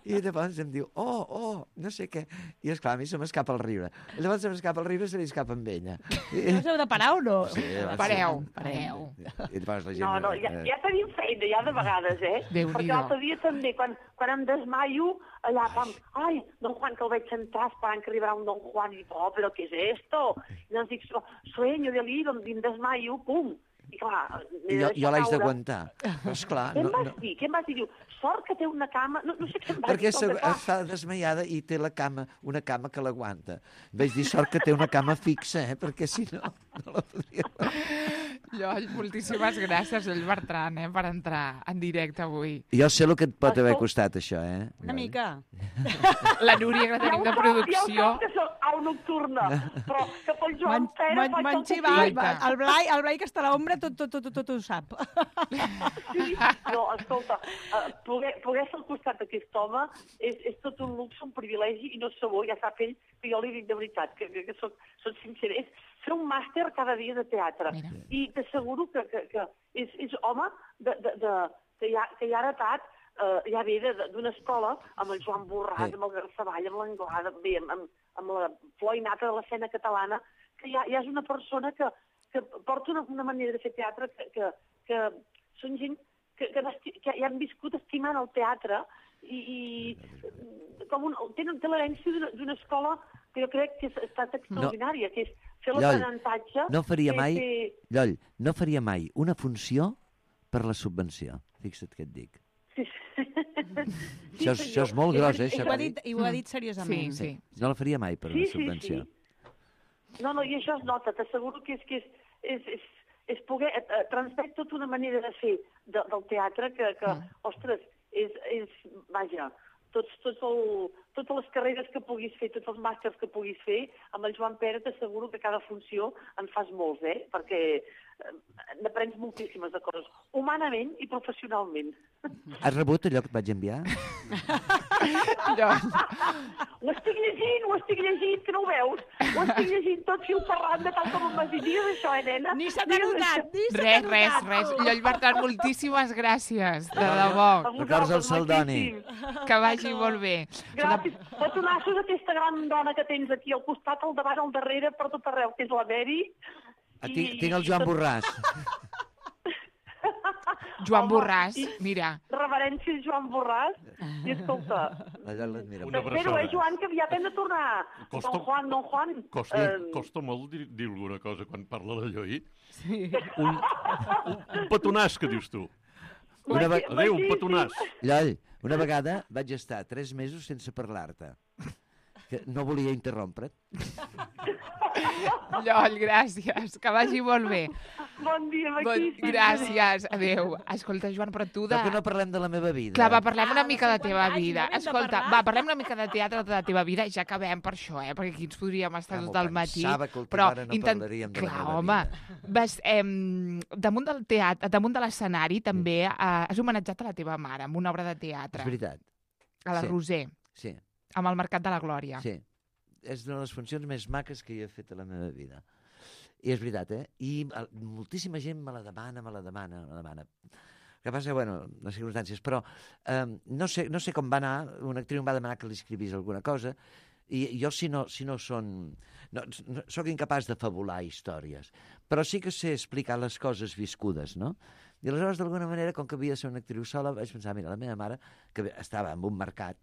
[SPEAKER 2] I llavors em diu, oh, oh, no sé què. I esclar, a mi se m'escapa el riure. I llavors se m'escapa el riure i se li escapa amb ella. I,
[SPEAKER 5] No us heu de parar o no?
[SPEAKER 2] Sí, va,
[SPEAKER 1] Pareu,
[SPEAKER 2] sí.
[SPEAKER 1] pareu.
[SPEAKER 2] I llavors la gent...
[SPEAKER 17] No, no, ja, ja tenim feina, ja de vegades, eh?
[SPEAKER 1] Déu-n'hi-do.
[SPEAKER 17] Perquè l'altre dia també, quan, quan em desmaio, allà, pam, ai, don Juan, que el veig entrar esperant que arribarà un don Juan, i dic, oh, però què és esto? I llavors dic, sueño, deliro, em desmaio, pum. I clar,
[SPEAKER 2] I jo, jo l'haig d'aguantar. Però esclar...
[SPEAKER 17] Què em
[SPEAKER 2] No,
[SPEAKER 17] vas
[SPEAKER 2] no,
[SPEAKER 17] dir? Què em vas dir? Diu, sort que té una cama... No, no sé què em vas
[SPEAKER 2] perquè
[SPEAKER 17] dir.
[SPEAKER 2] se,
[SPEAKER 17] com que, clar,
[SPEAKER 2] està desmaiada i té la cama, una cama que l'aguanta. Vaig dir sort que té una cama fixa, eh? Perquè si no, no la podria...
[SPEAKER 1] Lloll, moltíssimes gràcies, Lloll Bertran, eh, per entrar en directe avui.
[SPEAKER 2] Jo sé el que et pot haver costat, això, eh?
[SPEAKER 5] Una mica.
[SPEAKER 1] La Núria, que tenim de producció...
[SPEAKER 17] Ja ho que soc au nocturna, però que pel Joan Pere faig el
[SPEAKER 5] M'han
[SPEAKER 17] que
[SPEAKER 5] xivat.
[SPEAKER 17] tinc.
[SPEAKER 5] El Blai, el Blai que està a l'ombra tot, tot, tot, tot, tot ho sap.
[SPEAKER 17] Sí, no, escolta, uh, poder, poder ser al costat d'aquest home és, és tot un luxe, un privilegi, i no sabó, ja sap ell, que jo li dic de veritat, que, que, que soc, soc sincer, és fer un màster cada dia de teatre. Mira. I t'asseguro que, que, que és, és home de, de, de, que, ja, que ja ha heretat, uh, ja ve de- de- d'una escola amb el Joan Borràs,
[SPEAKER 2] Sí.
[SPEAKER 17] amb el Garceball, amb l'Anglada, bé, amb, amb, amb la flor innata de l'escena catalana, que ja, ja és una persona que, que porta una, una manera de fer teatre que, que, que són gent que, que, esti- que ja han viscut estimant el teatre i, i com un, tenen té l'herència d'una- d'una escola que jo crec que ha estat extraordinària, no. que és fer
[SPEAKER 2] Lloll,
[SPEAKER 17] l'aprenentatge.
[SPEAKER 2] no faria
[SPEAKER 17] que
[SPEAKER 2] mai,
[SPEAKER 17] té-
[SPEAKER 2] Lloll, no faria mai una funció per la subvenció. Fixa't què et dic.
[SPEAKER 17] Sí, sí.
[SPEAKER 2] Això és- això és molt gros, eh,
[SPEAKER 5] I
[SPEAKER 2] això
[SPEAKER 5] ho ha
[SPEAKER 2] que
[SPEAKER 5] dit, i ho ha dit seriosament.
[SPEAKER 1] Sí, sí.
[SPEAKER 2] No la faria mai per
[SPEAKER 17] Sí,
[SPEAKER 2] una
[SPEAKER 17] sí,
[SPEAKER 2] subvenció.
[SPEAKER 17] sí. No, no, i això es nota, t'asseguro que és, que és, és, és, és poder eh, eh, transmet tota una manera de fer de, del teatre que, que mm. ostres, és, és, vaja, tots, tots el, totes les carreres que puguis fer, tots els màsters que puguis fer, amb el Joan Pere t'asseguro que cada funció en fas molts, eh? Perquè eh, n'aprens moltíssimes de coses, humanament i professionalment.
[SPEAKER 2] Has rebut allò que et vaig enviar?
[SPEAKER 17] Ho estic llegint, ho estic llegint, que no ho veus? Ho estic llegint tot fil per randa, tal com em vas dir. Digues això, eh, nena?
[SPEAKER 5] Ni se t'ha notat, ni se t'ha
[SPEAKER 1] Res,
[SPEAKER 5] notat.
[SPEAKER 1] res, res. Lloll Bertran, moltíssimes gràcies, de debò.
[SPEAKER 2] Records el Saldoni.
[SPEAKER 1] Que vagi molt bé.
[SPEAKER 17] Gràcies. Petonassos a aquesta gran dona que tens aquí al costat, al davant, al darrere, per tot arreu, que és la Mary.
[SPEAKER 2] Ah, tinc, tinc el Joan Borràs.
[SPEAKER 1] Joan Borràs, mira.
[SPEAKER 17] Reverència a Joan Borràs. I escolta,
[SPEAKER 2] Allò l'admiro.
[SPEAKER 3] Una
[SPEAKER 17] t'espero, eh, Joan, que aviat hem de tornar.
[SPEAKER 3] Costa-
[SPEAKER 17] Don Juan, Don Juan.
[SPEAKER 3] Costa,
[SPEAKER 17] Eh,
[SPEAKER 3] costa molt dir, dir alguna cosa quan parla de Lloll.
[SPEAKER 5] Sí.
[SPEAKER 3] Un, un, un petonàs, que dius tu.
[SPEAKER 2] Una ve-
[SPEAKER 3] Adéu, un petonàs.
[SPEAKER 2] Lloll, Una vegada vaig estar tres mesos sense parlar-te, que no volia interrompre't.
[SPEAKER 1] Lloll, gràcies, que vagi molt bé.
[SPEAKER 17] Bon dia,
[SPEAKER 1] Bon,
[SPEAKER 17] maquíssim.
[SPEAKER 1] gràcies, adéu. Escolta, Joan, però tu de...
[SPEAKER 2] Per què no parlem de la meva vida?
[SPEAKER 1] Clar, va, parlem una mica de teva
[SPEAKER 5] anys,
[SPEAKER 1] vida.
[SPEAKER 5] n'hem de
[SPEAKER 1] Escolta,
[SPEAKER 5] parlar.
[SPEAKER 1] va, parlem una mica de teatre de la teva vida i ja acabem per això, eh? Perquè aquí ens podríem estar
[SPEAKER 2] Ah,
[SPEAKER 1] tot
[SPEAKER 2] m'ho
[SPEAKER 1] el matí.
[SPEAKER 2] pensava que a última
[SPEAKER 1] Però
[SPEAKER 2] hora no parlaríem de la
[SPEAKER 1] Clar,
[SPEAKER 2] meva
[SPEAKER 1] home,
[SPEAKER 2] vida.
[SPEAKER 1] vas, em, damunt del teatre, damunt de l'escenari també eh, has homenatjat a la teva mare amb una obra de teatre.
[SPEAKER 2] És veritat.
[SPEAKER 1] A la
[SPEAKER 2] Sí.
[SPEAKER 1] Roser,
[SPEAKER 2] Sí,
[SPEAKER 1] amb el Mercat de la Glòria.
[SPEAKER 2] sí. És una de les funcions més maques que hi he fet a la meva vida. I és veritat, eh? I eh, moltíssima gent me la demana, me la demana, me la demana. El que passa, bueno, les circumstàncies, però eh, no, sé, no sé com va anar, una actriu em va demanar que li escrivís alguna cosa, i jo si no, si no són... No, no, soc incapaç de fabular històries, però sí que sé explicar les coses viscudes, no? I aleshores, d'alguna manera, com que havia de ser una actriu sola, vaig pensar, mira, la meva mare, que estava en un mercat,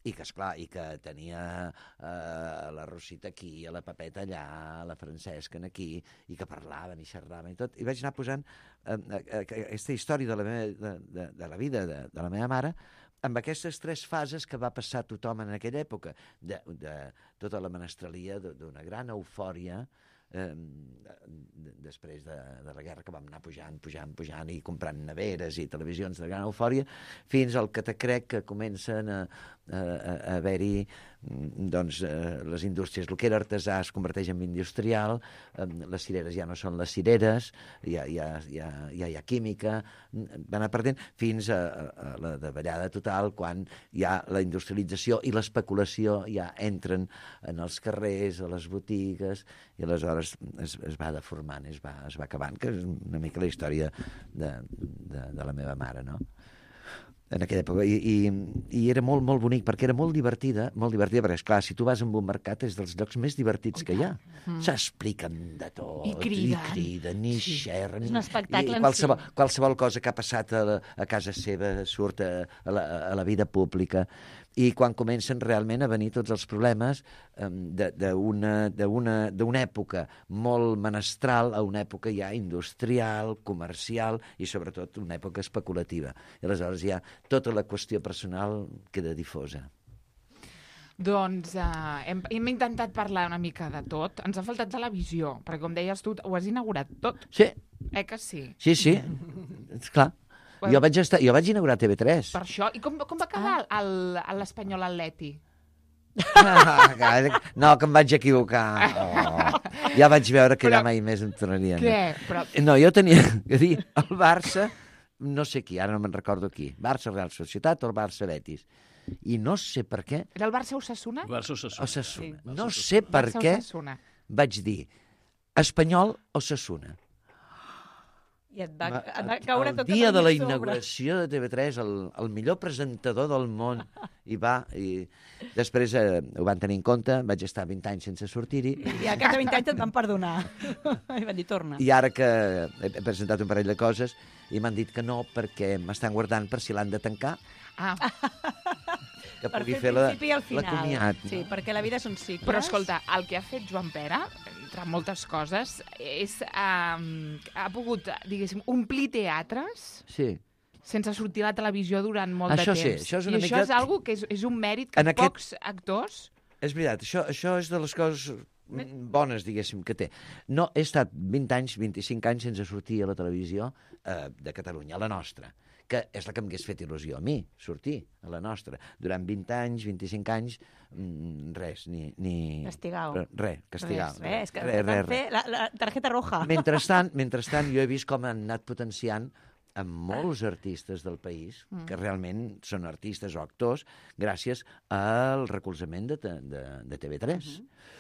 [SPEAKER 2] i que, esclar, i que tenia eh, la Rosita aquí, la Pepeta allà, la Francesca aquí, i que parlaven i xerraven i tot. I vaig anar posant eh, eh, aquesta història de la, meva, de, de, de la vida de, de la meva mare amb aquestes tres fases que va passar tothom en aquella època, de, de tota la menestralia, d'una gran eufòria, eh, després de, de la guerra, que vam anar pujant, pujant, pujant i comprant neveres i televisions de gran eufòria, fins al que te crec que comencen a, a, a haver-hi doncs, eh, les indústries. El que era artesà es converteix en industrial, eh, les cireres ja no són les cireres, ja, ja, ja, ja hi ha química, va anar perdent, fins a, a la davallada total, quan ja la industrialització i l'especulació ja entren en els carrers, a les botigues, i aleshores es, es va deformant, es va, es va acabant, que és una mica la història de, de, de la meva mare, no? En aquella època, i, i, i era molt, molt bonic, perquè era molt divertida, molt divertida, perquè, esclar, si tu vas a un mercat és dels llocs més divertits que hi ha.
[SPEAKER 5] Mm.
[SPEAKER 2] S'expliquen de tot,
[SPEAKER 5] I criden.
[SPEAKER 2] i criden, i
[SPEAKER 5] Sí.
[SPEAKER 2] xerren.
[SPEAKER 5] És un espectacle
[SPEAKER 2] i
[SPEAKER 5] en
[SPEAKER 2] qualsevol,
[SPEAKER 5] si.
[SPEAKER 2] qualsevol cosa que ha passat a, la, a casa seva surt a, a, la, a la vida pública. I quan comencen realment a venir tots els problemes um, d'una època molt menestral a una època ja industrial, comercial i sobretot una època especulativa. I aleshores ja tota la qüestió personal queda difosa.
[SPEAKER 1] Doncs uh, hem, hem intentat parlar una mica de tot. Ens ha faltat televisió, perquè com deies tu, ho has inaugurat tot.
[SPEAKER 2] Sí.
[SPEAKER 1] Eh que sí?
[SPEAKER 2] Sí, sí, esclar.
[SPEAKER 1] Bueno.
[SPEAKER 2] Jo vaig, estar, jo vaig inaugurar T V tres.
[SPEAKER 1] Per això. I com, com va quedar ah. l'Espanyol Atleti?
[SPEAKER 2] Ah, no, que em vaig equivocar. Oh. Ja vaig veure que
[SPEAKER 1] Però,
[SPEAKER 2] ja mai més em tornaria.
[SPEAKER 1] Què? Però...
[SPEAKER 2] No, jo tenia que dir el Barça, no sé qui, ara no me'n recordo qui, Barça Real Societat o el Barça Betis. I no sé per què...
[SPEAKER 1] Era el Barça Osasuna?
[SPEAKER 4] Barça Osasuna.
[SPEAKER 2] Osasuna.
[SPEAKER 1] Sí.
[SPEAKER 2] No sé per
[SPEAKER 1] Barça
[SPEAKER 2] què
[SPEAKER 1] Osasuna.
[SPEAKER 2] vaig dir Espanyol Osasuna.
[SPEAKER 5] I et va, et va caure
[SPEAKER 2] el
[SPEAKER 5] tota
[SPEAKER 2] dia de la
[SPEAKER 5] sobre.
[SPEAKER 2] inauguració de T V tres, el, el millor presentador del món, i va, i després eh, ho van tenir en compte, vaig estar vint anys sense sortir-hi.
[SPEAKER 5] I al cap de vint anys et van perdonar. I van dir, torna.
[SPEAKER 2] I ara que he presentat un parell de coses i m'han dit que no, perquè m'estan guardant per si l'han de tancar.
[SPEAKER 1] Ah.
[SPEAKER 2] Que
[SPEAKER 5] Per
[SPEAKER 2] pugui
[SPEAKER 5] fer
[SPEAKER 2] fer la,
[SPEAKER 5] el principi i el
[SPEAKER 2] la
[SPEAKER 5] final.
[SPEAKER 2] comiat.
[SPEAKER 5] Sí, perquè la vida són cicles.
[SPEAKER 1] Però escolta, el que ha fet Joan Pere, entre moltes coses, és... Um, ha pogut, diguéssim, omplir teatres
[SPEAKER 2] Sí.
[SPEAKER 1] sense sortir a la televisió durant molt
[SPEAKER 2] Això
[SPEAKER 1] de
[SPEAKER 2] sí,
[SPEAKER 1] temps.
[SPEAKER 2] això és una
[SPEAKER 1] I
[SPEAKER 2] mica-
[SPEAKER 1] això és algo que és, és un mèrit que
[SPEAKER 2] En aquest-
[SPEAKER 1] pocs actors...
[SPEAKER 2] És veritat, això, això és de les coses bones, diguéssim, que té. No, he estat vint anys, vint-i-cinc anys sense sortir a la televisió eh, de Catalunya, a la nostra, que és la que m'hagués fet il·lusió a mi, sortir a la nostra. Durant vint anys, vint-i-cinc anys, mm, res, ni... ni
[SPEAKER 5] Castigau.
[SPEAKER 2] Res, castigau.
[SPEAKER 5] Res, res, és que
[SPEAKER 2] res,
[SPEAKER 5] van
[SPEAKER 2] res,
[SPEAKER 5] fer
[SPEAKER 2] res.
[SPEAKER 5] la, la targeta roja.
[SPEAKER 2] Mentrestant, mentrestant, jo he vist com han anat potenciant amb molts artistes del país,
[SPEAKER 5] Mm.
[SPEAKER 2] que realment són artistes o actors, gràcies al recolzament de, de, de T V tres.
[SPEAKER 5] Mm-hmm.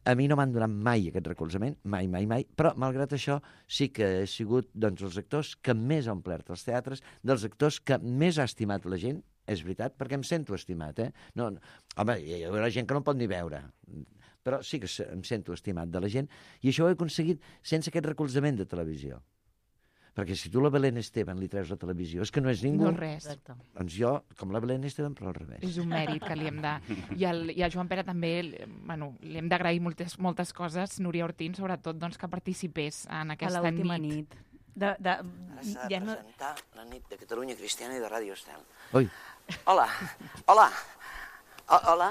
[SPEAKER 2] A mi no m'han donat mai aquest recolzament, mai, mai, mai, però malgrat això sí que he sigut doncs, els actors que més ha omplert els teatres, dels actors que més ha estimat la gent, és veritat, perquè em sento estimat, eh? No, no, home, hi haurà gent que no em pot ni veure, però sí que se- em sento estimat de la gent, i això ho he aconseguit sense aquest recolzament de televisió. Perquè si tu la Belén Esteban li treus la televisió, és que no és ningú.
[SPEAKER 1] No res.
[SPEAKER 2] Doncs jo, com la Belén Esteban, però al revés.
[SPEAKER 1] És un mèrit que li hem de... I, el, i a Joan Pere també, bueno, li hem d'agrair moltes, moltes coses, Núria Ortín, sobretot, doncs, que participés en aquesta
[SPEAKER 5] l'última
[SPEAKER 1] nit.
[SPEAKER 5] nit. De, de,
[SPEAKER 15] Ara s'ha de
[SPEAKER 5] ja no...
[SPEAKER 15] presentar la nit de Catalunya Cristiana i de Ràdio Estel.
[SPEAKER 2] Ui.
[SPEAKER 15] Hola, hola, o hola,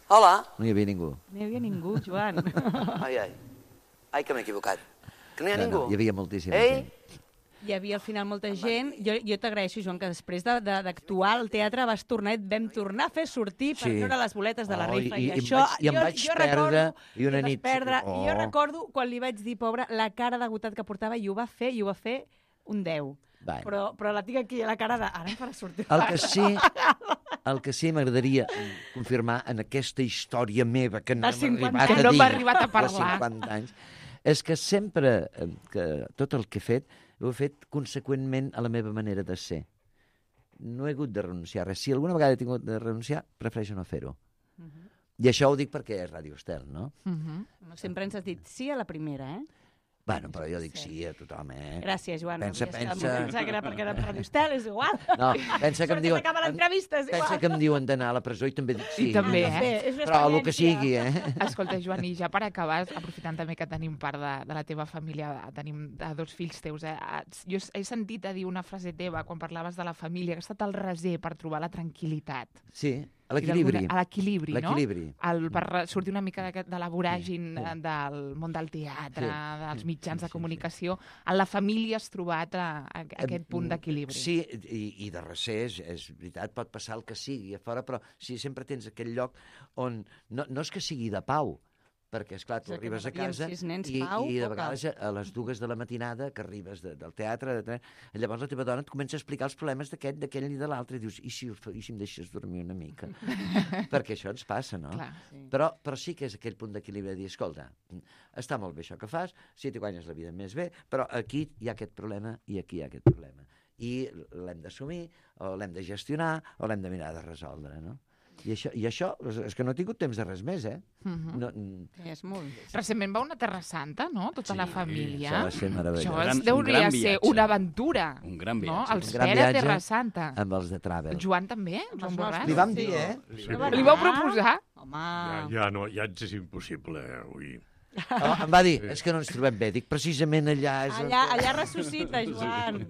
[SPEAKER 15] hola.
[SPEAKER 2] No hi havia ningú.
[SPEAKER 5] No hi havia ningú, Joan.
[SPEAKER 15] Ai, ai, ai que m'he equivocat. Que no hi ha
[SPEAKER 2] No,
[SPEAKER 15] ningú.
[SPEAKER 2] no, hi havia moltíssima
[SPEAKER 15] Ei?
[SPEAKER 2] gent.
[SPEAKER 5] Hi havia al final molta gent. Jo, jo t'agraeixo, Joan, que després de- de- d'actuar al teatre vas tornar i et vam tornar a fer sortir per
[SPEAKER 2] Sí.
[SPEAKER 5] treure les boletes de la
[SPEAKER 2] Oh,
[SPEAKER 5] rifa.
[SPEAKER 2] i-
[SPEAKER 5] I,
[SPEAKER 2] i em
[SPEAKER 5] això,
[SPEAKER 2] vaig- i em
[SPEAKER 5] jo,
[SPEAKER 2] vaig
[SPEAKER 5] jo
[SPEAKER 2] perdre,
[SPEAKER 5] recordo,
[SPEAKER 2] i una
[SPEAKER 5] et vas
[SPEAKER 2] nit-
[SPEAKER 5] Perdre,
[SPEAKER 2] oh.
[SPEAKER 5] I jo recordo quan li vaig dir, pobre, la cara d'agotat que portava i ho va fer, i ho va fer un deu.
[SPEAKER 2] Bueno.
[SPEAKER 5] Però, però la tinc aquí, la cara de... Ara em farà sortir.
[SPEAKER 2] El que sí, el que sí m'agradaria confirmar en aquesta història meva que no
[SPEAKER 5] De
[SPEAKER 2] hem
[SPEAKER 5] cinquanta
[SPEAKER 2] arribat
[SPEAKER 1] que
[SPEAKER 2] a
[SPEAKER 1] no
[SPEAKER 2] dir,
[SPEAKER 1] hem arribat a parlar.
[SPEAKER 2] de cinquanta anys, és que sempre eh, que tot el que he fet ho he fet conseqüentment a la meva manera de ser. No he hagut de renunciar a res. Si alguna vegada he tingut de renunciar, prefereixo no fer-ho. I això ho dic perquè és Ràdio Estel, no?
[SPEAKER 5] Sempre ens has dit sí a la primera, eh?
[SPEAKER 2] Bueno, però jo dic sí a tothom, eh?
[SPEAKER 5] Gràcies, Joan.
[SPEAKER 2] Pensa,
[SPEAKER 5] Ja està,
[SPEAKER 2] pensa...
[SPEAKER 5] Pensava que era perquè era Ràdio Estel, és igual.
[SPEAKER 2] No, pensa que em diuen...
[SPEAKER 5] Acaba l'entrevista, és igual.
[SPEAKER 2] Pensa que em diuen d'anar a la presó i també dic sí.
[SPEAKER 1] I també, eh?
[SPEAKER 5] Bé, és una
[SPEAKER 2] Però el que
[SPEAKER 5] experiència.
[SPEAKER 2] sigui, eh?
[SPEAKER 1] Escolta, Joan, i ja per acabar, aprofitant també que tenim part de, de la teva família, tenim de dos fills teus, eh? Jo he sentit a dir una frase teva quan parlaves de la família, que ha estat el reser per trobar la tranquil·litat.
[SPEAKER 2] Sí, a l'equilibri.
[SPEAKER 1] A l'equilibri, no?
[SPEAKER 2] L'equilibri.
[SPEAKER 1] El, per sortir una mica de, de la voràgin sí. del món del teatre,
[SPEAKER 2] Sí.
[SPEAKER 1] dels mitjans de comunicació, en la família has trobat a, a, a aquest punt d'equilibri.
[SPEAKER 2] Sí, i, i de recer, és, és veritat, pot passar el que sigui a fora, però si sempre tens aquell lloc on no, no és que sigui de pau, perquè, esclar, tu
[SPEAKER 5] És que
[SPEAKER 2] arribes a
[SPEAKER 5] no sabíem
[SPEAKER 2] casa
[SPEAKER 5] si els nens
[SPEAKER 2] i,
[SPEAKER 5] pau
[SPEAKER 2] i de
[SPEAKER 5] o
[SPEAKER 2] vegades a, a les dues de la matinada que arribes de, del teatre, de, llavors la teva dona et comença a explicar els problemes d'aquest, d'aquell i de l'altre, i dius, i si, i si em deixes dormir una mica? Perquè això ens passa, no?
[SPEAKER 1] Clar,
[SPEAKER 5] sí.
[SPEAKER 2] Però, però sí que és aquell punt d'equilibri de dir, escolta, està molt bé això que fas, si t'hi guanyes la vida més bé, però aquí hi ha aquest problema i aquí hi ha aquest problema. I l'hem d'assumir, o l'hem de gestionar, o l'hem de mirar de resoldre, no? I això, I això, és que no he tingut temps de res més, eh?
[SPEAKER 1] Mhm.
[SPEAKER 2] No,
[SPEAKER 5] Sí, és molt.
[SPEAKER 1] Recentment va una Terra Santa, no? Tota
[SPEAKER 2] Sí,
[SPEAKER 1] la família.
[SPEAKER 2] això va ser meravellós.
[SPEAKER 1] Això
[SPEAKER 2] Un
[SPEAKER 1] es
[SPEAKER 2] gran-
[SPEAKER 1] deuria
[SPEAKER 4] un gran
[SPEAKER 1] ser
[SPEAKER 4] viatge.
[SPEAKER 1] una aventura.
[SPEAKER 4] Un gran
[SPEAKER 1] No?
[SPEAKER 4] viatge.
[SPEAKER 1] Els
[SPEAKER 2] un gran
[SPEAKER 1] Pere
[SPEAKER 2] viatge
[SPEAKER 1] Terra Santa.
[SPEAKER 2] amb els de Travel.
[SPEAKER 1] Joan també? Joan Borràs?
[SPEAKER 2] Li vam dir, eh?
[SPEAKER 3] Sí,
[SPEAKER 5] No va
[SPEAKER 1] Li
[SPEAKER 5] anar.
[SPEAKER 1] vau proposar?
[SPEAKER 5] Home...
[SPEAKER 3] Ja, ja, no, ja ens és impossible, eh, avui.
[SPEAKER 2] Oh, em va dir, és que no ens trobem bé. Dic, precisament allà és...
[SPEAKER 5] Allà, allà ressuscita, Joan.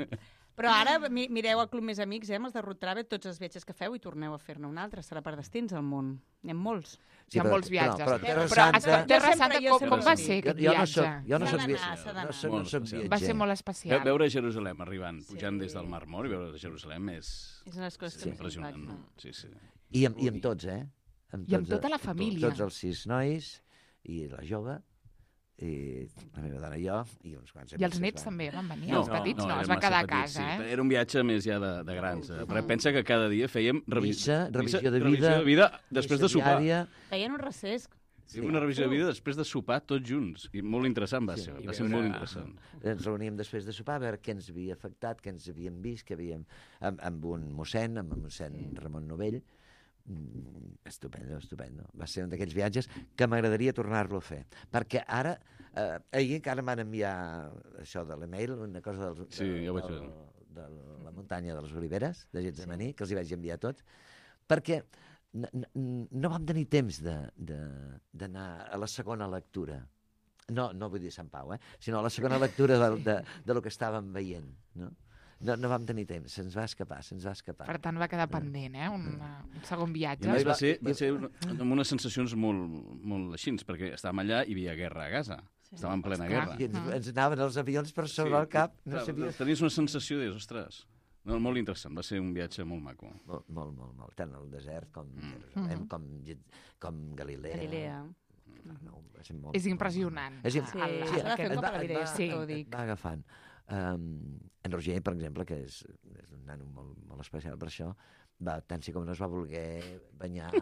[SPEAKER 5] Però ara mi- mireu el Club Més Amics, eh, amb els de Road Travel, tots els viatges que feu i torneu a fer-ne un altre. Serà per destins al món. N'hi ha molts.
[SPEAKER 1] Hi ha
[SPEAKER 2] però-
[SPEAKER 1] molts viatges.
[SPEAKER 2] Però, però,
[SPEAKER 1] Però,
[SPEAKER 2] Terra Santa...
[SPEAKER 1] escolta, Terra
[SPEAKER 5] Jo
[SPEAKER 1] Santa,
[SPEAKER 5] sempre- jo
[SPEAKER 1] com,
[SPEAKER 5] sempre
[SPEAKER 1] com va
[SPEAKER 5] sí.
[SPEAKER 1] ser
[SPEAKER 2] Jo,
[SPEAKER 1] aquest
[SPEAKER 2] jo no
[SPEAKER 1] viatge?
[SPEAKER 2] soc, jo no
[SPEAKER 5] S'ha
[SPEAKER 2] soc,
[SPEAKER 5] d'anar,
[SPEAKER 2] vi-
[SPEAKER 5] s'ha d'anar.
[SPEAKER 2] no soc, no
[SPEAKER 4] Molt
[SPEAKER 2] soc
[SPEAKER 4] especial.
[SPEAKER 2] viatger.
[SPEAKER 1] Va ser molt
[SPEAKER 4] Ve-
[SPEAKER 1] especial.
[SPEAKER 4] Veure Jerusalem arribant, pujant des del Mar Mort i veure Jerusalem és,
[SPEAKER 5] És una de les coses
[SPEAKER 4] és
[SPEAKER 5] que més
[SPEAKER 4] impressionant.
[SPEAKER 5] impacten.
[SPEAKER 4] No? Sí, sí.
[SPEAKER 2] I amb, I amb tots, eh? Amb
[SPEAKER 1] I amb
[SPEAKER 2] tots,
[SPEAKER 1] tota la
[SPEAKER 2] amb
[SPEAKER 1] família.
[SPEAKER 2] Tots els sis nois, i la jove, i la meva dona i jo, i uns quants
[SPEAKER 1] I els
[SPEAKER 2] amics
[SPEAKER 1] nets
[SPEAKER 2] que
[SPEAKER 1] també van venir,
[SPEAKER 4] No,
[SPEAKER 1] els petits no,
[SPEAKER 4] eren
[SPEAKER 1] es va
[SPEAKER 4] massa
[SPEAKER 1] quedar a
[SPEAKER 4] petits,
[SPEAKER 1] casa,
[SPEAKER 4] sí.
[SPEAKER 1] eh?
[SPEAKER 4] Era un viatge més ja de, de grans. Eh? Però pensa que cada dia fèiem revi...
[SPEAKER 2] Missa, revisió de
[SPEAKER 4] revisió
[SPEAKER 2] vida,
[SPEAKER 4] de vida després de
[SPEAKER 2] missa
[SPEAKER 4] sopar.
[SPEAKER 2] diària.
[SPEAKER 5] Feien un recés.
[SPEAKER 4] Sí. Una revisió de vida després de sopar tots junts. I molt interessant va
[SPEAKER 2] Sí.
[SPEAKER 4] ser,
[SPEAKER 2] I
[SPEAKER 4] va ser
[SPEAKER 2] veure-
[SPEAKER 4] molt interessant.
[SPEAKER 2] Ens reuníem després de sopar a veure què ens havia afectat, què ens havíem vist, què havíem... Amb, amb un mossèn, amb el mossèn Ramon Novell. Mm, estupendo, estupendo. Va ser un d'aquells viatges que m'agradaria tornar-lo a fer. Perquè ara, eh, ahir encara m'han enviar això de l'email, una cosa del,
[SPEAKER 4] Sí, ja ho vaig
[SPEAKER 2] del,
[SPEAKER 4] veure.
[SPEAKER 2] de la muntanya de les Oliveres, de Getsemaní, que els hi vaig enviar tots, perquè n- n- no vam tenir temps de- de- d'anar a la segona lectura. No, no vull dir Sant Pau, eh? sinó a la segona lectura de, de, de lo que estàvem veient, no? No, no vam tenir temps, se'ns va escapar, se'ns va escapar.
[SPEAKER 1] Per tant, va quedar pendent, eh? Un, un segon
[SPEAKER 4] I
[SPEAKER 1] viatge.
[SPEAKER 4] a més va ser, va ser una, amb unes sensacions molt, molt així, perquè estàvem allà i hi havia guerra a Gaza. Sí. Estàvem en plena
[SPEAKER 1] Esclar.
[SPEAKER 4] guerra.
[SPEAKER 2] I ens, ens anaven els avions per sobre el cap, no
[SPEAKER 4] clar,
[SPEAKER 2] sabies...
[SPEAKER 4] Tenies una sensació de, ostres, no, molt interessant, va ser un viatge molt maco.
[SPEAKER 2] Molt, molt, molt, molt. Tant al desert com
[SPEAKER 4] Mm.
[SPEAKER 2] Jerusalem,
[SPEAKER 1] Mhm.
[SPEAKER 2] com, com Galilea.
[SPEAKER 5] Galilea.
[SPEAKER 2] No, va ser molt,
[SPEAKER 1] És impressionant.
[SPEAKER 2] És, im-
[SPEAKER 5] Sí,
[SPEAKER 1] El-
[SPEAKER 5] s'ha de fer
[SPEAKER 2] et
[SPEAKER 5] un cop
[SPEAKER 2] va-
[SPEAKER 5] a la
[SPEAKER 2] et
[SPEAKER 5] vida,
[SPEAKER 2] va-
[SPEAKER 1] sí.
[SPEAKER 5] ho
[SPEAKER 2] et
[SPEAKER 5] dic.
[SPEAKER 2] va agafant. Um, en Roger, per exemple, que és, és un nano molt, molt especial per això, va, tant sí com no es va voler banyar...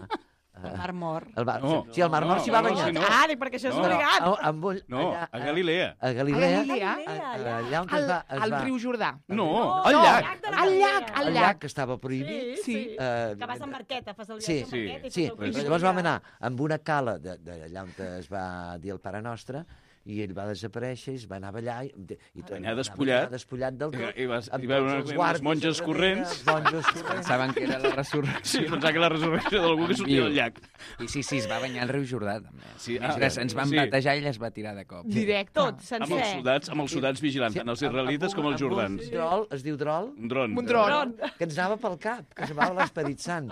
[SPEAKER 5] El Mar Mort.
[SPEAKER 2] El mar,
[SPEAKER 4] No,
[SPEAKER 2] sí, el Mar Mort
[SPEAKER 4] no,
[SPEAKER 2] s'hi va
[SPEAKER 4] no,
[SPEAKER 2] banyar.
[SPEAKER 4] sí, no.
[SPEAKER 5] Ah, dic, perquè això és
[SPEAKER 4] No.
[SPEAKER 5] obligat.
[SPEAKER 2] Però, a- amb un,
[SPEAKER 4] No,
[SPEAKER 2] allà,
[SPEAKER 4] a Galilea.
[SPEAKER 2] A Galilea,
[SPEAKER 1] A Galilea?
[SPEAKER 2] a- allà on es
[SPEAKER 1] El,
[SPEAKER 2] va... Es
[SPEAKER 1] el
[SPEAKER 2] va
[SPEAKER 1] riu Jordà.
[SPEAKER 4] No,
[SPEAKER 2] al
[SPEAKER 1] No,
[SPEAKER 2] llac.
[SPEAKER 1] al llac, al
[SPEAKER 2] El
[SPEAKER 1] llac.
[SPEAKER 2] llac que estava prohibit.
[SPEAKER 5] Sí, sí.
[SPEAKER 2] Eh,
[SPEAKER 5] Que vas amb barqueta, fas el
[SPEAKER 2] Sí,
[SPEAKER 5] viatge amb
[SPEAKER 4] sí,
[SPEAKER 5] barqueta i
[SPEAKER 2] Sí,
[SPEAKER 5] fas el
[SPEAKER 2] però
[SPEAKER 5] cruix
[SPEAKER 2] llavors vam
[SPEAKER 5] allà.
[SPEAKER 2] anar amb una cala d'allà on es va dir el Pare Nostre i ell va desaparèixer i es va anar a ballar i, i tot,
[SPEAKER 4] Anar despullat.
[SPEAKER 2] despullat del tot.
[SPEAKER 4] I, i, vas,
[SPEAKER 2] amb
[SPEAKER 4] i va
[SPEAKER 2] tots
[SPEAKER 4] veure
[SPEAKER 2] els
[SPEAKER 4] les
[SPEAKER 2] guàrdies
[SPEAKER 4] monges
[SPEAKER 2] darrere,
[SPEAKER 4] corrents.
[SPEAKER 2] els monjos corrents.
[SPEAKER 6] Pensaven que era la resurrecció.
[SPEAKER 4] Sí, pensava que era la resurrecció d'algú que sortia del llac.
[SPEAKER 6] I sí, sí, es va banyar al riu Jordà, també.
[SPEAKER 4] Sí,
[SPEAKER 6] ah, ens, ens van
[SPEAKER 4] sí.
[SPEAKER 6] batejar i ella es va tirar de cop.
[SPEAKER 1] Directe.
[SPEAKER 5] Tot,
[SPEAKER 4] Amb
[SPEAKER 5] sencer.
[SPEAKER 4] els soldats, amb els soldats vigilants, tant els israelites com els jordans.
[SPEAKER 2] Un drol, es diu drol?
[SPEAKER 4] Un dron.
[SPEAKER 1] Un dron.
[SPEAKER 2] Que ens anava pel cap, que semblava l'Esperit Sant.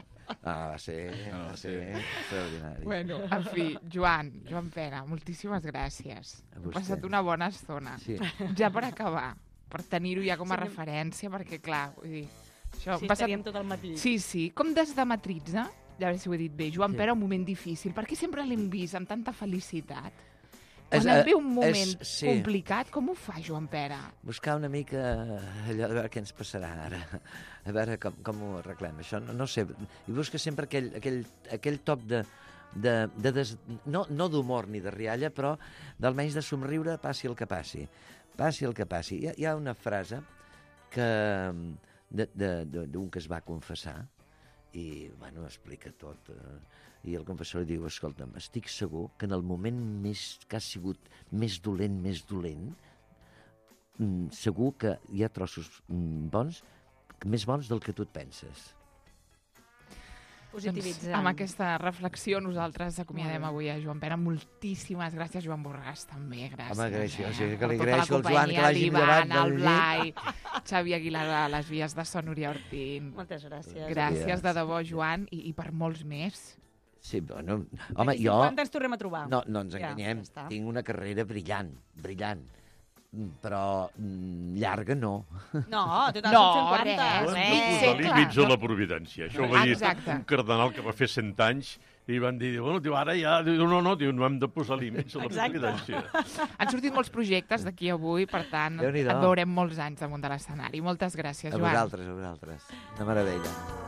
[SPEAKER 2] Ah, va ser, va ser extraordinari.
[SPEAKER 1] Bueno, en fi, Joan, Joan Pere, moltíssimes gràcies.
[SPEAKER 2] A
[SPEAKER 1] He
[SPEAKER 2] vostè.
[SPEAKER 1] passat una bona estona.
[SPEAKER 2] Sí.
[SPEAKER 1] Ja per acabar, per tenir-ho ja com a
[SPEAKER 5] Sí,
[SPEAKER 1] referència, perquè, clar, vull dir... Això,
[SPEAKER 5] Sí,
[SPEAKER 1] hem passat-
[SPEAKER 5] estaríem tot el matí.
[SPEAKER 1] Sí, sí, com des de Matritza, ja veure si ho he dit bé, Joan
[SPEAKER 2] Sí.
[SPEAKER 1] Pere, un moment difícil, perquè sempre l'hem vist amb tanta felicitat.
[SPEAKER 2] És,
[SPEAKER 1] Quan et
[SPEAKER 2] eh,
[SPEAKER 1] ve un moment
[SPEAKER 2] és- sí.
[SPEAKER 1] complicat, com ho fa, Joan Pere?
[SPEAKER 2] Buscar una mica allò de veure què ens passarà ara, a veure com, com ho arreglem. Això no, no sé, i busca sempre aquell, aquell, aquell toc de, de, de des, no, no d'humor ni de rialla, però d'almenys de somriure passi el que passi. Passi el que passi. Hi ha, hi ha una frase que d'un que es va confessar i, bueno, explica tot. Eh, I el confessor li diu, escolta'm, estic segur que en el moment més que ha sigut més dolent, més dolent, mm, segur que hi ha trossos mm, bons, més bons del que tu et penses.
[SPEAKER 5] Positivitzant.
[SPEAKER 1] Doncs, amb aquesta reflexió nosaltres acomiadem avui a Joan Pere. Moltíssimes gràcies, Joan Borràs, també. Gràcies.
[SPEAKER 2] Home, gràcies.
[SPEAKER 1] Eh?
[SPEAKER 2] O sigui que
[SPEAKER 1] Per
[SPEAKER 2] li
[SPEAKER 1] tota la
[SPEAKER 2] agraeixo al Joan que
[SPEAKER 1] companyia,
[SPEAKER 2] l'hagi
[SPEAKER 1] l'Ivan,
[SPEAKER 2] llevat
[SPEAKER 1] el
[SPEAKER 2] del
[SPEAKER 1] Blai, Xavi Aguilar a les vies de Son, Núria Ortín.
[SPEAKER 5] Moltes gràcies.
[SPEAKER 1] Gràcies de debò, Joan, i, i per molts més.
[SPEAKER 2] Sí, bueno, home, jo...
[SPEAKER 5] Quan ens tornem a trobar?
[SPEAKER 2] No, no ens
[SPEAKER 5] Ja,
[SPEAKER 2] enganyem.
[SPEAKER 5] ja està.
[SPEAKER 2] Tinc una carrera brillant, brillant. Mm, Però mm, llarga no.
[SPEAKER 5] No, total,
[SPEAKER 1] No,
[SPEAKER 5] són cent quaranta.
[SPEAKER 1] res,
[SPEAKER 3] No hem de
[SPEAKER 1] res.
[SPEAKER 3] posar
[SPEAKER 1] Sí,
[SPEAKER 3] límits
[SPEAKER 1] clar.
[SPEAKER 3] a la providència. Això ho va dir
[SPEAKER 1] Exacte.
[SPEAKER 3] un cardenal que va fer cent anys i van dir, bueno, diu, ara ja... Diu, no, no, diu, no hem de posar límits a la
[SPEAKER 5] Exacte.
[SPEAKER 3] providència.
[SPEAKER 1] Han sortit molts projectes d'aquí avui, per tant,
[SPEAKER 2] Déu-n'hi-do.
[SPEAKER 1] et veurem molts anys damunt de l'escenari. Moltes gràcies,
[SPEAKER 2] A
[SPEAKER 1] Joan.
[SPEAKER 2] vosaltres, a vosaltres. Una meravella.